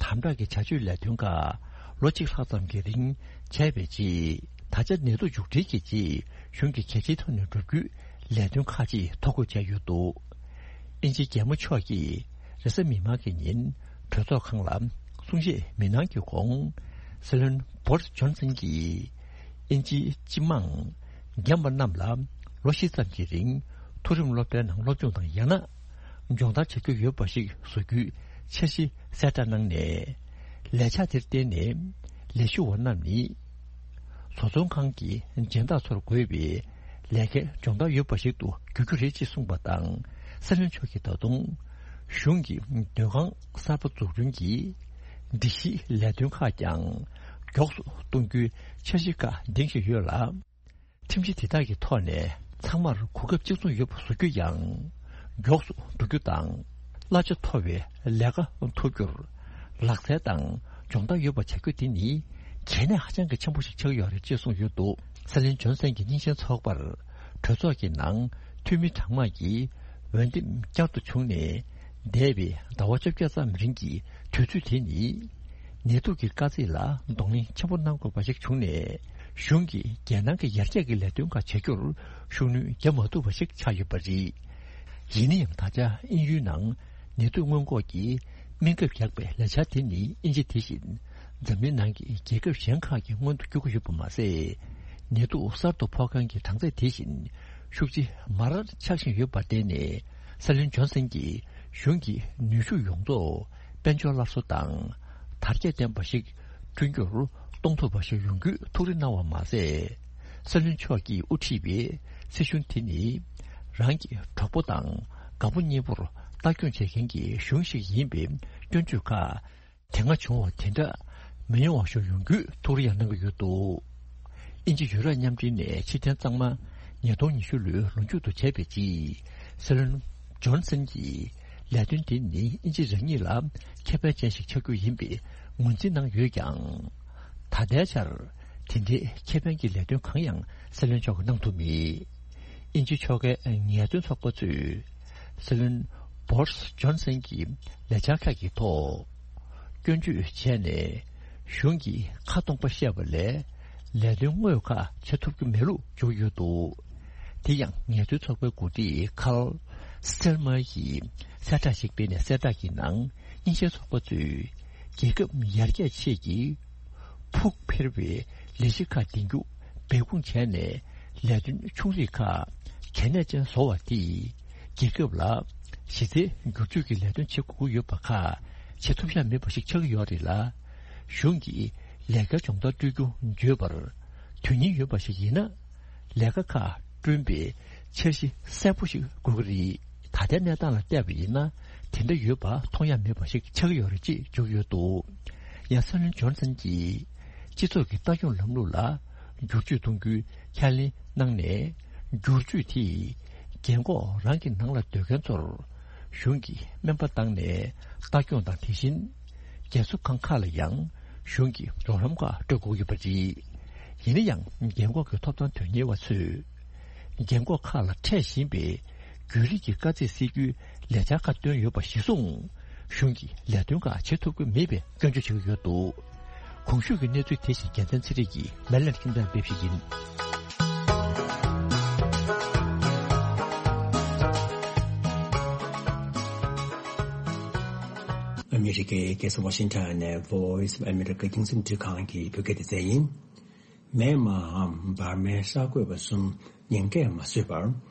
དམ་དྲག་གི་བྱ་སྤྱོད་ལས་དོན་ཁག་ལོ་གཅིག་ལྷག་ཙམ་གྱི་རིང་བྱས་པའི་རྗེས། ད་ཆ་ནད་དུག་མཇུག་སྒྲིལ་གྱི་རྗེས་གཞུང་གི་གལ་ཆེའི་ཐོག་ནས་བསྒྲུབ་རྒྱུའི་ལས་དོན་ཁག་ཅིག་ཐོ་འགོད་བྱས་ཡོད་འདུག་དབྱིན་ཇིའི་རྒྱལ་མོ་མཆོག་གིས་རེས་གཟའ་མིག་དམར་གྱི་ཉིན་གྲོས་ཚོགས་ཁང་ལ་གསུང་བཤད་མི་གནང་གི་གོང་། སྲིད་བློན་བོ་རིས་ཇོན་སན་གྱིས་དབྱིན་ཇིའི་སྤྱི་དམངས་རྒན་པ་རྣམས་ལ་ལོ་བཞི་ཙམ་གྱི་རིང་མཐོ་རིམ་སློབ་གྲྭའི་ནང་སློབ་སྦྱོང་དང་ཡང་ན་སྦྱོང་བརྡར་བྱ་རྒྱུ་ཡོད་པ་ཞིག་བཟོ་རྒྱུའི་འཆར་གཞི་གསལ་བསྒྲགས་གནང་ནས། ལས་འཆར་དེར་བརྟེན་ནས་ལས་ཞུགས་པ་རྣམས་ནི། བཟོ་ཚོང་ཁང་གི་སྦྱིན་བདག་ཚོར་དགོས་པའི་ལས་ཀའི་སྦྱོང་བརྡར་ཡོད་པ་ཞིག་ཏུ་འགྱུར་རྒྱུ་རེད་ཅེས་གསུངས་པ་དང་། སྲིད་བློན་མཆོག་གིས་ད་དུང་གཞུང་གི་སྡོད་ཁང་གསར་པ་འཛུགས་སྐྲུན་གྱི་སྒྲིག་གཞིའི་ལས་དོན་ཁག་ཀྱང་མགྱོགས་སུ་གཏོང་རྒྱུའི་འཆར་གཞི་ཁག་འདིང་བཞིན་ཡོད་ལ། ཁྲིམས་གཞི་དེ་དག་གི་ཐོག་ནས་ཚང་མར་གོ་སྐབས་གཅིག་མཚུངས་ཡོད་པ་བཟོ་རྒྱུ་ཡང་མགྱོགས་སུ་འགྲོ་རྒྱུ་དང་། གླ་ཆ་མཐོ་བའི་ལས་ཀ་ཐོབ་རྒྱུར་ལག་རྩལ་དང་སྦྱོང་བརྡར་ཡོད་པ་བྱ་རྒྱུ་དེ་ནི་གལ་གནད་ཧ་ཅང་གི་ཆེན་པོ་ཞིག་ཆགས་ཡོད་རེད་ཅེས་གསུངས་ཡོད་འདུག་སྲིད་བློན་ཇོན་སན་གྱི་སྙན་ཞུའི་ཚོགས་པར་གྲོས་ཚོགས་ཀྱི་ནང་འཐུས་མི་གྲངས་མང་གིས་འོས་འདེམས་བསྐྱར་དུ་བྱུང་ནས་འདས་པའི་ཟླ་བ་བཅོ་བརྒྱད་ཙམ་རིང་གི་དུས་ཚོད་དེ་ནི། ནད་དུག་གི་དཀའ་ཚེགས་ལ་གདོང་ལེན་ཆེན་པོ་གནང་དགོས་པ་ཞིག་བྱུང་ནས། གཞུང་གིས་རྒྱལ་ནང་གི་ཡར་རྒྱས་ཀྱི་ལས་དོན་ཁག་བྱ་རྒྱུར་ཤུགས་སྣོན་རྒྱག་མ་ཐུབ་པ་ཞིག་ཆགས་ཡོད་པ་རེད། ཡིན་ན་ཡང་། ད་ཆ་དབྱིན་ཡུལ་ནང་ནད་དུག་སྔོན་འགོག་གི་སྨན་ཁབ་རྒྱག་པའི་ལས་འཆར་དེ་ནི་དབྱིན་ཇི་དེ་བཞིན་འཛམ་གླིང་ནང་གི་རྒྱལ་ཁབ་གཞན་ཁག་གི་སྔོན་དུ་བསྐྱོད་ཀྱི་ཡོད་པ་མ་ཟད། ནད་དུག་གསར་དུ་ཕོག་མཁན་གྱི་གྲངས་ཚད་དེ་བཞིན་ཤུགས་ཆེ་མར་ཆག་བཞིན་ཡོད་པར་བརྟེན་ནས། སྲིད་བློན་ཇོན་སན་གྱིས་གཞུང་གི་ནུས་ཤུགས་ཡོངས་རྫོགས་དཔལ་འབྱོར་སླར་གསོ་དང་དར་རྒྱས་ལྡན་པ་ཞིག་བསྐྲུན་རྒྱུར་གཏོང་ཐུབ་པ་ཞིག་ཡོང་རྒྱུའི་ཐུགས་རེ་གནང་བ་མ་ཟད། སྲིད་བློན་མཆོག་གིས་དབུ་ཁྲིད་པའི་སྲིད་གཞུང་དེ་ནི་རང་གི་གྲོགས་པོ་དང་དགའ་པོ་གཉིས་པོར་ལྟ་སྐྱོང་བྱེད་མཁན་གྱི་གཞུང་ཞིག་ཡིན་པའི་སྐྱོན་བརྗོད་ཁག་དེ་སྔ་བྱུང་བ་དེ་འདྲ་མི་ཡོང་བ་ཞིག་ཡོང་རྒྱུའི་ཐུགས་རེ་ཡང་གནང་གི་ཡོད་འདུག་དབྱིན་ཇི་ཡུ་རོབ་མཉམ་འབྲེལ་ནས་ཕྱིར་འཐེན་གཙང་མ་ཉིས་སྟོང་ཉི་ཤུ་ལོའི་ལོ་མཇུག་ཏུ་བྱས་པའི་རྗེས། སྲིད་བློན་ཇོན་སན་གྱིས་ལས་དོན་དེ་ནི་དབྱིན་ཇི་རང་ཉིད་ལ་ཁེ་ཕན་ཅན་ཞིག་ཆགས་རྒྱུ་ཡིན་པའི་ངོས་འཛིན་གནང་ཡོད་ཀྱང་། ད་ལྟའི་ཆར་དེ་འདྲའི་ཁེ་ཕན་གྱི་ལས་དོན་གང་ཡང་སྲིད་བློན་མཆོག་གིས་གནང་ཐུབ་མེད། དབྱིན་ཇི་ཕྱོགས་ཁའི་ངལ་རྩོལ་ཚོགས་པ་ཚོས་སྲིད་བློན་བོ་རིས་ཇོན་སན་གྱི་ལས་འཆར་ཁག་གི་ཐོག་སྐྱོན་བརྗོད་བྱས་ནས། གཞུང་གིས་ཁ་སྟོང་པ་བཤད་པ་ལས་ལས་དོན་དངོས་ཁག་བྱེད་ཐུབ་ཀྱི་མེད་ལུགས་བརྗོད་ཡོད་འདུག་དེ་ཡང་ངལ་རྩོལ་ཚོགས་པའི་འགོ་ཁྲིད་ཁཱརལ་སི་ཊེལ་མར་གྱིས་གསལ་བསྒྲགས་ཤིག་སྤེལ་ནས། གསལ་བསྒྲགས་ཀྱི་ནང་དབྱིན་ཇིའི་ཚོགས་པ་ཚོས་རྒྱལ་ཁབ་ཡར་རྒྱས་ཆེད་ཀྱི་ཕུགས་འཕེར་བའི་ལས་གཞི་ཁག་འདིང་རྒྱུ་སྦས་སྐུང་བྱས་ནས། ལས་དོན་ཆུང་རིགས་ཁག་གལ་གནད་ཅན་བཟོ་བ་དེས་རྒྱལ་ཁབ་ལ་གཞི་རྩའི་བསྒྱུར་བཅོས་ཀྱི་ལས་དོན་བྱེད་དགོས་ཀྱི་ཡོད་པ་ཁག་བྱེད་ཐུབ་ཡ་མེད་པ་ཞིག་ཆགས་ཀྱི་ཡོད་རེད་ལ། གཞུང་གིས་ལས་ཀའི་སྦྱོང་བརྡར་སྤྲོད་རྒྱུ་བརྗོད་པར་དོན་སྙིང་ཡོད་པ་ཞིག་ཡིན་ན། ལས་ཀ་ཁག་བསྐྲུན་པའི་འཆར་གཞི་གསལ་པོ་ཞིག་དགོས་ཀྱི་རེད། ད་ལྟའི་གནས་སྟངས་ལ་བལྟས་པ་ཡིན་ན། དེ་འདྲ་ཡོད་པ་མཐོང་ཡ་མེད་པ་ཞིག་ཆགས་ཀྱི་ཡོད་རེད་ཅེས་བརྗོད་ཀྱི་ཡོད་འདུག་ཡང་སྲིད་བློན་ཇོན་སན་གྱིས་སྤྱི་ཚོགས་ཀྱི་ལྟ་སྐྱོང་ལམ་ལུགས་ལ་བསྒྱུར་བཅོས་གཏོང་རྒྱུའི་ཁས་ལེན་གནང་ནས། བསྒྱུར་བཅོས་དེས་རྒན་འཁོགས་རང་གི་ནང་ལ་སྡོད་མཁན་ཚོར་གཞུང་གིས་སྨན་པ་བཏང་ནས་ལྟ་སྐྱོང་དང་། དེ་བཞིན་རྒན་གསོ་ཁང་ཁག་ལ་ཡང་གཞུང་གིས་རོགས་རམ་ཁག་སྤྲོད་དགོས་ཡོད་པ་རེད། ཡིན་ན་ཡང་། རྒན་འཁོགས་ཀྱི་ཐོབ་ཐང་དོན་གཉེར་བ་ཚོས་རྒན་འཁོགས་ཁག་ལ་འཕྲད་བཞིན་པའི་འགྱུར་རིགས་ཀྱི་དཀའ་ཚེགས་སེལ་རྒྱུའི་ལས་འཆར་ཁག་བཏོན་ཡོད་པ་གཞིར་བཟུང་། གཞུང་གིས་ལས་དོན་ཁག་བྱེད་ཐུབ་ཀྱི་མེད་པའི་སྐྱོན་བརྗོད་བྱེད་ཀྱི་ཡོད་འདུག་གོང་ཞུས་ཀྱི་གནས་ཚུལ་དེ་བཞིན་རྒྱལ་མཚན་ཚེ་རིང་གིས་མེ་ལན་ཁྱིམ་ཚང་སྤེལ་ཞིག་ཡིན། ཨ་མི་རི་ཀའི་རྒྱལ་ས་ཝ་ཤིང་ཊོན་ནས་Voice of America རྒྱང་སྲིང་འཕྲིན་ཁང་གི་བོད་སྐད་སྡེ་ཚན་ཡིན། མེན་མའམ་འབར་མའི་གསར་འགོད་པ་གསུམ་ཉེན་ཁས་མ་བཟོད་པར་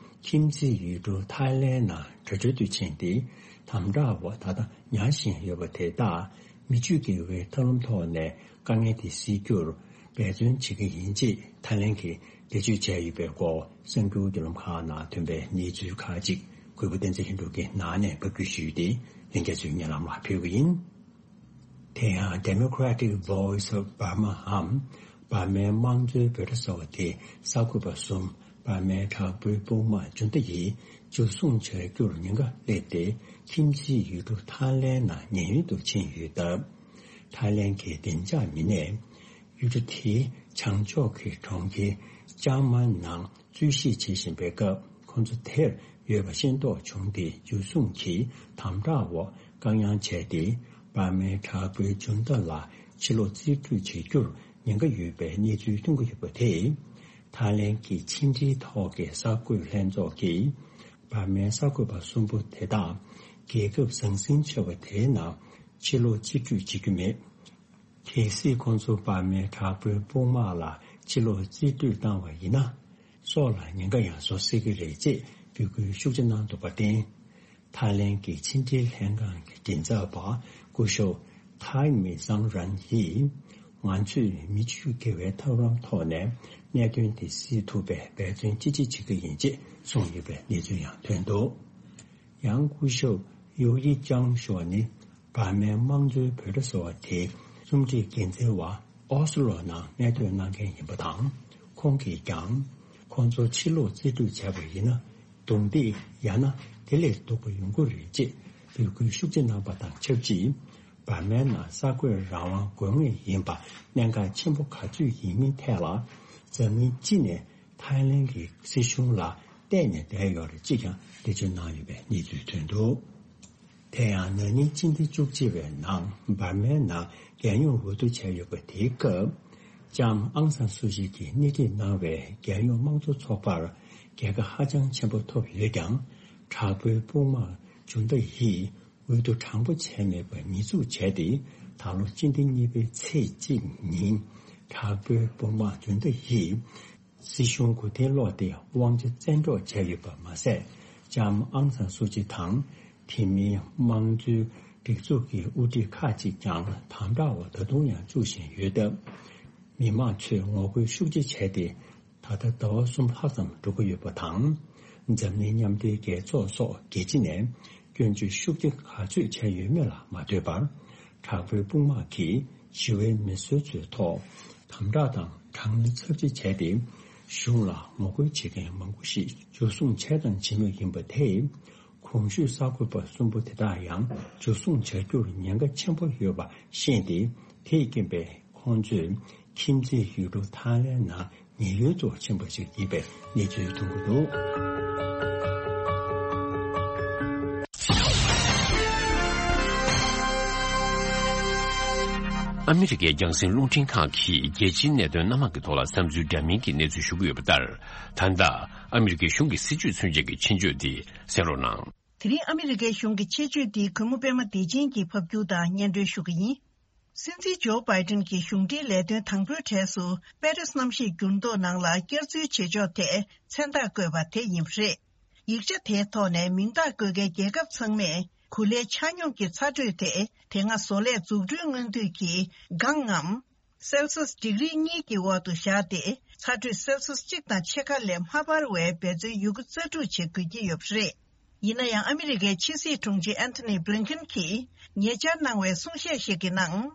ཁྱིམ་མཚེས་ཡུལ་གྲུ་ཐའི་ལེན་ནང་བྲོས་བྱོལ་དུ་ཕྱིན་ཏེ། དམ་དྲག་འོག་ད་ལྟ་ཉར་བཞིན་ཡོད་པ་དེ་དག་མི་ཆོས་དགེ་བའི་ཐབས་ལམ་ཐོག་ནས་དཀའ་ངལ་དེ་སེལ་རྒྱུར་འབད་བརྩོན་བྱེད་ཀྱི་ཡིན་ཅེས་ཐའི་ལེན་གྱིས་འགྲེལ་བརྗོད་བྱས་ཡོད་པའི་སྐོར། གསར་འགྱུར་བརྒྱུད་ལམ་ཁག་ནང་ཐོན་པའི་གནས་ཚུལ་ཁག་ཅིག་གུས་པ་བསྟན་འཛིན་ལྷུན་གྲུབ་ཀྱིས་ནང་ནས་ཕབ་སྒྱུར་ཞུས་ཏེ། ལྷན་རྒྱས་ཚོའི་སྙན་ལམ་ལ་ཕུལ་གྱི་ཡིན། དེ་ཡང་Democratic Voice of Burma འམ་འབར་མའི་དམངས་གཙོའི་འབོད་སྒྲ་ཟེར་བ་དེ་གསར་འགོད་པ་གསུམ་འབར་མའི་དྲག་པོའི་དཔུང་དམག་ཇུན་ཏ་ཡིས་འཇུ་བཟུང་བྱ་རྒྱུར་ཉེན་ཁ་སླེབས་ཏེ། ཁྱིམ་མཚེས་ཡུལ་གྲུ་ཐའི་ལེན་ནང་ཉེན་གཡོལ་དུ་ཕྱིན་ཡོད་སྟབས། ཐའི་ལེན་གྱི་བདེ་འཇགས་མི་སྣས་ཡུལ་གྲུ་དེའི་བྱང་ཕྱོགས་ཀྱི་གྲོང་ཁྱེར་ཅང་མན་ནང་རྩོད་གཞིས་བྱེད་བཞིན་པའི་སྐབས། ཁོང་ཚོ་དེར་ཡོད་པ་ཤེས་རྟོགས་བྱུང་སྟེ། འཇུ་བཟུང་གིས་དམ་དྲག་འོག་བཀག་ཉར་བྱས་ཏེ། འབར་མའི་དྲག་པོའི་ཇུན་ཏ་ལ་ཕྱིར་ལོག་རྩིས་སྤྲོད་བྱེད་རྒྱུར་ཉེན་ཁ་ཡོད་པའི་གནས་ཚུལ་ཐོན་གྱི་ཡོད་པ་དེས། ཐའི་ལེན་གྱི་ཕྱི་འབྲེལ་ཐོག་གི་གསར་འགོད་ལྷན་ཚོགས་ཀྱིས་འབར་མའི་གསར་འགོད་པ་གསུམ་པོ་དེ་དག་རྒྱལ་ཁབ་ཟང་ཟིང་ཆེ་བ་དེའི་ནང་ཕྱིར་ལོག་རྩིས་སྤྲོད་བྱེད་རྒྱུ་མེད། གལ་སྲིད་ཁོང་ཚོ་འབར་མའི་དྲག་པོའི་དཔུང་དམག་ལ་ཕྱིར་ལོག་རྩིས་སྤྲོད་བཏང་བ་ཡིན་ན། སྲོག་ལ་ཉེན་ཁ་ཡང་བཟོ་སྲིད་ཀྱི་རེད་ཅེས་འབོད་སྐུལ་ཤུགས་ཆེ་གནང་འདུག་པར་བརྟེན། ཐའི་ལེན་གྱི་ཕྱི་འབྲེལ་ལྷན་ཁང་གི་མགྲིན་ཚབ་པ་སྐུ་ཞབས་ཐའི་མི་སང་རན་ཡིས། ང་ཚོས་མི་ཆོས་དགེ་བའི་ཐབས་ལམ་ཐོག་ནས་གནད་དོན་དེ་སེལ་ཐུབ་པའི་འབད་བརྩོན་ཅི་ཆེ་བྱེད་ཀྱི་ཡིན་ཅེས་གསུངས་ཡོད་པའི་གནས་ཚུལ་ཡང་ཐོན་འདུག་ཡང་སྐུ་ཞབས་ཡོ་ཡི་ཅང་ཞོ་ནི་འབར་མའི་དམངས་གཙོའི་འབོད་སྒྲ་ཟེར་བ་དེ་རྩོམ་སྒྲིག་འགན་འཛིན་པ་ཨོ་སི་ལོ་ནང་གནས་སྡོད་གནང་མཁན་ཡིན་པ་དང་། ཁོང་གིས་ཀྱང་ཁོང་ཚོ་ཕྱིར་ལོག་རྩིས་སྤྲོད་བྱས་པ་ཡིན་ན། རྡུང་རྡེག་ཡང་ན་དེ་ལས་སྡུག་པ་ཡོང་གི་རེད་ཅེས་འབོད་སྐུལ་ཤུགས་ཆེ་གནང་པ་དང་ཆབས་ཅིག་འབར་མའི་ནང་གསར་འགོད་རང་དབང་དགོས་ངེས་ཡིན་པ་གནད་འགག་ཆེན་པོ་ག་ཚོད་ཡིན་མིན་ཐད་ལ། འཛམ་གླིང་སྤྱི་ནས་ཐའི་ལེན་གྱི་སྲིད་གཞུང་ལ་བལྟས་ནས་བསྡད་ཡོད་རེད་ཅེས་ཀྱང་འགྲེལ་བརྗོད་གནང་ཡོད་པའི་གནས་ཚུལ་ཐོན་འདུག་དེ་ཡང་ན་ནིང་སྤྱི་ཟླ་བཅུ་གཅིག་པའི་ནང་འབར་མའི་ནང་རྒྱལ་ཡོངས་འོས་བསྡུ་བྱས་ཡོད་པ་དེའི་སྐབས། ལྕམ་ཨང་སན་སུའུ་ཅི་གིས་སྣེ་ཁྲིད་གནང་བའི་རྒྱལ་ཡོངས་དམངས་གཙོ་ཚོགས་པར་རྒྱལ་ཁ་ཧ་ཅང་ཆེན་པོ་ཐོབ་ཡོད་ཀྱང་། དྲག་པོའི་དཔུང་དམག་ཇུན་ཏ་ཡིས་འོས་བསྡུ་དྲང་པོ་བྱས་མེད་པར་ཉེས་འཛུགས་བྱས་ཏེ། ད་ལོ་སྤྱི་ཟླ་གཉིས་པའི་ཚེས་གཅིག་ཉིན། དྲག་པོའི་དཔུང་དམག་ཇུན་ཏ་ཡིས། སྲིད་གཞུང་མགོ་རྟིང་སློག་སྟེ་དབང་ཆ་བཙན་འཕྲོག་བྱས་ཡོད་པ་མ་ཟད། ལྕམ་ཨང་སན་སུའུ་ཅི་དང་། དེ་མིན་དམངས་གཙོའི་སྒྲིག་འཛུགས་ཀྱི་དབུ་ཁྲིད་ཁག་ཅིག་ཀྱང་དམ་དྲག་འོག་ད་དུང་ཡང་བཅུག་བཞིན་ཡོད་སྟབས། མི་མང་ཚོས་ངོ་རྒོལ་ཤུགས་ཆེ་བྱས་ཏེ། ད་ལྟ་ཟླ་བ་གསུམ་ལྷག་ཙམ་འགྲོ་གི་ཡོད་པ་དང་། འཛམ་གླིང་མཉམ་འབྲེལ་རྒྱལ་ཚོགས་སོགས་རྒྱལ་སྤྱི་ནས་སྐྱོན་བརྗོད་ཤུགས་ཆེ་ག་ཚོད་བྱས་ཡོད་མེད་ལ་མ་ལྟོས་པར། དྲག་པོའི་དཔུང་དམག་གིས་ཞི་བའི་མི་སེར་ཚོའི་ཐོག་དམ་དྲག་དང་དྲག་གནོན་ཚབས་ཆེ་བྱས་ཏེ། གཞུང་ལ་ངོ་རྒོལ་བྱེད་མཁན་མང་པོ་ཞིག་འཇུ་བཟུང་བྱས་དང་བྱེད་མུས་ཡིན་པ་དེས། གོང་ཞུས་གསར་འགོད་པ་གསུམ་པོ་དེ་དག་ཡང་འཇུ་བཟུང་བྱ་རྒྱུར་ཉེན་ཁ་ཆེན་པོ་ཡོད་པ་ཤེས་ཏེ། དེས་རྐྱེན་པས་ཁོང་ཚོས་ཁྱིམ་མཚེས་ཡུལ་གྲུ་ཐའི་ལེན་ནང་ཉེན་གཡོལ་དུ་ཕྱིན་པ་ཞིག་ཡིན་པའི་གནས་ཚུལ་ཐོན་གྱི་འདུག། ཨ་མི་རི་ཀའི་རྒྱང་སྲིང་རླུང་འཕྲིན་ཁང་གིས་རྒྱལ་སྤྱིའི་གནད་དོན་སྣ་མང་གི་ཐོག་ལ་བསམ་ཚུལ་འདྲ་མིན་གྱི་གནས་ཚུལ་ཞུ་གི་ཡོད་པ་ལྟར། ད་ལྟ་ཨ་མི་རི་ཀའི་གཞུང་གི་སྲིད་བྱུས་མཚོན་བྱེད་ཀྱི་ཆེད་བརྗོད་འདི་གསན་རོགས་གནང་། དེ་རིང་ཨ་མི་རི་ཀའི་གཞུང་གི་ཆེད་བརྗོད་འདི་གུས་མོ་པད་མ་བདེ་ཆེན་གྱིས་ཕབ་སྒྱུར་དང་སྙན་སྒྲོན་ཞུ་གི་ཡིན། སྲིད་འཛིན་ཇོ་བྷའི་ཏིན་གྱི་གཞུང་འབྲེལ་ལས་དོན་དང་པོའི་གྲས་སུ་པེ་རིས་གནམ་གཤིས་འགྱུར་ལྡོག་ནང་ལ་བསྐྱར་འཛུལ་བྱེད་ཕྱོགས་ཐད་མཚན་རྟགས་བཀོད་པ་དེ་ཡིན་པ་རེད། ཡིག་ཆ་དེའི་ཐོག་ནས་མིང་རྟགས་བཀོད་མཁན་རྒྱལ་ཁབ་ཚང་མས་གོ་ལའི་ཆ་སྙོམས་ཀྱི་ཚ་དྲོད་དེ་དེ་སྔ་བཟོ་ལས་འཛུགས་སྐྲུན་སྔོན་དུས་ཀྱི་གངམ། སེལ་སིས་ཌིག་རི་གཉིས་ཀྱི་འོག་ཏུ་བཞག་སྟེ། ཚ་དྲོད་སེལ་སིས་གཅིག་དང་ཕྱེད་ཀ་ལས་མ་འཕར་བའི་འབད་བརྩོན་ཡོད་རྒུ་རྩལ་སྤྲུགས་བྱེད་དགོས་ཀྱི་ཡོད་པ་རེད། ཡིན་ན་ཡང་། ཨ་མི་རི་ཀའི་ཕྱི་སྲིད་དྲུང་ཆེ་ཨན་ཐོ་ནི་བྷི་ལིན་ཁིན་གྱིས་ཉེ་ཆར་གནང་བའི་གསུང་བཤད་ཞིག་གི་ནང་།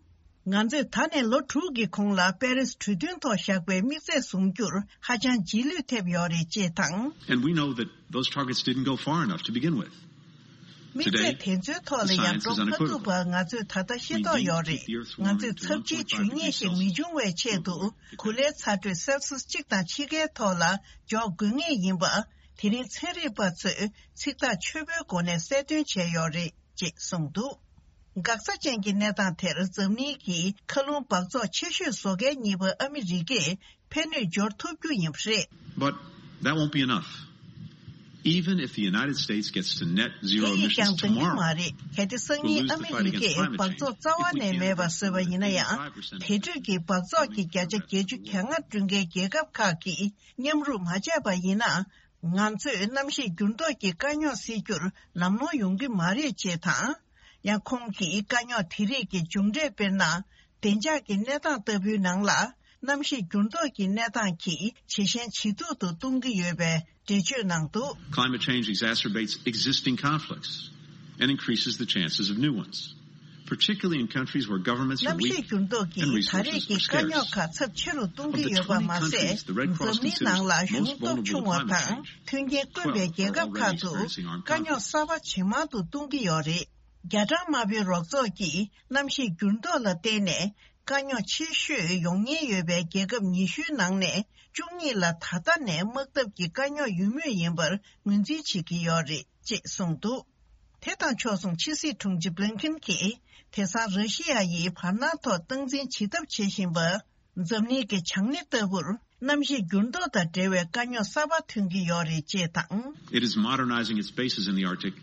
ང་ཚོས་ད་ནས་ལོ་དྲུག་གི་གོང་ལ་པེ་རིས་གྲོས་མཐུན་ཐོག་བཞག་པའི་དམིགས་ཚད་བཟུང་རྒྱུར་ཧ་ཅང་རྗེས་ལུས་ཐེབས་ཡོད་རེད་ཅེས་དང་། And we know that those targets didn't go far enough to begin with. དམིགས་ཚད་དེ་ཚོའི་ཐོག་ལ་ཡང་འགྲོ་མ་ཐུབ་པ་ང་ཚོས་ད་ལྟ་ཤེས་རྟོགས་ཡོད་རེད། ང་ཚོས་ཚབས་ཆེའི་ཇུས་ངན་ཞིག་མི་འབྱུང་བའི་ཆེད་དུ་གོ་ལའི་ཚ་དྲོད་སེལ་སིས་གཅིག་དང་ཕྱེད་ཀའི་ཐོག་ལ་འཇོག་དགོས་ངེས་ཡིན་པ། དེ་རིང་ཚན་རིག་པ་ཚོས་ཚིག་ཐག་ཆོད་པོའི་སྒོ་ནས་གསལ་སྟོན་བྱས་ཡོད་རེད་ཅེས་གསུངས་འདུག། འགག་རྩ་ཅན་གྱི་གནས་སྟངས་དེར་འཛམ་གླིང་གི་མཁའ་རླུང་འབག་བཙོག་ཆེ་ཤོས་བཟོ་མཁན་གཉིས་པ་ཨ་མི་རི་ཀས་ཕན་ནུས་འབྱོར་ཐུབ་རྒྱུ་ཡིན་པ་རེད། But that won't be enough. Even if the United States gets to net zero emissions tomorrow, we'll lose the fight against climate change. དེ་ཡིས་ཀྱང་འདང་རྒྱག་མ་རེད། གལ་ཏེ་སང་ཉིན་ཨ་མི་རི་ཀས་འབག་བཙོག་རྩ་བ་ནས་མེད་པ་བཟོས་པ་ཡིན་ན་ཡང་། དེ་འཕྲོས་ཀྱི་འབག་བཙོག་གི་བརྒྱ་ཆ་བརྒྱད་ཅུ་གྱ་ལྔ་བསྐྲུན་མཁན་རྒྱལ་ཁབ་ཁག་གིས་མཉམ་རུབ་མ་བྱས་པ་ཡིན་ན། ང་ཚོས་གནམ་གཤིས་འགྱུར་ལྡོག་གི་དཀའ་རྙོག་སེལ་རྒྱུར་ལམ་ལྷོང་ཡོང་གི་མ་རེད་ཅེས་དང་། ཡང་ཁོང་གིས་དཀའ་རྙོག་དེ་རིགས་ཀྱི་མཇུག་འབྲས་དཔེར་ན། བདེ་འཇགས་ཀྱི་གནས་སྟངས་ལྟ་བུའི་ནང་ལ། གནམ་གཤིས་འགྱུར་ལྡོག་གི་གནས་སྟངས་ཀྱིས་ཇེ་ཞན་ཇེ་སྡུག་ཏུ་གཏོང་གི་ཡོད་པའི་འགྲེལ་བརྗོད་གནང་འདུག། Climate change exacerbates existing conflicts and increases the chances of new ones, particularly in countries where governments are weak and resources are scarce. གནམ་གཤིས་འགྱུར་ལྡོག་གིས་ད་རེས་ཀྱི་དཀའ་རྙོག་ཁག་ཚབས་ཆེ་རུ་གཏོང་གི་ཡོད་པ་མ་ཟད། འཛམ་གླིང་ནང་ལ་གཞུང་སྟོབས་ཆུང་བ་དང་། མཐུན་རྐྱེན་དཀོན་པའི་རྒྱལ་ཁབ་ཁག་ཏུ་དཀའ་རྙོག་གསར་པ་ཇེ་མང་དུ་གཏོང་གི་ཡོད་རེད། རྒྱ་གྲམ་དམར་པོའི་རོགས་ཚོགས་ཀྱིས་གནམ་གཤིས་འགྱུར་ལྡོག་ལ་བརྟེན་ནས་དཀའ་རྙོག་ཆེ་ཤོས་ཡོང་ཉེན་ཡོད་པའི་རྒྱལ་ཁབ་ཉི་ཤུའི་ནང་ནས་བཅུ་གཉིས་ལ་ད་ལྟ་ནས་དམག་འཐབ་ཀྱི་དཀའ་རྙོག་ཡོད་མུས་ཡིན་པར་ངོས་འཛིན་བྱེད་ཀྱི་ཡོད་རེད་ཅེས་གསུངས་འདུག། དེ་དང་ཕྱོགས་མཚུངས་ཕྱི་སྲིད་དྲུང་ཆེ་བྷི་ལིན་ཁིན་གྱིས་དེང་སང་ར་ཤི་ཡ་ཡིས་བར་སྣང་ཐོག་སྟངས་འཛིན་བྱེད་ཐབས་བྱེད་བཞིན་པ། འཛམ་གླིང་གི་བྱང་སྣེ་ལྟ་བུར་གནམ་གཤིས་འགྱུར་ལྡོག་དང་འབྲེལ་བའི་དཀའ་རྙོག་གསར་པ་ཐོན་གྱི་ཡོད་རེད་ཅེས་དང་། It is modernizing its bases in the Arctic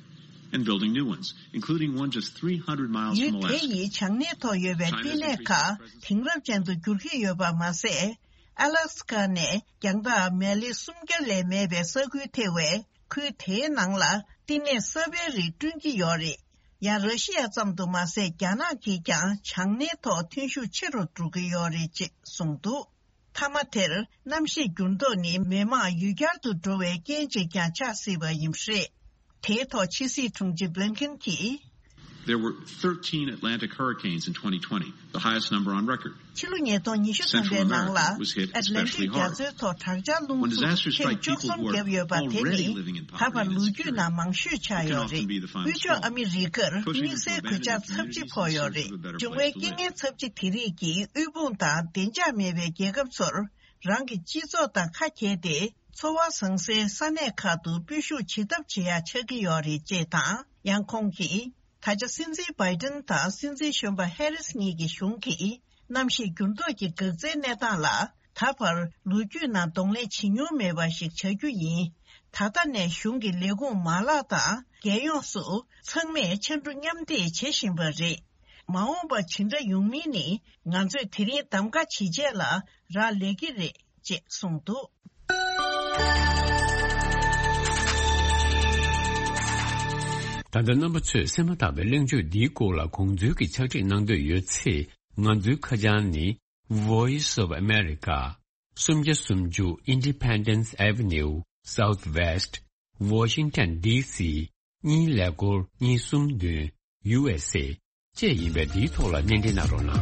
and building new ones, including one just three hundred miles from Alaska. ཡུལ་དེ་ཡི་བྱང་སྣེ་ཐོག་ཡོད་པའི་བསྟི་གནས་ཁག་དེང་རབས་ཅན་དུ་འགྱུར་གྱི་ཡོད་པ་མ་ཟད། ཨ་ལ་སི་ཀ་ནས་རྒྱང་ཐག་མེལ་ལི་སུམ་བརྒྱ་ལས་མེད་པའི་ས་ཁུལ་ཐེ་བའི་ཁུལ་དེའི་ནང་ལ་བསྟི་གནས་གསར་པའི་རིགས་བསྐྲུན་གྱི་ཡོད་རེད། ཡང་ར་ཤི་ཡ་ཙམ་དུ་མ་ཟད། རྒྱ་ནག་གིས་ཀྱང་བྱང་སྣེ་ཐོག་ཐོན་ཤུགས་ཆེ་རུ་འགྲོ་གི་ཡོད་རེད་ཅེས་གསུངས་འདུག། མཐའ་མ་དེར་གནམ་གཤིས་འགྱུར་ལྡོག་ནི་མི་དམངས་ཡུལ་གྱར་དུ་འགྲོ་བའི་རྐྱེན་ཅིག་ཀྱང་ཆགས་སྲིད་པ་ཡིན་པ་རེད། དེའི་ཐོག་ཕྱི་སྲིད་དྲུང་ཆེ་བྷི་ལིན་ཁིན་གྱིས། There were thirteen Atlantic hurricanes in twenty twenty, the highest number on record. ཕྱི་ལོ་ཉིས་སྟོང་ཉི་ཤུ་ཐམ་པའི་ནང་ལ་ཨེཊ་ལན་ཊིག་རྒྱ་མཚོའི་ཐོག་དྲག་ཆར་རླུང་འཚུབ་ཐེངས་བཅུ་གསུམ་བརྒྱབ་ཡོད་པ་དེ་ནི་ད་བར་ལོ་རྒྱུས་ནང་མང་ཤོས་ཆགས་ཡོད་རེད། དབུས་ཕྱོགས་ཨ་མི་རི་ཀར་དམིགས་བསལ་གོད་ཆག་ཚབས་ཆེ་ཕོག་ཡོད་རེད། འབྱུང་བའི་རྐྱེན་ངན་ཚབས་ཆེ་དེ་རིགས་ཀྱིས་དབུལ་ཕོངས་དང་བདེ་འཇགས་མེད་པའི་རྒྱལ་ཁབ་ཚོར་རང་གི་སྤྱི་ཚོགས་དང་ཁ་གྱེས་ཏེ། འཚོ་བ་བཟང་སའི་ས་གནས་ཁག་ཏུ་སྤོས་ཤུགས་བྱེད་ཐབས་བྱེད་ཡག་ཆགས་ཀྱི་ཡོད་རེད་ཅེས་དང་། ཡང་ཁོང་གིས། ད་ཆ་སྲིད་འཛིན་བྷའི་ཏིན་དང་སྲིད་འཛིན་གཞོན་པ་ཧེ་རིས་གཉིས་ཀྱི་གཞུང་གིས་གནམ་གཤིས་འགྱུར་ལྡོག་གི་འགག་རྩའི་གནས་སྟངས་ལ་ད་བར་ལོ་རྒྱུས་ནང་གདོང་ལེན་བྱེད་མྱོང་མེད་པ་ཞིག་བྱ་རྒྱུ་ཡིན། ད་ལྟ་ནས་གཞུང་གི་ལས་ཁུངས་མ་ལག་དང་རྒྱལ་ཡོངས་སུ་ཚང་མས་ཕྱར་གྲུ་མཉམ་འདེགས་བྱེད་བཞིན་པ་རེད། མ་འོངས་པ་ཇི་འདྲ་ཡོང་མིན་ནི་ང་ཚོས་དེ་རིང་གདམ་ག་བྱེད་ཆེད་ལ་རག་ལས་ཀྱི་རེད། ཅེས་གསུངས་འདུག། ད་ལྟ་རྣམ་པ་ཚོས་སེམས་པ་ཐག་པའི་གླེང་བརྗོད་འདིའི་སྐོར་ལ་དགོངས་ཚུལ་གྱི་ཕྱག་བྲིས་གནང་འདོད་ཡོད་ཚེ། ང་ཚོའི་ཁ་བྱང་ནི། Voice of America། སུམ་བརྒྱ་སུམ་ཅུ་Independence Avenue Southwest། Washington D C། གཉིས་ཀླད་ཀོར་གཉིས་གསུམ་བདུན། U S A། བཅས་ཡིན་པས་འདིའི་ཐོག་ལ་སྣེ་འདྲེན་གནང་རོགས་གནང་།